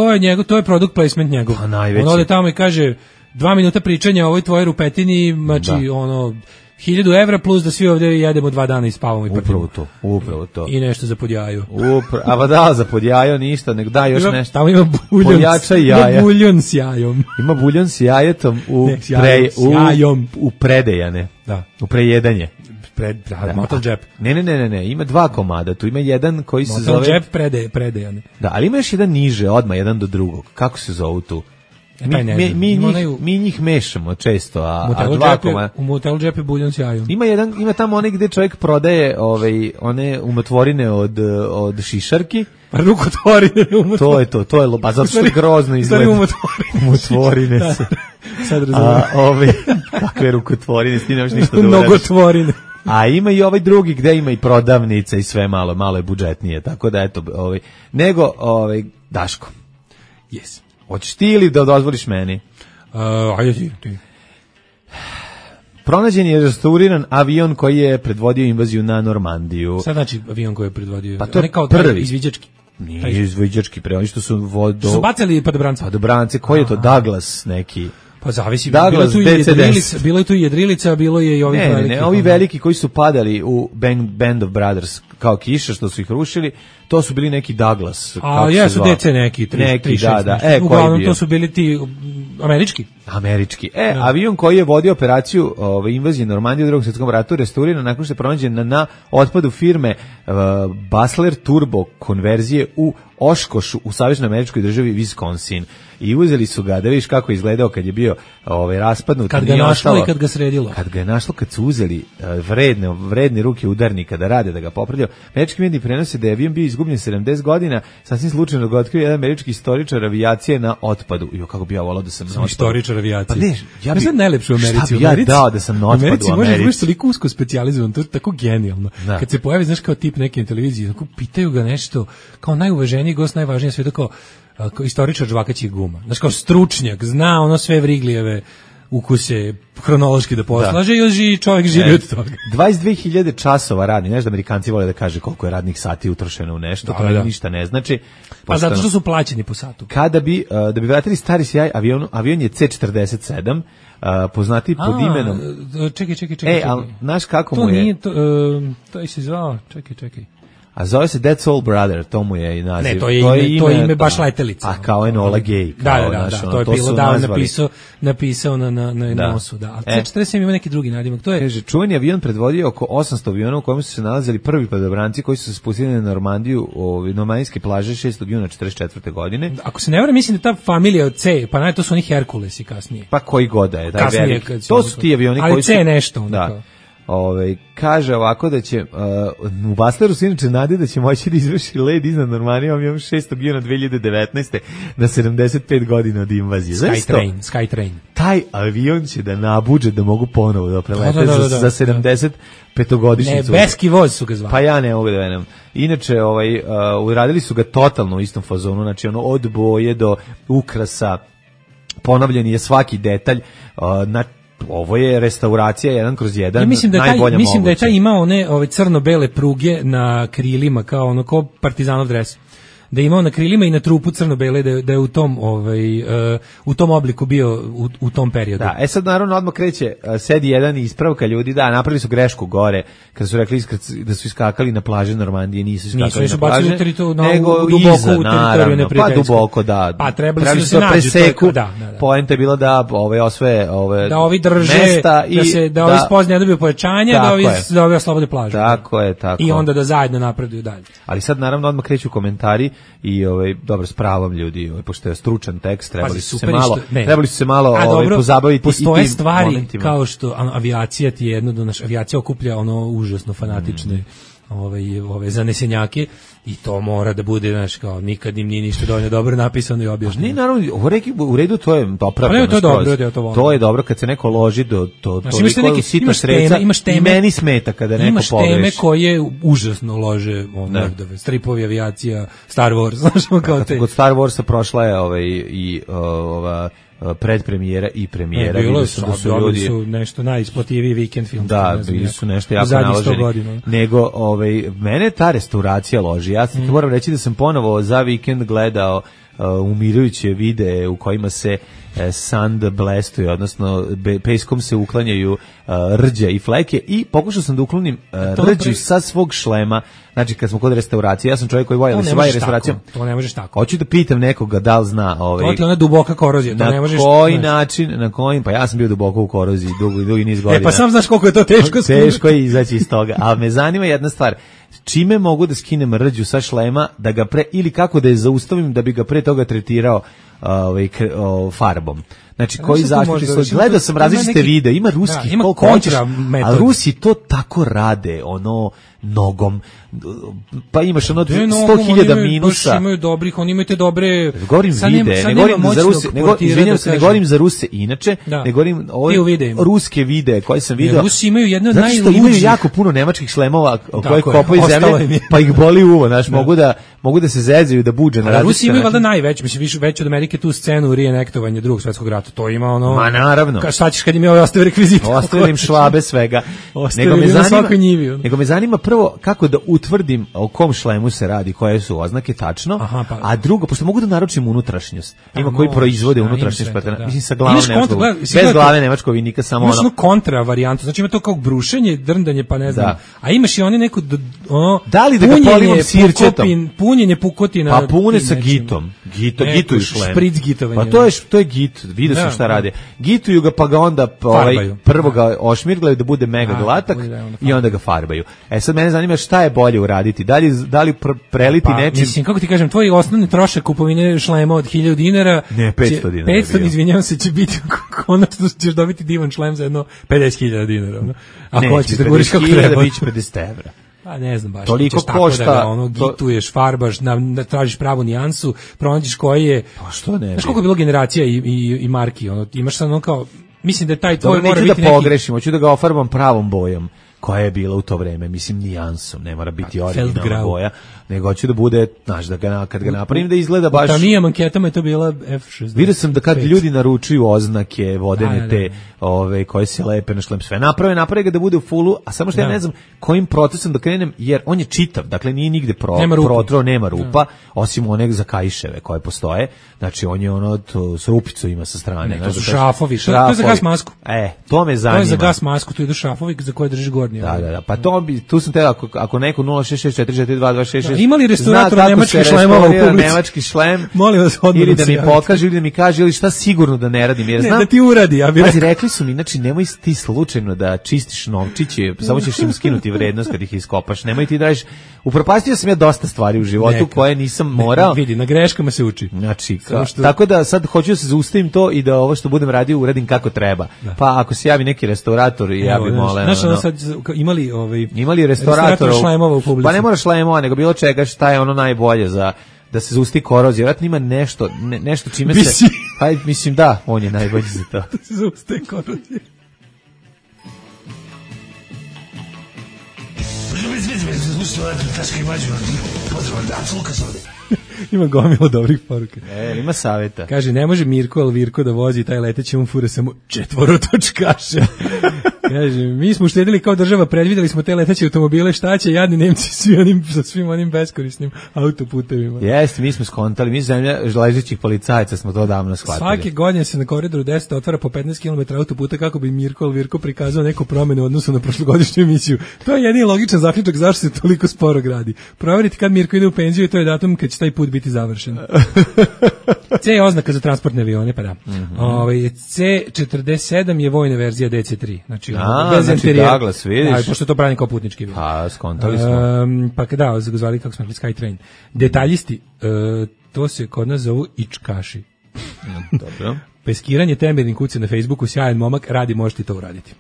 to je product placement njegov. Pa najveći. On ode tamo i kaže 2 minuta pričanja o ovoj tvojoj rupetini, znači 1.000 evra plus da svi ovdje jedemo 2 dana i spavamo i partimo. Upravo to. I nešto za podjaju. A da, za podjaju ništa, nek da još nešto. Tamo ima buljon s jajom. Ima buljon s jajetom u predejane. Da. U prejedanje. Motel džep. Ne, ima 2 komada. Tu ima jedan koji se zove... Motel džep predejane. Da, ali ima još jedan niže, odmah jedan do drugog. Kako se zovu tu? Mi njih mešamo često, a 2 komada... U motel džep je buljon s jajom. Ima tamo onaj gde čovjek prodaje one umotvorine od šišarki. Rukotvorine. To je pa zato što je grozno izgleda. Umotvorine su. Sad razumijem. Kakve rukotvorine, s ti nemaš ništa da uradiš. Mnogotvorine. A ima i ovaj drugi gde ima i prodavnica i sve malo je budžetnije, tako da eto, nego Daško. Yes. Hoćeš ti ili da dozvoliš meni? Ajde ti. Pronađen je restauriran avion koji je predvodio invaziju na Normandiju. Sad znači avion koji je predvodio? Pa to je kao prvi. Izviđački. Nije izviđački, oni što su su bacali padobrance. Padobrance, koji je to Douglas neki? Pa zavisi, Douglas, bilo je tu jedrilica, bilo je i ovih veliki. Ne, ovi veliki koji su padali u Band of Brothers kao kiša što su ih rušili, to su bili neki Douglas. A jesu DC neki, 3-6. Da. Uglavnom to su bili ti američki. Avion koji je vodio operaciju invazije Normandije u Drugom svjetskom ratu restauriran nakon što je pronađen na otpadu firme Basler Turbo konverzije u Oshkoshu u saveznoj američkoj državi Wisconsin. I uzeli su ga, da vidiš kako je izgledao kad je bio raspadnut. Kad ga našlo i kad ga sredilo. Kad ga je našlo, kad su uzeli vredne ruke udarnika da rade, da ga popravljaju. Američki mediji prenose da je avion bio izgubljen 70 godina, sasvim slučajno ga otkrio jedan američki istoričar avijacije na otpadu. Jo, kako bi ja volao da sam na otpadu. Istoričar avijacije. Pa ne, ja bi najlepše u Americi. Šta bi ja dao da sam na otpadu u Americi? Možeš biti toliko usko specijalizovan, to je tako genijalno. Da. Kad se pojavi, znaš, kao tip neke televizije, tako pitaju ga nešto, kao najuvaženiji gost, najvažnije sve, kao istoričar žvakaćih guma. Znaš, kao stručnjak, zna ono sve Vriglijeve ukuse hronološki da poslaže i čovjek živi od toga. 22.000 časova radnih, znaš da Amerikanci vole da kaže koliko je radnih sati utrošeno u nešto, to ništa ne znači. Pa zato što su plaćeni po satu. Kada bi, da bi vratili stari sjaj, avion je C-47, poznati pod imenom... Čekaj. ali znaš kako to mu je... Nije, to je se zvao, čekaj. A zove se That's All Brother, to mu je i naziv. Ne, to je ime baš letelica. A kao Enola Gay. Da, to je bilo napisao na nosu. Da. A C-47 ima neki drugi nadimak. Kaže, čuveni avion predvodio oko 800 aviona u kojem su se nalazili prvi padobranci koji su se spustili na Normandiju, normandijske plaže 6. juna 1944. godine. Ako se ne varam, mislim da ta familija od C, pa to su oni Herkulesi kasnije. Pa koji god da je. To su ti avioni koji su... Ali C nešto. Da. Kaže ovako da će u Basleru se inače nadi da će moći da izvrši led iznad Normandije, imam 6. juna 2019. na 75 godina od invazije. Skytrain. Taj avion će da nabuđe da mogu ponovo da prelete za 75-godišnjicu. Nebeski voz su ga zvali. Pa ja ne mogu da venem. Inače, uradili su ga totalno u istom fazonu, znači od boje do ukrasa, ponavljen je svaki detalj, ovo je restauracija 1/1, najbolja mislim da je taj imao one crno-bele pruge na krilima, kao ono ko partizanov dres. Da je imao na krilima i na trupu crno-bele, da je u tom obliku bio u tom periodu. Da, sad naravno odmah kreće, sedi jedan ispravka ljudi, da, napravili su grešku gore, kada su rekli da su iskakali na plaže Normandije, nisu iskakali na plaže, nego iza, naravno, pa duboko, da. Pa trebali su da preseku, poenta je bila da osvoje da ovi drže, mesta da ovi spoznaje ne dobiju pojačanje, da ovi oslobode plažu. Tako je. I onda da zajedno napreduju dalje. Ali sad naravno odmah kreću komentari i dobro, s pravom ljudi, pošto je stručan tekst, trebali su se malo pozabaviti. Postoje stvari momentima. Kao što avijacija ti je jedno da naša avijacija okuplja ono užasno fanatične ove zanesenjake i to mora da bude, znaš, kao nikad im nije ništa dovoljno dobro napisano i objašnjeno. Ne, naravno, u redu to je opravdano. To je dobro kad se neko loži do toliko sitna sredstva i meni smeta kada neko pogreši. Imaš teme koje užasno lože, stripovi, avijacija, Star Wars, znaš, kao te. Kod Star Warsa prošla je i ova predpremijera i premijera. Bilo su nešto najisplativiji vikend film. Da, bili su nešto jako naloženi. Nego, mene ta restauracija loži. Ja sam moram reći da sam ponovo za vikend gledao umirujuće videe u kojima se sand blestuje, odnosno peskom se uklanjaju rđa i fleke i pokušao sam da uklonim rđu sa svog šlema. Znači kad smo kod restauracije, ja sam čovjek koji voli se bavi restauracijom. To ne možeš tako. Hoću da pitam nekoga da li zna to ti ona duboka korozija, to ne možeš. Na koji način, pa ja sam bio duboko u koroziji dugi niz godina. Pa sam znaš koliko je to teško. Teško je izaći iz toga. A me zanima jedna stvar. Čime mogu da skinem rđu sa šlema da ga ili kako da je zaustavim da bi ga pre toga tretirao farbom. Znači koji zaštitni sloj. Gledao sam različite videe, ima ruskih, ima kontra metod. A Rusi to tako rade, nogom. Pa imaš 100.000 minusa. Imaju dobrih, oni imaju te dobre. Govorim vide, ne govorim za Ruse, ne govorim za Ruse inače, ne govorim ruske videe koje sam video. Rusi imaju jedno od najluđih. Zato što imaju jako puno nemačkih šlemova koje kopaju zemlje, pa ih boli uvo, znaš, mogu da se zezaju, da budže na različite. Rusi imaju valjda najveći, mislim veći od Amerike tu scenu reenektovanja Drugog svjetskog rata. To ima Ma naravno. Šta ćeš kad im je ostavio rekvizit? Ostavim švabe svega. Nego me zanima prvo kako da utvrdim o kom šlemu se radi, koje su oznake tačno, a drugo, pošto mogu da naručim unutrašnjost. Ima koji proizvode unutrašnjost, mislim sa glavom nemačkog, bez glave nemačkog vinika, samo ono. Imaš kontra varijantu, znači ima to kao brušenje, drndanje, pa ne znam. A imaš i oni neko da li da ga polivam sirćetom? Punjenje pukotina. Pa pune sa gitom. Gituju šlem. Špric gitovanje. Pa to je git, vidio sam šta rade. Gituju ga pa ga onda prvo ga ošmirglaju da bude mega glatak i onda ga farbaju. Sad mene zanima šta je bolje uraditi. Da li preliti nečim? Mislim, kako ti kažem, tvoj osnovni trošak kupovine šlema od 1000 dinara. Ne, 500 dinara. 500, izvinjavam se, će biti konačno ćeš dobiti divan šlem za jedno 50.000 dinara. Ako hoćeš da guriš kako treba. Biće 50 evra. Pa ne znam baš. Toliko košta. Da gituješ, farbaš, tražiš pravu nijansu, pronađeš koji je. Pa što ne? Znaš koliko je bilo generacija i marki? Imaš sad kao, mislim da taj tvoj mora biti neki. Da pogrešim, hoću da ga ofarbam pravom bojom. Koja je bila u to vreme, mislim nijansom, ne mora biti originalna boja, nego hoću da bude, znaš, da kad ga napravim da izgleda baš. Tamija manketama je to bila F60. Vidio sam da kad ljudi naručuju oznake, vodene te, koje se lepe na šlem, sve naprave ga da bude u fullu, a samo što ja ne znam kojim procesom da krenem, jer on je čitav, dakle nije nigde protro, nema rupa, osim one za kaiševe koje postoje, znači on je s rupicu ima sa strane. Ne, to su šrafovi, to je za gas masku. To me zanima. To je za gas masku, tu idu šrafovi za koje držiš gornji. Da, pa tu sam te, ako neko 066442266 imali restaurator nemački šlemova u publici, nemački šlem, molim vas odmah ili da mi pokaže, ili da mi kaže, ili šta sigurno da ne radim, jer znam, da ti uradi, ja bih rekao. Rekli su mi, znači nemoj ti slučajno da čistiš novčiće, samo ćeš im skinuti vrednost kad ih iskopaš, nemoj ti da radiš. Upropastio sam ja dosta stvari u životu koje nisam morao. Vidi, na greškama se uči. Znači, tako da sad hoću da se zaustavim to i da ovo što budem radio uradim kako treba. Pa ako se javi neki restaurator i ja bih molio. Imali restaurator šlemova u publici. Pa ne mora šlemova, nego bilo čega šta je ono najbolje za da se zaustavi korozija. Vjerojatno ima nešto čime se... Pa mislim da, on je najbolji za to. Da se zaustavi korozija. Ima gomilo dobrih poruka. Ima savjeta. Kaže, ne može Mirko Alvirko da vozi taj leteći, on fura samo 4 točkaše. Kaže, mi smo uštedili kao država, predvidjeli smo te leteće automobile, šta će jadni Nemci sa svim onim beskorisnim autoputevima. Jeste, mi smo skontali, mi zemlja ležećih policajaca smo to davno shvatili. Svake godine se na koridoru 10 otvara po 15 km autoputa kako bi Mirko Alvirko prikazao neku promenu u odnosu na prošlogodišnju emisiju. To je jedini logičan zaključak zašto se toliko sporo gradi. Proveriti kad Mirko ide u penziju i to je datum kad će taj put biti završen. C je oznaka za transportne avione, pa da. C47 je vojna verzija DC3. Znači Douglas, vidiš. Pošto to brani kao putnički avion. Pa, skontali smo. Pa da, zvali kako smo rekli Skytrain. Detaljisti, to se kod nas zovu ičkaši. Dobro. Peskiranje temerin kuce na Facebooku, sjajan momak, radi, možete to uraditi.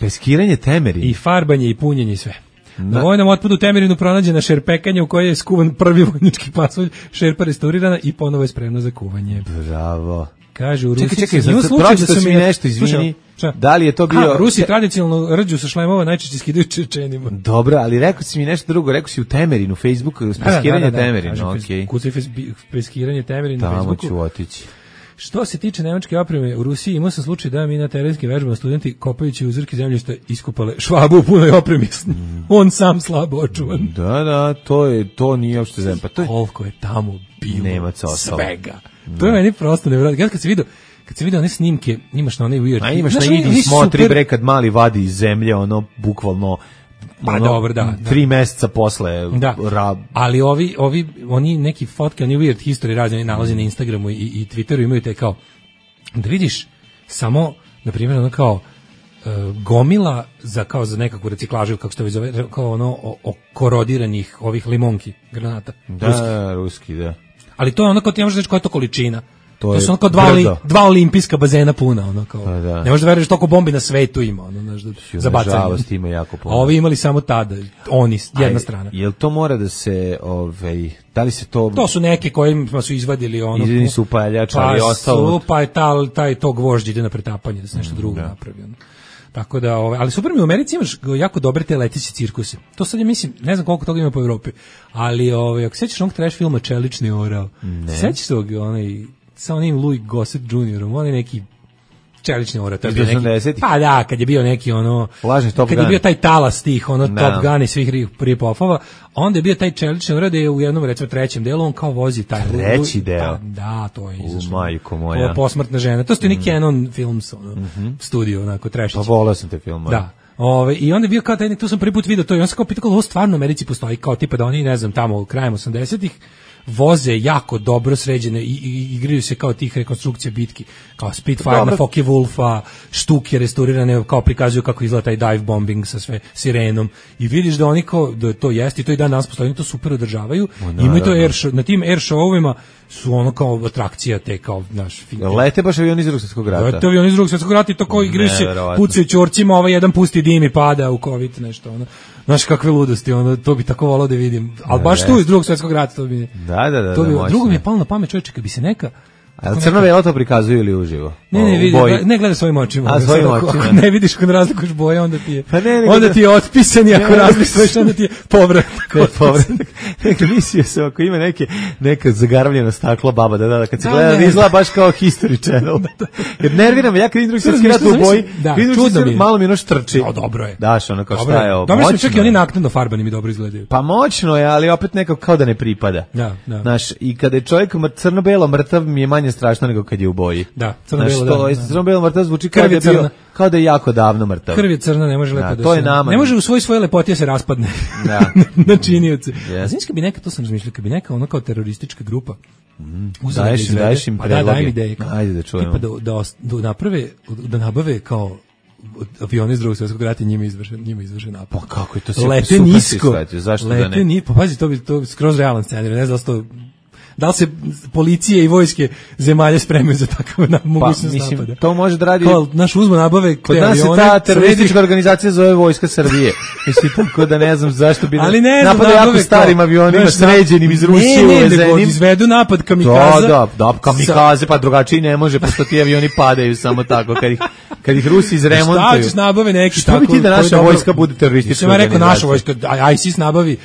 Peskiranje temerin? I farbanje, i punjenje, i sve. Na vojnom otpadu Temerinu pronađena šerpekanja u kojoj je skuvan prvi vojnički pasulj, šerpa restaurirana i ponovo je spremna za kuvanje. Bravo. Kaže u Rusiji. Čekaj, pročitao si mi nešto, izvini. Da li je to bio... Rusi tradicionalno rđu sa šlemova najčešće skidaju Čečenima. Dobro, ali rekao si mi nešto drugo, rekao si u Temerinu, u Facebooku, peskiranje Temerinu, okej. Kucaj peskiranje Temerinu na Facebooku. Tamo ću otići. Što se tiče nemačke opreme u Rusiji, imao sam slučaj da mi na terenskim vežbama studenti kopajući uzorke zemljišta iskopale Švabu u punoj opremi. On sam slabo očuvan. Da, to nije uopšte zemlja. Pa to je koliko je tamo bilo Nemaca svega. To je meni prosto nevjerojatno. Ja kad se vidi one snimke, imaš na onaj weird. A imaš na idi smotri bre kad mali vadi iz zemlje, ono bukvalno dobro, da. 3 meseca posle. Da. Ali oni neki fotke, oni weird history razni nalaze na Instagramu i Twitteru, imaju te kao da vidiš samo, na primjer, ono kao gomila za nekakvu reciklažu, kako se to zove, kao ono korodiranih ovih limonki, granata. Da, ruski, da. Ali to je ono kao ti ne možeš reći koja je to količina. To su ono kao dva olimpijska bazena puna, ono kao. Da. Ne možeš da veruješ toliko bombi na svetu ima, ono, znaš, za bacanje. Nažalost ima jako puno. A ovi imali samo tada, oni, jedna strana. Jel to mora da se, da li se to... To su neke kojima su izvadili ono... Izvadili su upaljač, ali ostalo... Pa je taj to gvožđ ide na pretapanje, da se nešto drugo napravi, ono. Tako da, ali super mi u Americi imaš jako dobre te leteće cirkuse. To sad ja mislim, ne znam koliko toga ima po Evropi, ali ako sećaš onog trash filma Čelični orao, sećaš tog, sa onim Louis Gossett Jr. On je neki Čelični orao. Pa da, kad je bio neki kad je bio taj talas tih, Top Gun i svih rip-offova, onda je bio taj Čelični orao da je u jednom, recimo, trećem delu, on kao vozi taj... Treći deo? Da, to je izašlo. Majko moja. Posmrtna žena. To su neki Canon Films, studio, onako, trešić. Pa volao sam te film. Da. I onda je bio kao taj, tu sam prvi put vidio to i on se kao pitao, ovo stvarno u Americi postoji, kao tipa da oni, ne znam, tamo krajem 80-ih voze jako dobro sređene i igraju se kao tih rekonstrukcija bitki, kao Spitfire na Focke Wulfa, štuke restaurirane, kao prikazuju kako izgleda taj dive bombing sa sve sirenom i vidiš da oni kao, da to jeste i to i dan danas postoji, oni to super održavaju, imaju to na tim air showovima su ono kao atrakcija te kao, znaš, lete baš avioni iz Drugog svjetskog rata. Lete avioni iz Drugog svjetskog rata i to kao igraju se, pucaju ćorcima, jedan pusti dim i pada u COVID, nešto, ono. Znaš kakve ludosti, to bi tako volao da vidim. Ali baš tu iz Drugog svjetskog rata to bi... Da. Drugo mi je palo na pamet, čovječe, kad bi se neka... A crno-belo to prikazuju ili uživo? Ne gleda svojim očima. Ako ne vidiš kad razlikuješ boje, onda ti je onda ti je otpisan i ako razlikuješ, onda ti je povratak. Mislio sam, ako ima neka zagaravljena stakla baba, da, kad se gleda, izgleda baš kao History Channel. Jer nerviram me, ja kad vidim Drugi svjetski rat u boji, malo mi ono štrči. Dobro je. Daš, ono kao šta je ovo. Dobro sam, čak i oni naknadno farbani mi dobro izgledaju. Pa moćno je, ali opet nekako kao da ne pripada. Znaš, i kada je čovjek crno-belo mrtav, mi je manje strašno nego kad je u boji. Da, crno-belo mrtav zvuči kao da je jako davno mrtav. Krv je crna, ne može lepo da se... Ne može u svoje lepotije se raspadne na činioce. A znaš kad bi neka, to sam razmišljao, kad bi neka ono kao teroristička grupa daješ im predloge. Daj ideje. Ajde da čujemo. Da nabave kao avioni iz Drugog svjetskog rata, njima izvrše napad. Pa kako je to super? Lete nisko. Zašto da ne? Pa pazi, to bi skroz realan scenarij, ne znam da li se policije i vojske zemalja spremaju za takav mogućnost napada. To može da radi... Naš uzmo nabave kod nas je ta teroristička organizacija zove Vojska Srbije. Mislim, tako da ne znam zašto bi napada jako starim avionima, sređenim iz Rusije uvezenim. Ne, izvedu napad kamikaza. Da, kamikaze, pa drugačiji ne može, pošto ti avioni padaju samo tako, kad ih Rusi izremontuju. Šta ćeš nabave neki tako... Što bi ti da naša vojska bude teroristička organizacija? Rekao naša vojska, ISIS nabavi,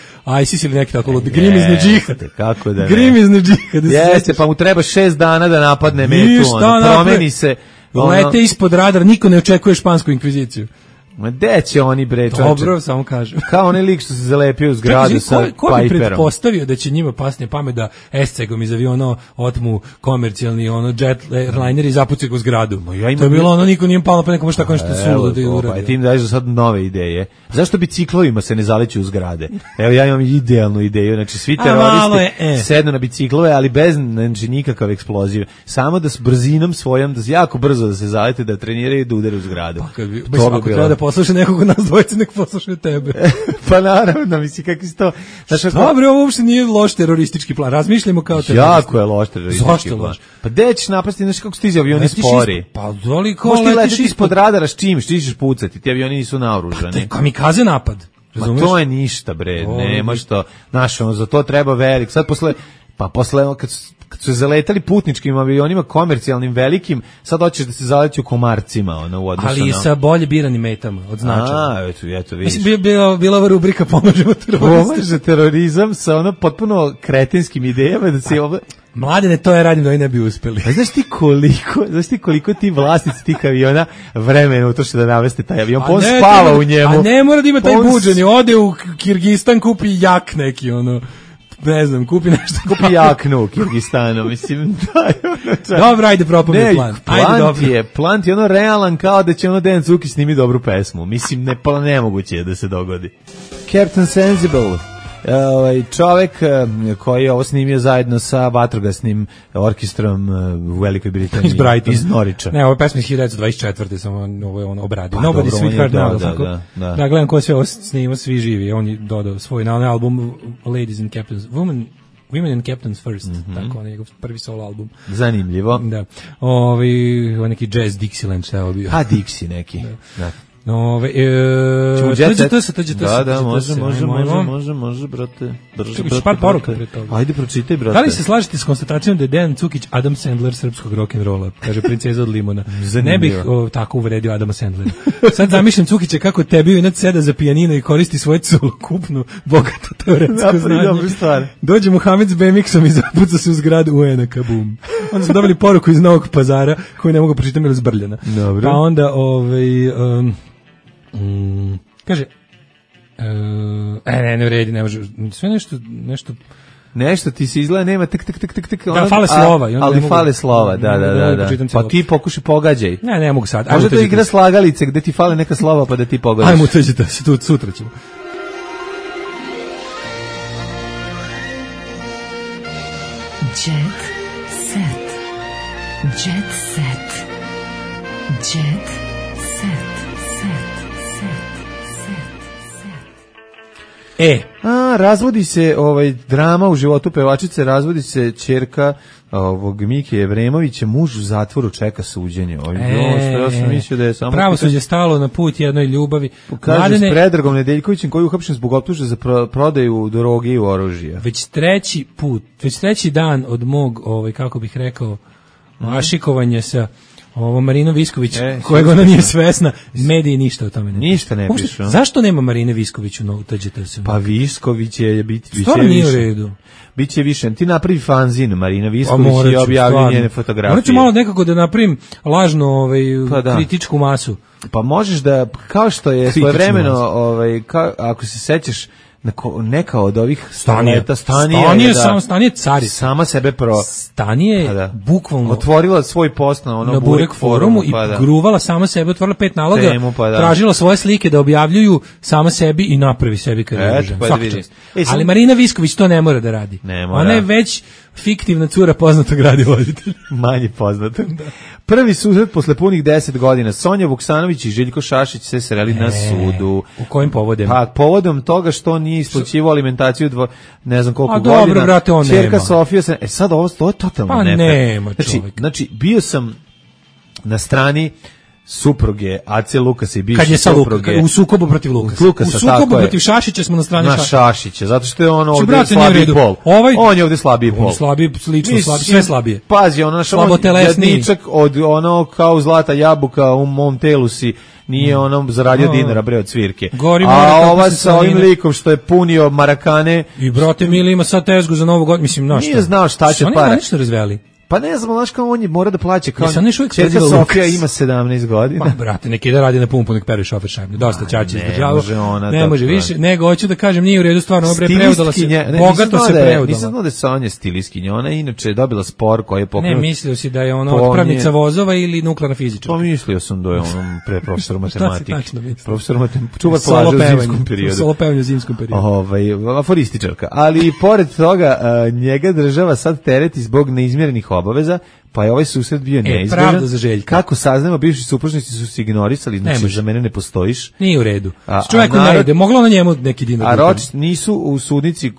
ISIS ili neki tako lud, grimizni džihad. Kako da ne? Grimizni džihad. Jeste, pa mu treba 6 dana da napadne metu, promeni se. Lete ispod radara, niko ne očekuje špansku inkviziciju. Ma gde će oni bre, čovječe? Dobro, samo kažem. Kao onaj lik što se zalepio u zgradu sa Piperom. Ko bi pretpostavio da će njima pasnije pamet da SC-gom iz aviona otmu komercijalni jet airliner i zapucaju ga u zgradu? To je bilo niko nije palo pa nekomu šta kao nešto suludo da uradi. Pa ti im daješ sad nove ideje. Zašto biciklovima se ne zaleću u zgrade? Evo ja imam idealnu ideju, znači svi teroristi sednu na biciklove, ali bez nikakav eksploziv. Samo da s brzinom svojom, da jako brzo da se zalete, da treniraju i da udare u zgradu. Poslušaj nekog od nas dvojice, nek poslušaju tebe. Pa naravno, misli, kakvi si to... Dobre, ovo uopšte nije loš teroristički plan, razmišljamo kao teroristi. Jako je loš teroristički plan. Pa gde ćeš napasti, znaš kako stiže avioni spori? Pa doliko letiš... Možeš ti letiš ispod radara s čim, što ćeš pucati, ti avioni nisu naoružani. Pa kamikaze napad, razumiješ? Ma to je ništa, bre, nema što, znaš, za to treba velik, sad posle, kad kad su zaletali putničkim avionima komercijalnim velikim, sad hoćeš da se zaleti u komarcima, u odnosu na... Ali sa bolje biranim metama, od značaja. Eto, vidiš. Mislim, bila ova rubrika Pomažemo terorizam. Pomaže terorizam sa potpuno kretinskim idejama da se ovo... Mladene, to je radim da oni ne bi uspeli. Znaš ti koliko ti vlasnici tih aviona vremena utroše da naveste taj avion, on spava u njemu. A ne mora da ima taj budženi, ode u Kirgistan, kupi jak neki, ne znam, kupi nešto. Kupi jaknu u Kirgistanu, mislim, Dobro, ajde, propomni plan. Plan je realan kao da će Dejan Cukić snimi dobru pesmu. Mislim, nemoguće je da se dogodi. Captain Sensible, čovek koji je ovo snimio zajedno sa vatrogasnim orkestrom u Velikoj Britaniji iz Norwicha. Ne, ovo je pesma iz 1924. samo ovo je on obradio. Nobody Sweetheart Now. Da, gledam ko sve ovo snima, svi živi. On je dodao svoj na album Ladies and Captains, Women and Captains First, tako on je njegov prvi solo album. Zanimljivo. Da. Neki jazz Dixieland šta je ovo bio. Dixie neki. Da. Da, može, brate. Par poruka pred toga. Ajde, pročitaj, brate. Da li se slažete s konstatacijom da je Dejan Cukić Adam Sandler srpskog rock'n'rolla, kaže princeza od limuna? Ne bih tako uvredio Adama Sandlera. Sad zamišljam Cukića kako tebi inače seda za pijanino i koristi svoju celokupnu bogato teoretsko znanje. Dođe Muhamed s BMX-om i zapuca se u zgradu UN-a, kabum. Onda smo dobili poruku iz Novog Pazara koju ne mogu pročitati jer zbrljena. Dobro. Pa onda kaže ne vredi, ne može sve nešto ti se izgleda, nema tak. Da, fale slova. Ali fale slova, da. Pa ti pokušaj pogađaj. Ne mogu sad. Možda to igra slagalice gde ti fale neka slova pa da ti pogađaš. Ajmo, uteđite se tu, sutra ćemo. Jet set. Jet set. Jet set. Razvodi se drama u životu pevačice, razvodi se ćerka Mike Jevremovića, muž u zatvoru čeka suđenje. Ja sam mislio da je samo... Pravosuđe stalo na put jednoj ljubavi. Kaže s Predragom Nedeljkovićem koji je uhapšen zbog optužbe za prodaju droge i oružja. Već treći dan od mog, kako bih rekao, ašikovanja sa Marino Visković, kojeg ona nije svesna, mediji ništa o tome ne pišu. Ništa ne pišu. Zašto nema Marine Visković u TGT-u? Pa Visković je biti stvarno nije u redu. Biće više. Ti napravi fanzin Marina Visković i objavi njene fotografije. Morat ću malo nekako da napravim lažno kritičku masu. Pa možeš da, kao što je svojevremeno, ako se sećaš, neka od ovih Stanije cari. Sama sebe Stanije bukvalno otvorila svoj post na Burek forumu i gruvala sama sebe, otvorila 5 naloga, tražila svoje slike da objavljuju sama sebi i napravi sebi karijeru. Ali Marina Visković to ne mora da radi. Ona je već fiktivna cura poznatog radiovoditelja. Manje poznata. Prvi susret posle punih 10 godina. Sonja Vuksanović i Željko Šašić se sreli na sudu. U kojim povodom? Pa povodom toga što nije isplaćivao alimentaciju ne znam koliko godina. Dobro, brate, on Čerka Sofija se... sad ovo je totalno nefer. Nema čovjek. Znači, bio sam na strani supruge Ace Lukasa i bivše supruge. Kad je u sukobu protiv Lukasa. U sukobu protiv Šašića smo na strani Šašića. Zato što je on ovdje slabiji pol. On je ovdje slabiji pol. Sve slabije. Pazi, on jadničak od kao zlata jabuka u mom telu si nije zaradio dinara bre od svirke. A ova sa ovim likom što je punio marakane. I brate mili ima sad tezgu za Novu godinu. Mislim, nije znao šta će para. Oni ništa razveli. Pa ne znam, znaš kao on mora da plaća kao čerka Sofija ima 17 godina. Pa brate, neki da radi na pumpu, nek pere šofer šajbne. Dosta ćaći izdržava. Ne može više, nego hoću da kažem nije u redu stvarno, bre preudala se. Bogato se preudala. Nisam znao da je Sonja stilistkinja, ona inače je dobila spor koji je pokrenut. Ne, mislio si da je ona otpravnica vozova ili nuklearna fizičarka. Pa mislio sam da je on pre profesor matematike. Profesor matematike, čuvar plaže u zimskom periodu. Solo pevanje u zimskom periodu. Aforističarka. Ali pored toga njega država sad tereti zbog neizmjerenih obaveza. pa je ovaj susret bio neizbježan. Pravda za Željka. Kako saznamo, bivši supružnici su se ignorisali, znači za mene ne postojiš. Nije u redu. Čovjeku ne ide, moglo na njemu neki dinar. A Ročist nisu u sudnici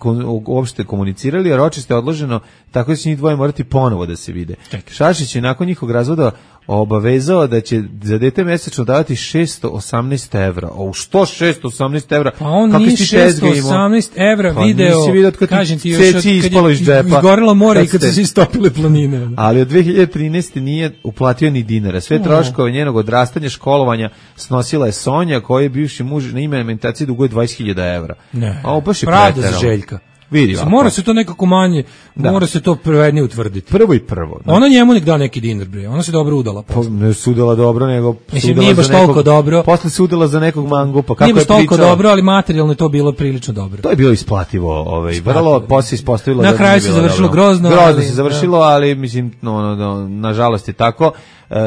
uopšte komunicirali, a Ročist je odloženo, tako da će njih dvoje morati ponovo da se vide. Šašić je nakon njihovog razvoda obavezao da će za dete mesečno davati 618 evra. O, što 618 evra? Pa on nije 618 evra video, kažem ti još kad je izgorilo more i kad su se istopile planine. Ali od 2013. nije uplatio ni dinara. Sve troškove njenog odrastanja, školovanja snosila je Sonja, koji je bivši muž na ime alimentacije duguje 20.000 evra. Ne, pravda za Željka. Vidi, mora se to nekako manje, mora se to pravednije utvrditi. Prvo. Ona njemu nek da neki dinar, bre. Ona se dobro udala. Pa ne sudila dobro, nego mislim, nije baš toliko dobro. Posle se udala za nekog mangupa. Kako nije baš toliko dobro, ali materijalno je to bilo prilično dobro. To je bilo isplativo. Vrlo posle ispostavilo na kraju se završilo grozno. Grozno se završilo, ali mislim, nažalost je tako.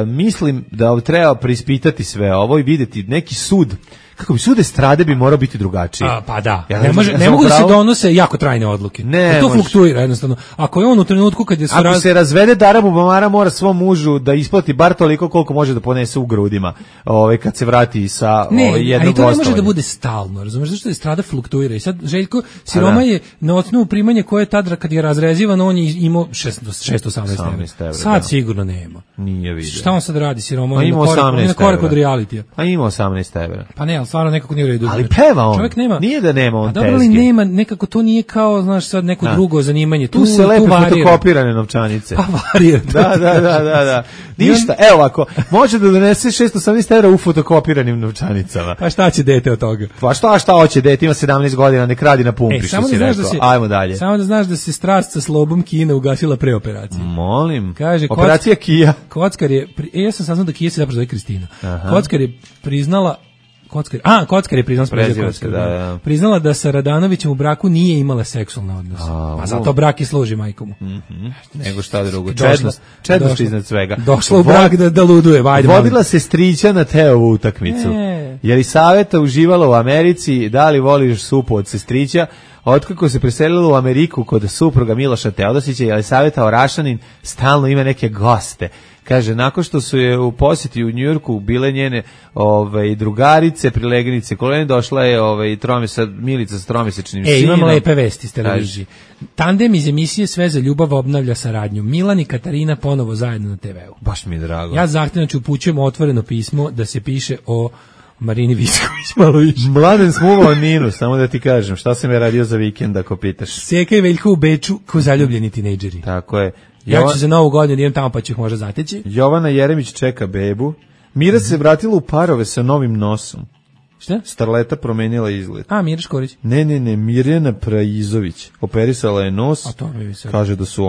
Mislim da treba preispitati sve ovo i videti neki sud. Kako bi sud estrade bi morao biti drugačiji. Pa da. Ne mogu da se donose jako trajne odluke. To fluktuira jednostavno. Ako je on u trenutku kad je ako se razvede, Dara Bubamara mora svom mužu da isplati bar toliko koliko može da ponese u grudima. Kad se vrati sa jednog gostovanja. Ali to ne može da bude stalno. Razumeš zašto estrada fluktuira? I sad Željko Siroma je na osnovu primanja koje je tad kad je razrezivan, on je imao 618 evra. Sad sigurno nema. Nije vidio. Šta on sad radi Siroma? Ima 18 korak od realitija. A ima 18 evra. Pa ne, stvarno nekako nije u redu. Ali peva on. Čovjek nema. Nije da nema on tezge. Dobro li nema, nekako to nije kao, znaš, sad neko drugo zanimanje. Tu se lepe fotokopirane novčanice. Pa varira. Da. Ništa. Evo ovako, može da donese 618 evra u fotokopiranim novčanicama. Pa šta će dete od toga? Pa šta hoće dete, ima 17 godina, nek radi na pumpi, što si rekao. Ajmo dalje. Samo da znaš da se strast sa slobom Kina ugasila pre operacije. Molim. Kaže, operacija Kija. Kockar je, ja sam saznao da Kija se zapravo zove Kristina. Kockar je priznala Kockar je priznala da sa Radanovićem u braku nije imala seksualne odnose. A zato brak i služi majkomu. Nego šta drugo. Čednost iznad svega. Došla u brak da luduje. Vodila se strića na Teovu utakmicu. Jelisaveta uživala u Americi, da li voliš supu od sestrića? Otkako se preselila u Ameriku kod supruga Miloša Teodosića, Jelisaveta Orašanin stalno ima neke goste. Kaže, nakon što su je u posjeti u Njujorku bile njene drugarice, prilegenice kolene, došla je Milica s tromesečnim sinom. Imam lepe vesti, ste reži. Tandem iz emisije Sve za ljubav obnavlja saradnju. Milan i Katarina ponovo zajedno na TV-u. Baš mi je drago. Ja zahtevno upućujem otvoreno pismo da se piše o Marini Visković malo više. Mladen smuvao Ninu, samo da ti kažem, šta sam je radio za vikend ako pitaš. Seka i Veljko u Beču ko zaljubljeni tinejdžeri. Tako je. Ja ću za novu godinu idem tamo pa ću ih možda zateći. Jovana Jeremić čeka bebu. Mira se vratila u parove sa novim nosom. Šta? Starleta promenila izgled. Mira Škorić? Ne, Mirjana Praizović. Operisala je nos. Kaže da su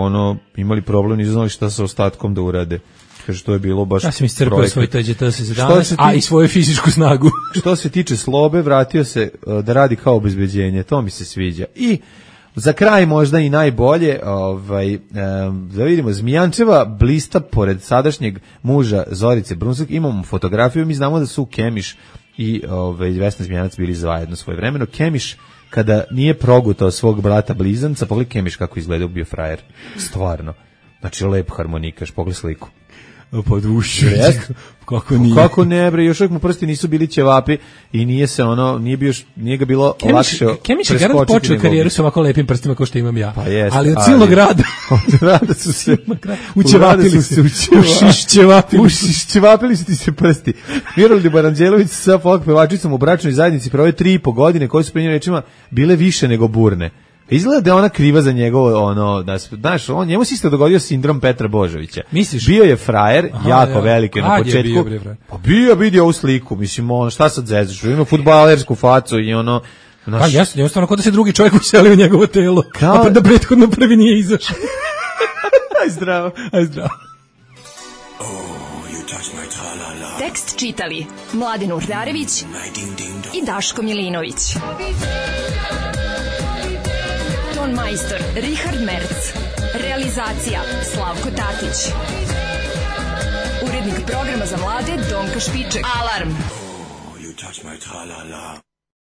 imali problem, nisu znali šta sa ostatkom da urade. Kaže, to je bilo baš... Ja sam iscrpao svoj TGT-17, a i svoju fizičku snagu. Što se tiče Slobe, vratio se da radi kao obezbeđenje. To mi se sviđa. I za kraj možda i najbolje, da vidimo, Zmijančeva blista pored sadašnjeg muža Zorice Brunsak. Imamo fotografiju, mi znamo da su Kemiš i Vesna Zmijanac bili zajedno svojevremeno. Kemiš, kada nije progutao svog brata blizanca, pogledaj Kemiš kako izgledao, bio frajer. Stvarno. Znači, lep harmonikaš, pogledaj sliku. Pod ušu. Kako ne, bre, još uvijek mu prsti nisu bili ćevapi i nije ga bilo lakše preskočiti. Kemiš je garant počeo karijeru sa ovako lepim prstima kao što imam ja. Pa jest, ali od cijelog rada. Od rada su se učevapili se. Ušišćevapili su ti se prsti. Miroljuba Baranđelović sa folk pevačicom u bračnoj zajednici proveo 3,5 godine koje su po njenim rečima bile više nego burne. Izgleda da je ona kriva za njegovo, znaš, njemu se isto dogodio sindrom Petra Božovića. Misliš? Bio je frajer, jako veliki na početku. Pa vidio ovu sliku, mislim, šta sad zezaš, ima fudbalersku facu i Pa jasno, jednostavno kod da se drugi čovjek uselio u njegovo telo, a da prethodno prvi nije izašao. Aj zdravo. Tekst čitali Mladen Urdarević i Daško Milinović. Ton majstor Richard Merc. Realizacija Slavko Tatić. Urednik programa za mlade Donka Špiček. Alarm!